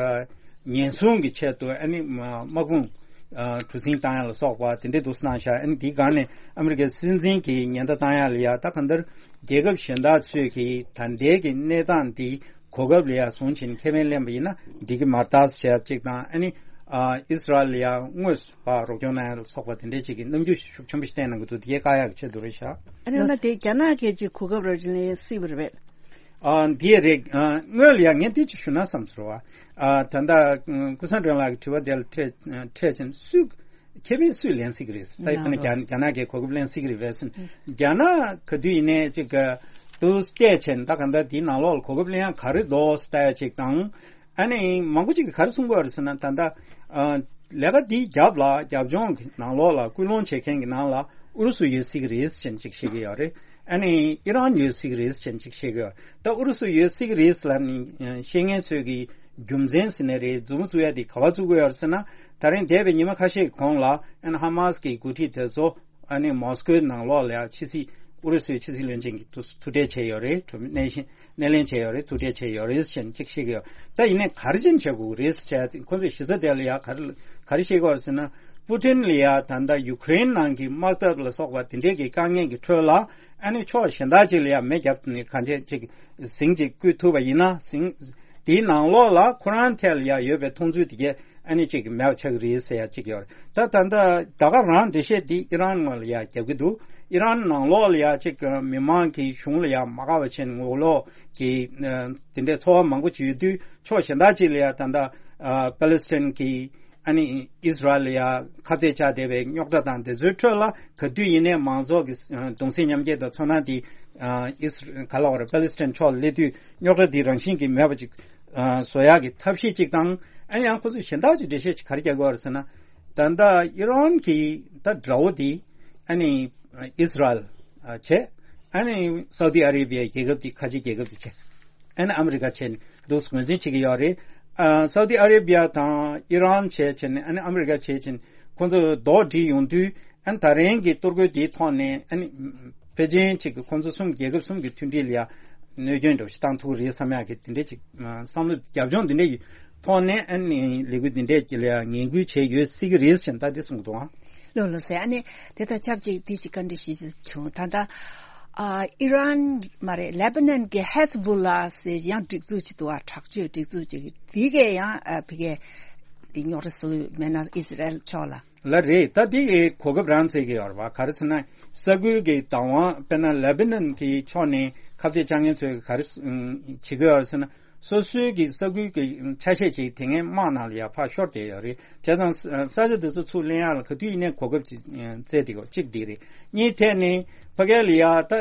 ཉེན་སྲུང་གི་ཆེད་དུ་ཨ་ནི་དམག་དཔུང་གྲུ་གཟིངས་བཏང་ཡ་ལ་སོགས་པ་དེ་འདྲའི་འདུག་སེ་གནང་ཤག་ཨ་ནི་འདིའི་སྒང་ནས་ཨ་མི་རི་ཀའི་སྲིད་འཛིན་གྱིས་ཉེན་བརྡ་བཏང་ཡ་ལ་ཡ་ད་གང་ལྟར་རྒྱལ་ཁབ་གཞན་དག་ཚོས་ཀྱིས་ད་ལྟའི་གི་གནས་སྟངས་འདི་གོ་སྐབས་ལ་ཡ་བཟུང་བྱས་ནས་ཁེ་ཕན་ལེན་པ་ཡིན་ན་འགྲིག་གི་མ་རེད་ཟེར་ཡ་གཅིག་དང་། ཨ་ནི་ཨིས་ར་ཨེལ་ལ་ཡ་དངོས་སུ་ཕར་རོགས་སྐྱོར་གནང་ཡ་ལ་སོགས་པ་དེ་འདྲའི་ཅིག་གི་རྣམ་འགྱུར་ཤུགས་ཆེན་པོ་ཞིག་བསྟན་གནང་གི་འདུག་དེ་གས་བཀག་ཡག་གི་ཆེད་དུ་རེད་ཤག་ཨ་ནི་ན་དེ་རྒྱ་ནག་གིས་ཅིག་གོ་སྐབས་རག་བྱས་ནས་སྲིད་པ་རེད་པས། ཨ་འདི་རེད། ཨ་དངོས་ལ་ཡང་ངས་འདི་ཅིག་ཞུ་ན་བསམ་ཚོར་བ། ཨ་ད་ལྟ་ཀུན་བཟང་སྒྲོལ་ལགས་ཀྱི་དྲི་བ་དེ་ལ་འཕྲད་འཕྲད་ཕྱིན་སུས་ཁེ་ཕན་སུས་ལེན་སྲིད་ཀྱི་རེད། ད་ཡིན་ན་རྒྱ་རྒྱ་ནག་གིས་གོ་སྐབས་ལེན་སྲིད་ཀྱི་རེད་པས་ཟེར། རྒྱ་ནག་ག་དུས་ཡིན་ནའི་ཅིག་དུ་བལྟས་ཕྱིན་ད་ག་ད་འདིའི་ནང་ལོགས་ལ་གོ་སྐབས་ལེན་ཡག་ག་རེ་འདུག་ཟེར་ལྟ་ཡ་ཅིག་དང་། ཨ་ནི་མང་པོ་ཅིག་གིས་ག་རེ་གསུང་གི་ཡོད་རེད་ཟེར་ན། ད་ལྟ་ཨ་ལས་ཀ་འདིའི་རྒྱབ་ལ་རྒྱབ་ལྗོངས་ཀྱི་ནང་ལོགས་ལ་སྐུལ་སློང་བྱེད་མཁན་གྱི་ནང་ལ་ཨུ་རུ་སུ་ཡོད་སྲིད་ཀྱི་རེད་ཟེར་ཅིག་བཤད་ཀྱི་ཡོད་རེད། ཨ་ནི་ཨི་རན་ཡོད་སྲིད་ཀྱི་རེད་ཟེར་ཅིག་བཤད་ཀྱི་ཡོད་རེད། ད་ཨུ་རུ་སུ་ཡོད་སྲིད་ཀྱི་རེད་ཟེར་ལབ་ནས་ཨ་བཤད་མཁན་ཚོས་ཀྱི་རྒྱུ་མཚན་ཟེར་ནའི་རེད། མཛུབ་མོ་བཙུགས་ཡ་དེ་ག་པར་བཙུགས་ཀྱི་ཡོད་རེད་ཟེར་ན། ད་རིང་འདས་པའི་ཉི་མ་ཁ་ཤས་ཀྱི་གོང་ལ་ཨ་ནི་ཧ་མ་སི་གི་འགོ་ཁྲིད་དེ་ཚོ་ཨ་ནི་མོ་སི་ཀོའི་ནང་ལོགས་ལ་ཡང་ཕྱི་སྲིད་ཨུ་རུ་སུའི་ཕྱི་སྲིད་བློན་ཆེན་གྱིས་ཐུག་ཐུག་འཕྲད་བྱས་ཡོད་རེད། གྲོས་མོལ་སྣེ་ཤན་སྣེ་ལེན་བྱས་ཡོད་རེད། ཐུག་འཕྲད་བྱས་ཡོད་རེད་ཟེར་ཅིག་བཤད་ཀྱི་ཡོད། ད་ཡིན་ནའི་ག་རེ་བྱས་ནས་བྱེད་དགོས་ཀྱི་རེད་ཟེར་བྱས་ཁོ་ཚོས་གཞི་རྩ་དེ་ལ་ཡང་ག་རེ་ག་རེ་བཤད་ཀྱི་ཡོད་རེད་ཟེར་ན། པུ་ཏིན་ལ་ཡང་ད་ལྟ་ཡུ་ཀེ་རེན་ནང་གི་དམག་འཐབ་ལ་སོགས་པ་དེ་འདྲའི་གི་དཀའ་ངལ་གྱི་ཁྲོད་ལ་ཨ་ནི་ཕྱོགས་གཞན་དག་ཅིག་ལ་ཡང་མེ་བརྒྱབ་ནས་གང་བྱས་ཅིག་ཟིང་ཅིག་བསྐུལ་ཐུབ་པ་ཡིན་ན། ཟིང་དེའི་ནང་ལོགས་ལ་ཁོ་རང་ཐད་ལ་ཡང་ཡོད་པའི་མཐོང་ཚུལ་དེ་གས་ཨ་ནི་གཅིག་མེད་པ་ཆགས་ཀྱི་རེད་ཟེར་ཡ་གཅིག་ཡོད་རེད། ད་ད་ལྟ་ད་ག་རང་འགྲེལ་བཤད་འདི་ཨི་རན་ངོས་ལ་ཡ་རྒྱབ་ཀྱི་འདུག་ཨི་རན་ནང་ལོགས་ལ་ཡ་གཅིག་མི་མང་གི་གཞུང་ལ་ཡ་མ་དགའ་བ་བྱས་ནས་ངོ་ལོག་གི་དེ་འདྲའི་ཚོར་བ་མང་པོ་ཅིག་ཡོད་དུས། ཕྱོགས་གཞན་དག་ཅིག་ལ་ཡ་ད་ལྟ་པ་ལེ་སི་ཐན་གྱི་ཨ་ནི་ཨིས་ར་ཨེལ་ལ་ཡ་ཁ་གཏད་བཅག་བསྡད་པའི་རྙོག་དྲ་དང་དེ་ཚོའི་ཁྲོད་ལ་ག་དུས་ཡིན་ནའི་མང་ཚོགས་ཀྱི་གདུང་སེམས་མཉམ་སྐྱེད་དང་ཚོར་སྣང་དེ་ཨིས་ག་ལ་བ་རེད། པ་ལེ་སི་ཐན་ཕྱོགས་ལ་སླེབས་དུས་རྙོག་དྲ་འདི་རང་བཞིན་གྱིས་མེད་པ་ཅིག་ཨ་བཟོ་ཡག་གི་ཐབས་ཤེས་གཅིག་དང་། ཨ་ནི་ཡང་ཁོ་ཚོས་གཞན་དག་ཅིག་འགྲེལ་བཤད་ཅིག་ག་རེ་རྒྱག་གི་ཡོད་རེད་ཟེར་ན། ད་ལྟ་ཨི་རན་གྱི་ད་དགྲ་བོ་དེ་ཨ་ནི་ཨིས་ར་ཨེལ་བྱས། ཨ་ནི་སའུ་ཏི་ཨ་རེ་བྷི་ཡ་རྒྱལ་ཁབ་དེ་ཁ་ཆེ་རྒྱལ་ཁབ་དེ་བྱས། ཨ་ནི་ཨ་མི་རི་ཀ་བྱས་ནས་འདུག་ངོས་འཛིན་བྱེད་ཀྱི་ཡོད་རེད། ཨ་སའུ་ཏི་ཨ་རེ་བྷི་ཡ་དང་ཨི་རན་བྱས་བྱས་ནས་ཨ་ནི་ཨ་མི་རི་ཀ་བྱས་བྱས་ནས་ཁོང་ཚོ་རྡོག་སྒྲིལ་ཡོང་དུས། ཨ་ནི་ད་རིང་གི་གཏོར་རྒོལ་དེའི་ཐོག་ནས་ཨ་ནི་ཕལ་ཆེར་ཅིག་གི་ཁོང་ཚོ་གསུམ་རྒྱལ་ཁབ་གསུམ་གྱི་མཐུན་སྒྲིལ་ལ་ཡ་གནོད་སྐྱོན་འདྲ་བོ་ཞིག་བཏང་ཐུབ་ཀྱི་རེད་བསམ་ཡག་གི་དེ་འདྲའི་ཅིག་བསམ་བློ་རྒྱབ་ལྗོངས་འདི་འདྲ་ཡི་ཐོག་ནས་ཨ་ནི་ལས་འགུལ་འདི་འདྲས་ཀྱི་ལ་ཡ་ངན་སྐུལ་བྱས་ཡོད་སྲིད་ཀྱི་རེད་ཟེར་ད་འདི་གསུངས་འདུག་ཨང་། ལགས་ལགས་སོ། ཨ་ནི་དེ་དང་ཆབས་ཅིག་འདི་ཅིག་བཀའ་འདྲི་ཞུ་རྒྱུ་བྱུང་། ད་ལྟ་ཨ་ཨི་རན་མ་རེད། ལེ་པ་ནན་གྱི་ཧེ་ཟ་བུ་ལ་ཟེར་ཡང་སྒྲིག་འཛུགས་ཅིག་འདུག་ཨ། དྲག་སྤྱོད་སྒྲིག་འཛུགས་ཅིག་འདི་གས་ཡང་ཨ་ཕ་གིའི་རྙོག་དྲ་བཟོས་མེད་ན་ཨིས་ར་ཨེལ་ཕྱོགས་ལ། ལ་རེད། ད་འདི་གི་གོ་སྐབས་རང་བཙལ་གྱི་ཡོད་རེད་བ། ག་རེ་ཟེར་ན། ས་ཁུལ་གྱི་བདག་དབང་དཔེར་ན་ལེ་བྷ་ནན་གྱི་ཕྱོགས་ནས་ཁ་གཏད་བཅག་མཁན་ཚོས་ག་རེ་བྱེད་ཀྱི་ཡོད་རེད་ཟེར་ན། སོ་སོའི་གི་ས་ཁུལ་གྱི་ཆ་ཤས་ཅིག་དེ་སྔའི་དམག་ནང་ལ་ཡ་ཕར་ཤོར་བསྡད་ཡོད་རེད། བྱས་ཙང་ས་ས་ཆ་དེ་ཚོ་ཚུར་ལེན་ཡག་ལ་ག་དུས་ཡིན་ནའི་གོ་སྐབས་ཅིག་བཙལ་བསྡད་ཡོད། གཅིག་འདི་རེད། གཉིས་ཐད་ནས་ཕ་གི་ལ་ཡ་ད་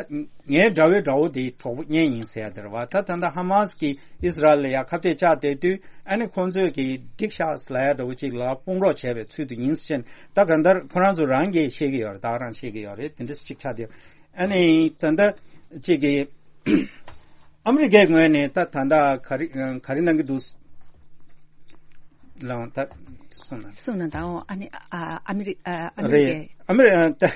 ངའི་དགྲ་བོའི་དགྲ་བོ་དེ་གྲོགས་པོ་གཉེན་ཡིན་ཟེར་ཡ་དེ་རེད་བ། ད་ད་ལྟ་ཧ་མ་སི་གིས་ཨིས་ར་ཨེལ་ལ་ཡ་ཁ་གཏད་བཅག་བསྡད་དུས་ཨ་ནི་ཁོང་ཚོས་གི་འགྲིག་ཤག་ལབ་ཡ་འདྲ་བོ་ཅིག་ལ་དཔུང་རོགས་བྱས་པའི་ཚུལ་དུ་ཡིན་ཟེར་ད་གང་ལྟར་ཁོ་རང་ཚོ་རང་གིས་ཤེས་ཀྱི་ཡོད་རེད། ད་ག་རང་ཤེས་ཀྱི་ཡོད་རེད། དེ་འདྲ་ཅིག་ཆགས་བསྡད་ཡོད། ཨ་ནི་ད་ལྟ་ཅིག་གི་ཨ་མི་རི་ཀའི་ངོས་ནས་ད་ད་ལྟ་ག་རེ་ག་རེ་གནང་གི་འདུག་ལའང་ད་གསུངས་ན། གསུངས་ན་ད་འོ་ཨ་ནི་ཨ་ཨ་མི་རི་ཨ་ཨ་མི་རི་རེད། ཀའི་ཨ་མི་རི་ཨ་ད་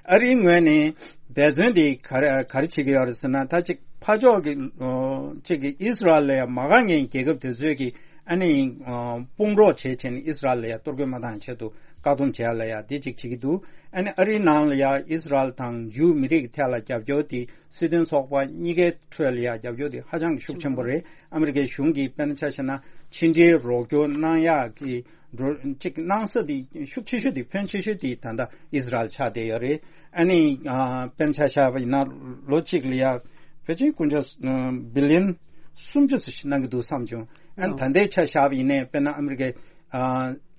ཨ་རིའི་ངོས་ནས་འབད་བརྩོན་དེ་ག་རེ་ག་རེ་བྱེད་ཀྱི་ཡོད་རེད་ཟེར་ན། ད་ཅིག་ཕར་ཕྱོགས་ཀྱི་ཨོ་ཅིག་གི་ཨིས་ར་ཨེལ་ལ་ཡང་མ་དགའ་མཁན་རྒྱལ་ཁབ་དེ་ཚོས་ཀྱི་ཨ་ནི་ཨོ་དཔུང་རོགས་བྱས་བྱས་ནས་ཨིས་ར་ཨེལ་ལ་ཡང་གཏོར་རྒོལ་མ་བཏང་ཆེད་དུ་བཀག་སྡོམ་བྱས་ལ་ཡ་དེ་ཅིག་བྱེད་ཀྱི་འདུག་ཨ་ནི་ཨ་རིའི་ནང་ལ་ཡ་ཨིས་ར་ཨེལ་དང་འཇུ་མི་རིགས་ཐད་ལ་རྒྱབ་སྐྱོར་དེ་སྲིད་དོན་ཚོགས་པ་གཉིས་ཀའི་ཁྲོད་ལ་ཡ་རྒྱབ་སྐྱོར་དེ་ཧ་ཅང་གི་ཤུགས་ཆེན་པོ་རེད། ཨ་མི་རི་ཀའི་གཞུང་གིས་དཔེར་ན་ཆ་བཞག་ན་ཕྱི་འབྲེལ་རོགས་སྐྱོར་གནང་ཡག་གི་འགྲོ་གཅིག་གནང་ས་དེ་ཤུགས་ཆེ་ཤོས་དེ་ཕོན་ཆེ་ཤོས་དེ་ད་ལྟ་ཨིས་ར་ཨེལ་ཆགས་བསྡད་ཡོད་རེད། ཨ་ནི་ཨ་དཔེར་ན་ཆ་བཞག་པ་ཡིན་ན་ལོ་གཅིག་ལ་ཡ་ཕལ་ཆེར་དཀོན་མཆོག་ཨ་བི་ལི་ཡོན་སུམ་ཅུ་ཙམ་ཞིག་གནང་གི་འདུག་བསམ་བྱུང་། ཨ་ནི་ད་ལྟའི་ཆ་བཞག་པ་ཡིན་ནའི་དཔེར་ན་ཨ་མི་རི་ཀའི་ཨ་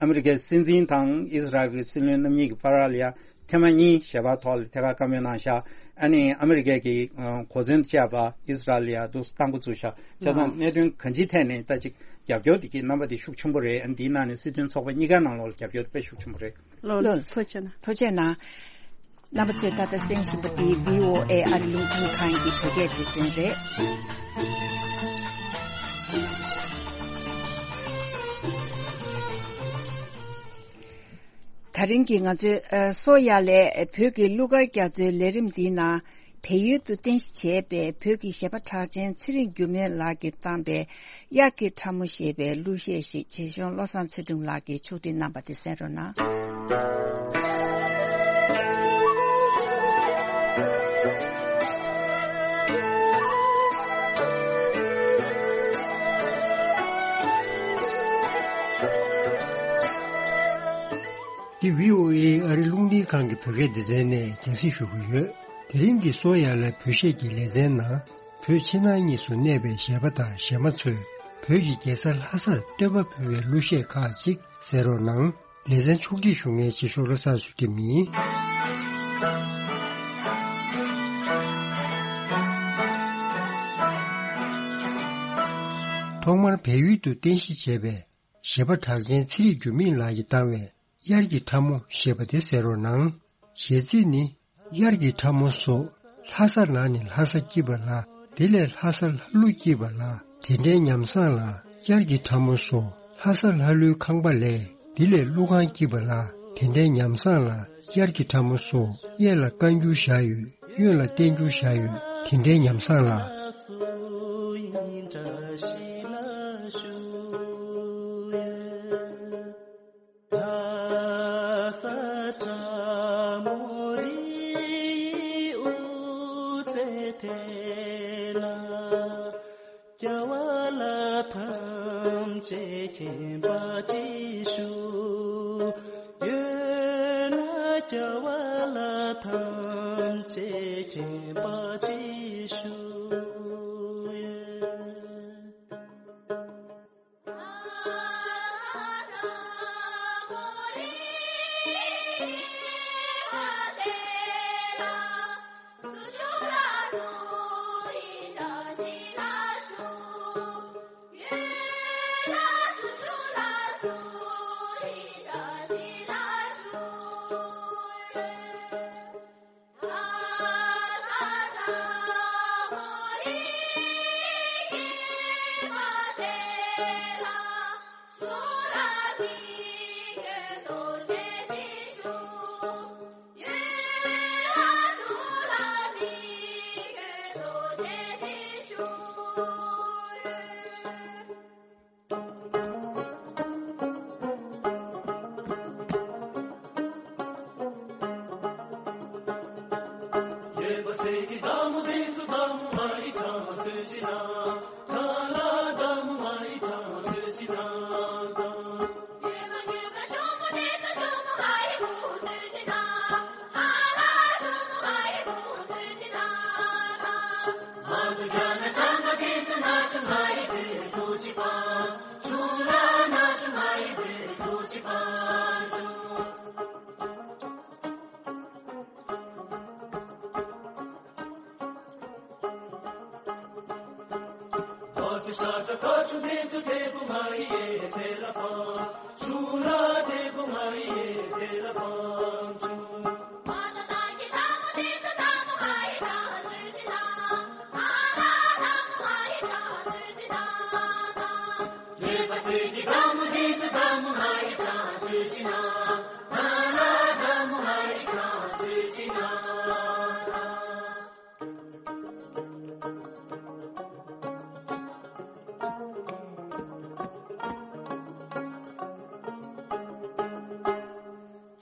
ཨ་མི་རི་ཀའི་སྲིད་འཛིན་དང་ཨིས་ར་ཨེལ་གྱི་སྲིད་བློན་རྣམ་གཉིས་ཀྱི་བར་ལ་ཡ་ཐེངས་མ་གཉིས་ཞལ་པར་ཐོག་ལ་ཐད་ཀར་བཀའ་མོལ་གནང་ཤག་ཨ་ནི་ཨ་མི་རི་ཀའི་གི་ཨ་གོ་མཚོན་བཅས་པ་ཨིས་ར་ཨེལ་ལ་ཡ་འདུག་སྟངས་འགོ་བཙུགས་ཤག་བྱས་ཙང་གནད་དོན་གང་ཅིའི་ཐད་ནས་ད་ཅིག་རྒྱབ་སྐྱོར་དེ་གི་རྣམ་པ་དེ་ཤུགས་ཆེན་པོ་རེད། ཨ་ནི་དེའི་ནང་ནས་སྲིད་དོན་ཚོགས་པ་གཉིས་ཀའི་ནང་ལོགས་ལ་རྒྱབ་སྐྱོར་དཔེ་ཤུགས་ཆེན་པོ་རེད། ལགས་ལགས་ཐུགས་རྗེ་གནང་། ཐུགས་རྗེ་གནང་། རྣམ་པ་ཚོས་ད་ལྟ་གསན་བཞིན་པ་འདི་བྷི་ཨོ་ཨེ་ཨ་རི་རླུང་འཕྲིན་ཁང་གི་བོད་སྐད་སྡེ་ཚན་རེད། ད་རིང་གི་ང་ཚོའི་ཨ་གསོ་ཡ་ལས་བོད་ཀྱི་གླུ་གར་རྒྱ་མཚོའི་ལས་རིམ་འདིའི་ནང་བལ་ཡུལ་དུ་རྟེན་གཞི་བྱས་པའི་བོད་ཀྱི་གཞས་པ་གྲགས་ཅན་ཚེ་རིང་འགྱུར་མེད་ལགས་ཀྱིས་བཏང་པའི་དབྱར་གྱི་ཁྲ་མོ་ཞེས་པའི་གླུ་གཞས་ཤིག་བྱེད་གཞུང་བློ་བཟང་ཚེ་སྒྲོན་ལགས་ཀྱིས་ཕྱོགས་སྒྲིག་གནང་པ་དེ་གསན་རོགས་གནང་། འདི་བྷི་ཨོ་ཨེ་ཨ་རི་རླུང་འཕྲིན་ཁང་གི་བོད་སྐད་སྡེ་ཚན་ནས་རྒྱང་སྲིང་ཞུ་གི་ཡོད། དེ་རིང་གི་གསོ་ཡ་ལ་བོད་གཞས་ཀྱི་ལེ་ཚན་ནང་བོད་ཕྱི་ནང་གཉིས་སུ་གནས་པའི་གཞས་པ་དང་གཞས་མ་ཚོས་བོད་ཀྱི་རྒྱལ་ས་ལྷ་སར་བསྟོད་པ་ཕུལ་བའི་གླུ་གཞས་ཁག་ཅིག་གསན་རོགས་གནང་། ལེ་ཚན་ཕྱོགས་སྒྲིག་ཞུ་མཁན་རྗེས་ཤོག་བློ་བཟང་ཚུལ་ཁྲིམས་ཡིན། ཐོག་མར་བལ་ཡུལ་དུ་རྟེན་གཞི་བྱས་པའི་གཞས་པ་གྲགས་ཅན་ཚེ་རིང་འགྱུར་མེད་ལགས་ཀྱིས་བཏང་བའི་དབྱར་གྱི་ཁྲ་མོ་ཞེས་པ་དེ་གསན་རོགས་གནང་། གཞས་ཚིག་ནི། དབྱར་གྱི་ཁྲ་མོ་སོགས། ལྷ་ས་ལ་ནི་ལྷ་ས་སྐྱིད་པ་ལ། དེ་ལས་ལྷ་ས་ལྷ་ཀླུ་སྐྱིད་པ་ལ། དེ་འདྲའི་ཉམས་བཟང་ལ། དབྱར་གྱི་ཁྲ་མོ་སོགས། ལྷ་ས་ལྷ་ཀླུའི་ཁང་པ་ལས། དེ་ལས་ཀླུ་ཁང་སྐྱིད་པ་ལ། དེ་འདྲའི་ཉམས་བཟང་ལ། དབྱར་གྱི་ཁྲ་མོ་སོགས། གཡས་ལ་བཀའ་འགྱུར་བཞག་ཡོད། གཡོན་ལ་བསྟན་འགྱུར་བཞག་ཡོད། དེ་འདྲའི་ཉམས་བཟང་ལ། ལྷ་ས་ཁྲ་མོ་རི་དབུ་རྩེ་དེ་ལ། རྒྱལ་བ་ལ་ཐམས་ཅད་མཁྱེན་པ་ཅིག་ཞུ། ཡོད་ན་རྒྱལ་བ་ལ་ཐམས་ཅད་མཁྱེན་པ་ཅིག་ཞུ།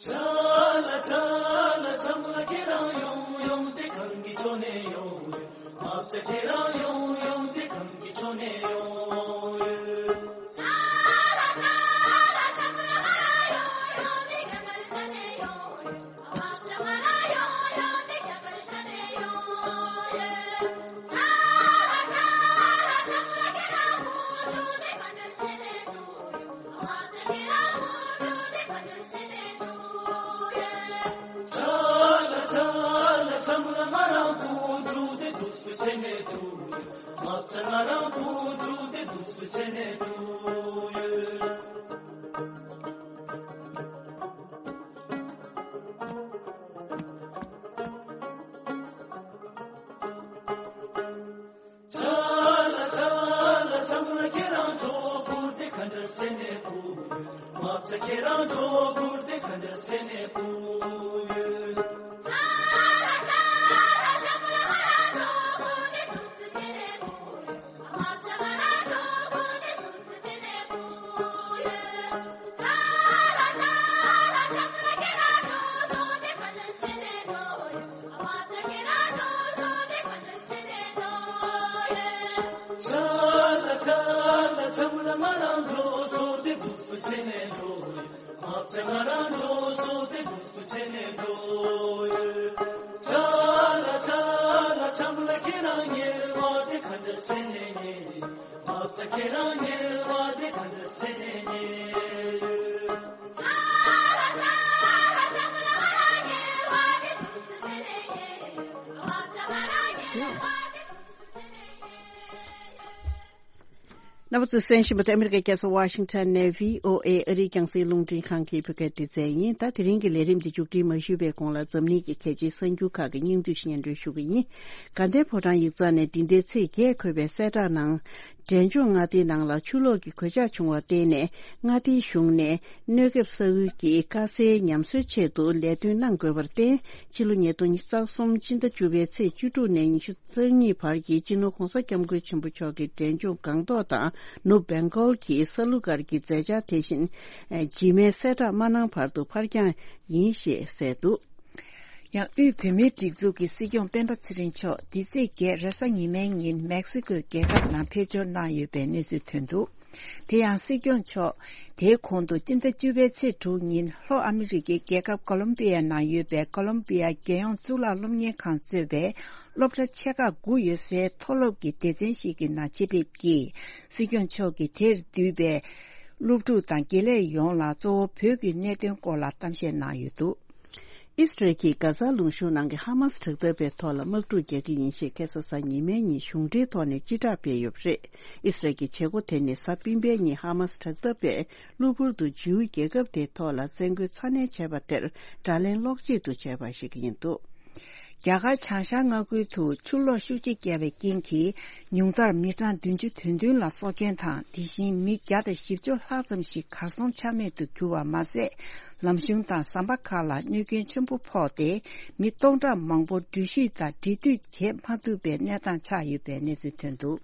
ཆ་ལ་ཆ་ལ་ཆམ་ལ་ཁྱེད་རང་ཡོང་ཡོང་དེ་གང་གི་ཆོ་ནས་ཡོང་ཡོད། མ་ཆ་ཁྱེད་རང་ཡོང་ཡོང་དེ་གང་གི་ཆོ་ནས་ཡོང་ཡོད། ཆ་ལ་ཆ་ལ་ཆམ་ལ་ང་རང་ཡོང་ཡོང་དེ་གང་གི་ཆོ་ནས་ཡོང་ཡོད། ཆ་ལ་ཆ་ལ་ཆམ་ལ་ཁྱེད་རང་ཚོ་བུར་དེ་ག་འདྲ་སེ་ནས་བུ་ཡོད། མ་ཆ་ཁྱེད་རང་ཚོ་བུར་དེ་ག་འདྲ་སེ་ནས་བུ་ཡོད། ཆ་ལ་ཆ་ལ་ཆམ་ལ་ང་རང་ཚོ་བུར་དེ་དུས་སུ་སེ་ནས་བུ་ཡོད། མ་ཆ་ང་རང་ཚོ་བུར་དེ་དུས་སུ་སེ་ནས་བུ་ཡོད། རྣམ་པ་ཚོས་གསན་བཞིན་པ་དེ་ཨ་མི་རི་ཀའི་རྒྱལ་ས་ཝ་ཤིང་ཊོན་ནས་བྷི་ཨོ་ཨེ་ཨ་རིའི་རྒྱང་སྲིང་རླུང་འཕྲིན་ཁང་གི་བོད་སྐད་སྡེ་ཚན་ཡིན། ད་དེ་རིང་གི་ལས་རིམ་འདི་མཇུག་སྒྲིལ་མ་ཞུས་པའི་གོང་ལ་འཛམ་གླིང་གི་གལ་ཆེའི་གསར་འགྱུར་ཁག་གི་སྙིང་བསྡུས་ཤིག་སྙན་སྒྲོན་ཞུ་གི་ཡིན། དགའ་ལྡན་ཕོ་བྲང་ཡིག་ཚང་ནས་འདི་ཟླའི་ཚེས་བརྒྱད་འཁོད་པའི་གསལ་བསྒྲགས་ནང་། འབྲས་ལྗོངས་མངའ་སྡེའི་ནང་ལ་ཆུ་ལོག་གི་གོད་ཆག་བྱུང་བར་བརྟེན་ནས་མངའ་སྡེའི་གཞུང་ནས་གནོད་སྐྱོབ་ས་ཁུལ་གྱི་དཀའ་སེལ་ཉམས་གསོའི་ཆེད་དུ་ལས་དོན་གནང་དགོས་པར་བརྟེན། ཕྱི་ལོ་ཉིས་སྟོང་ཉི་ཤུ་རྩ་གསུམ་སྤྱི་ཟླ་བཅུ་པའི་ཚེས་བཅུ་དྲུག་ནས་ཉི་ཤུ་རྩ་གཉིས་བར་གྱི་སྤྱི་ནོར་༸གོང་ས་༸སྐྱབས་མགོན་ཆེན་པོ་མཆོག་གིས་འབྲས་ལྗོངས་སྒང་ཏོག་དང་ནུབ་བེང་གོལ་གྱི་ས་ལུ་སྒར་གྱི་མཛད་འཆར་དེ་བཞིན་རྗེས་མའི་གསལ་བསྒྲགས་མ་གནང་བར་དུ་ཕར་འགྱངས་ཡིན་ཞེས་གསལ་འདུག། ཡང་དབུས་བོད་མིའི་སྒྲིག་འཛུགས་ཀྱི་སྲིད་སྐྱོང་སྤེན་པ་ཚེ་རིང་མཆོག་འདི་ཚེས་བརྒྱད་རེས་གཟའ་ཉི་མའི་ཉིན་མེག་སི་ཀོའི་རྒྱལ་ཁབ་ནང་ཕེབས་འབྱོར་གནང་ཡོད་པའི་གནས་ཚུལ་ཐོན་འདུག། དེ་ཡང་སྲིད་སྐྱོང་མཆོག་དེའི་གོང་དུ་སྤྱི་ཟླ་བཅུ་པའི་ཚེས་དྲུག་ཉིན་ལྷོ་ཨ་མི་རི་ཀའི་རྒྱལ་ཁབ་ཀོ་ལོམ་པི་ཡ་ནང་ཡོད་པའི་ཀོ་ལོམ་པི་ཡ་རྒྱལ་ཡོངས་གཙུག་ལག་སློབ་གཉེར་ཁང་གཙོས་པའི་སློབ་གྲྭ་ཆེ་ཁག་དགུ་ཡོད་སའི་མཐོ་སློབ་ཀྱི་སྡེ་ཚན་ཞིག་གི་ནང་ཆེད་ཕེབས་ཀྱིས་སྲིད་སྐྱོང་མཆོག་གིས་དེར་འདུས་པའི་སློབ་ཕྲུག་དང་དགེ་ལས་ཡོངས་ལ་གཙོ་བོ་བོད་ཀྱི་གནད་དོན་སྐོར་ལ་གཏམ་བཤད་གནང་ཡོད་འདུག། ཨི་སི་རལ་གྱིས་གྷ་ཛ་ལུང་གཤོང་ནང་གི་ཧ་མ་སི་དྲག་འཐབ་པའི་ཐོག་ལ་དམག་འཁྲུག་རྒྱག་གི་ཡིན་ཞེས་ཁ་སང་གཟའ་ཉི་མའི་ཉིན་གཞུང་འབྲེལ་ཐོག་ནས་སྤྱི་བསྒྲགས་སྤེལ་ཡོད་པ་རེད། ཨི་སི་རལ་གྱི་བྱེད་སྒོ་དེ་ནི་གཟའ་སྤེན་པའི་ཉིན་ཧ་མ་སི་དྲག་འཐབ་པས་གློ་བུར་དུ་ཇིའུ་རྒྱལ་ཁབ་དེའི་ཐོག་ལ་བཙན་རྒོལ་ཚ་ནན་བྱས་པ་དེར་དགྲ་ལན་སློག་ཆེད་དུ་བྱས་པ་ཞིག་ཡིན་འདུག། རྒྱ་གར་བྱང་ཤར་མངའ་ཁུལ་དུ་ཆུ་ལོག་ཤུགས་ཆེ་བརྒྱབ་པའི་རྐྱེན་གྱིས་ཉུང་མཐར་མི་གྲངས་བདུན་ཅུ་དོན་བདུན་ལ་སྲོག་སྐྱོན་དང་དེ་བཞིན་མི་བརྒྱ་དང་བཞི་བཅུ་ལྷག་ཙམ་ཞིག་གར་སོང་ཆ་མེད་དུ་གྱུར་བ་མ་ཟད། ལམ་གཞུང་དང་ཟམ་པ་ཁག་ལ་གནོད་སྐྱོན་ཆེན་པོ་ཕོག་སྟེ་མི་སྟོང་ཕྲག་མང་པོ་འགྲུལ་བཞུད་དང་འབྲེལ་མཐུད་བྱེད་མ་ཐུབ་པའི་གནས་སྟངས་ཆགས་ཡོད་པའི་གནས་ཚུལ་ཐོན་འདུག།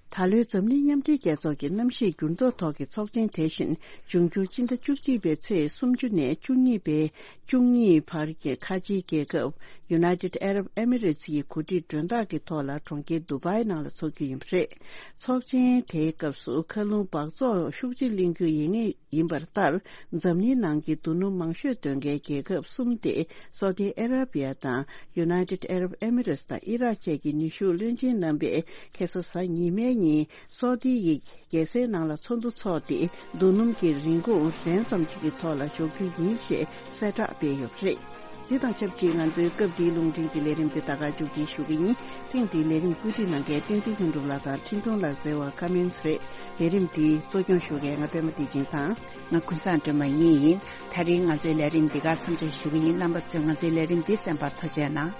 ད་ལོའི་འཛམ་གླིང་མཉམ་འབྲེལ་རྒྱལ་ཚོགས་ཀྱི་གནམ་གཤིས་འགྱུར་ལྡོག་ཐོག་གི་ཚོགས་ཆེན་དེ་བཞིན་འབྱུང་འགྱུར་སྤྱི་ཟླ་བཅུ་གཅིག་པའི་ཚེས་སུམ་ཅུ་ནས་བཅུ་གཉིས་པའི་བཅུ་གཉིས་བར་གྱི་ཁ་ཆེའི་རྒྱལ་ཁབ་United Arab Emirates ཡི་གོ་སྒྲིག་མགྲོན་བདག་གི་ཐོག་ལ་གྲོང་ཁྱེར་དུ་བྷའི་ནང་ལ་འཚོགས་རྒྱུ་ཡིན་པ་རེད། ཚོགས་ཆེན་དེའི་སྐབས་སུ་མཁའ་རླུང་འབག་བཙོག་ཤུགས་ཆེ་གླེང་རྒྱུ་ཡིན་ངེས། ཡིན་པར་ལྟར། འཛམ་གླིང་ནང་གི་རྡོ་སྣུམ་མང་ཤོས་འདོན་མཁན་རྒྱལ་ཁབ་གསུམ་སྟེ། སོ་ཏི་ཨ་ར་བི་ཡ་དང་། United Arab Emirates དང་ཨི་རག་བཅས་ཀྱི་ནུས་ཤུགས་བློན་ཆེན་རྣམ་པས་ཁ་སང་གཟའ་ཉི་མའི་ཉིན་སོ་ཏི་ཡི་རྒྱལ་སའི་ནང་ལ་ཚོགས་འདུ་འཚོགས་ཏེ། རྡོ་སྣུམ་གྱི་རིན་གོང་རན་ཙམ་ཞིག་གི་ཐོག་ལ་འཇོག་རྒྱུ་ཡིན་ཞེས་གསལ་བསྒྲགས་སྤེལ་ཡོད་པ་རེད། འདི་དང་ཆབས་ཅིག་ང་ཚོའི་སྐབས་འདིའི་རླུང་འཕྲིན་གྱི་ལས་རིམ་འདི་ད་ག་མཇུག་སྒྲིལ་ཞུ་གི་ཡིན། ཐེངས་འདིའི་ལས་རིམ་བཀོད་སྒྲིག་གནང་མཁན་བསྟན་འཛིན་ལྷུན་གྲུབ་ལགས་དང་འཕྲིན་གཏོང་ལགས་བརྩེ་བ་ཀ་མན་སི་རེད། ལས་རིམ་འདིའི་གཙོ་སྐྱོང་ཞུ་མཁན་ང་པད་མ་བདེ་ཆེན་དང་། ང་ཀུན་བཟང་སྒྲོལ་མ་གཉིས་ཡིན། ད་རིང་ང་ཚོའི་ལས་རིམ་འདི་གར་མཚམས་འཇོག་ཞུ་གི་ཡིན། རྣམ་པ་ཚོས་ང་ཚོའི་ལས་རིམ་འདི་གསན་པར་ཐུགས་རྗེ་གནང་།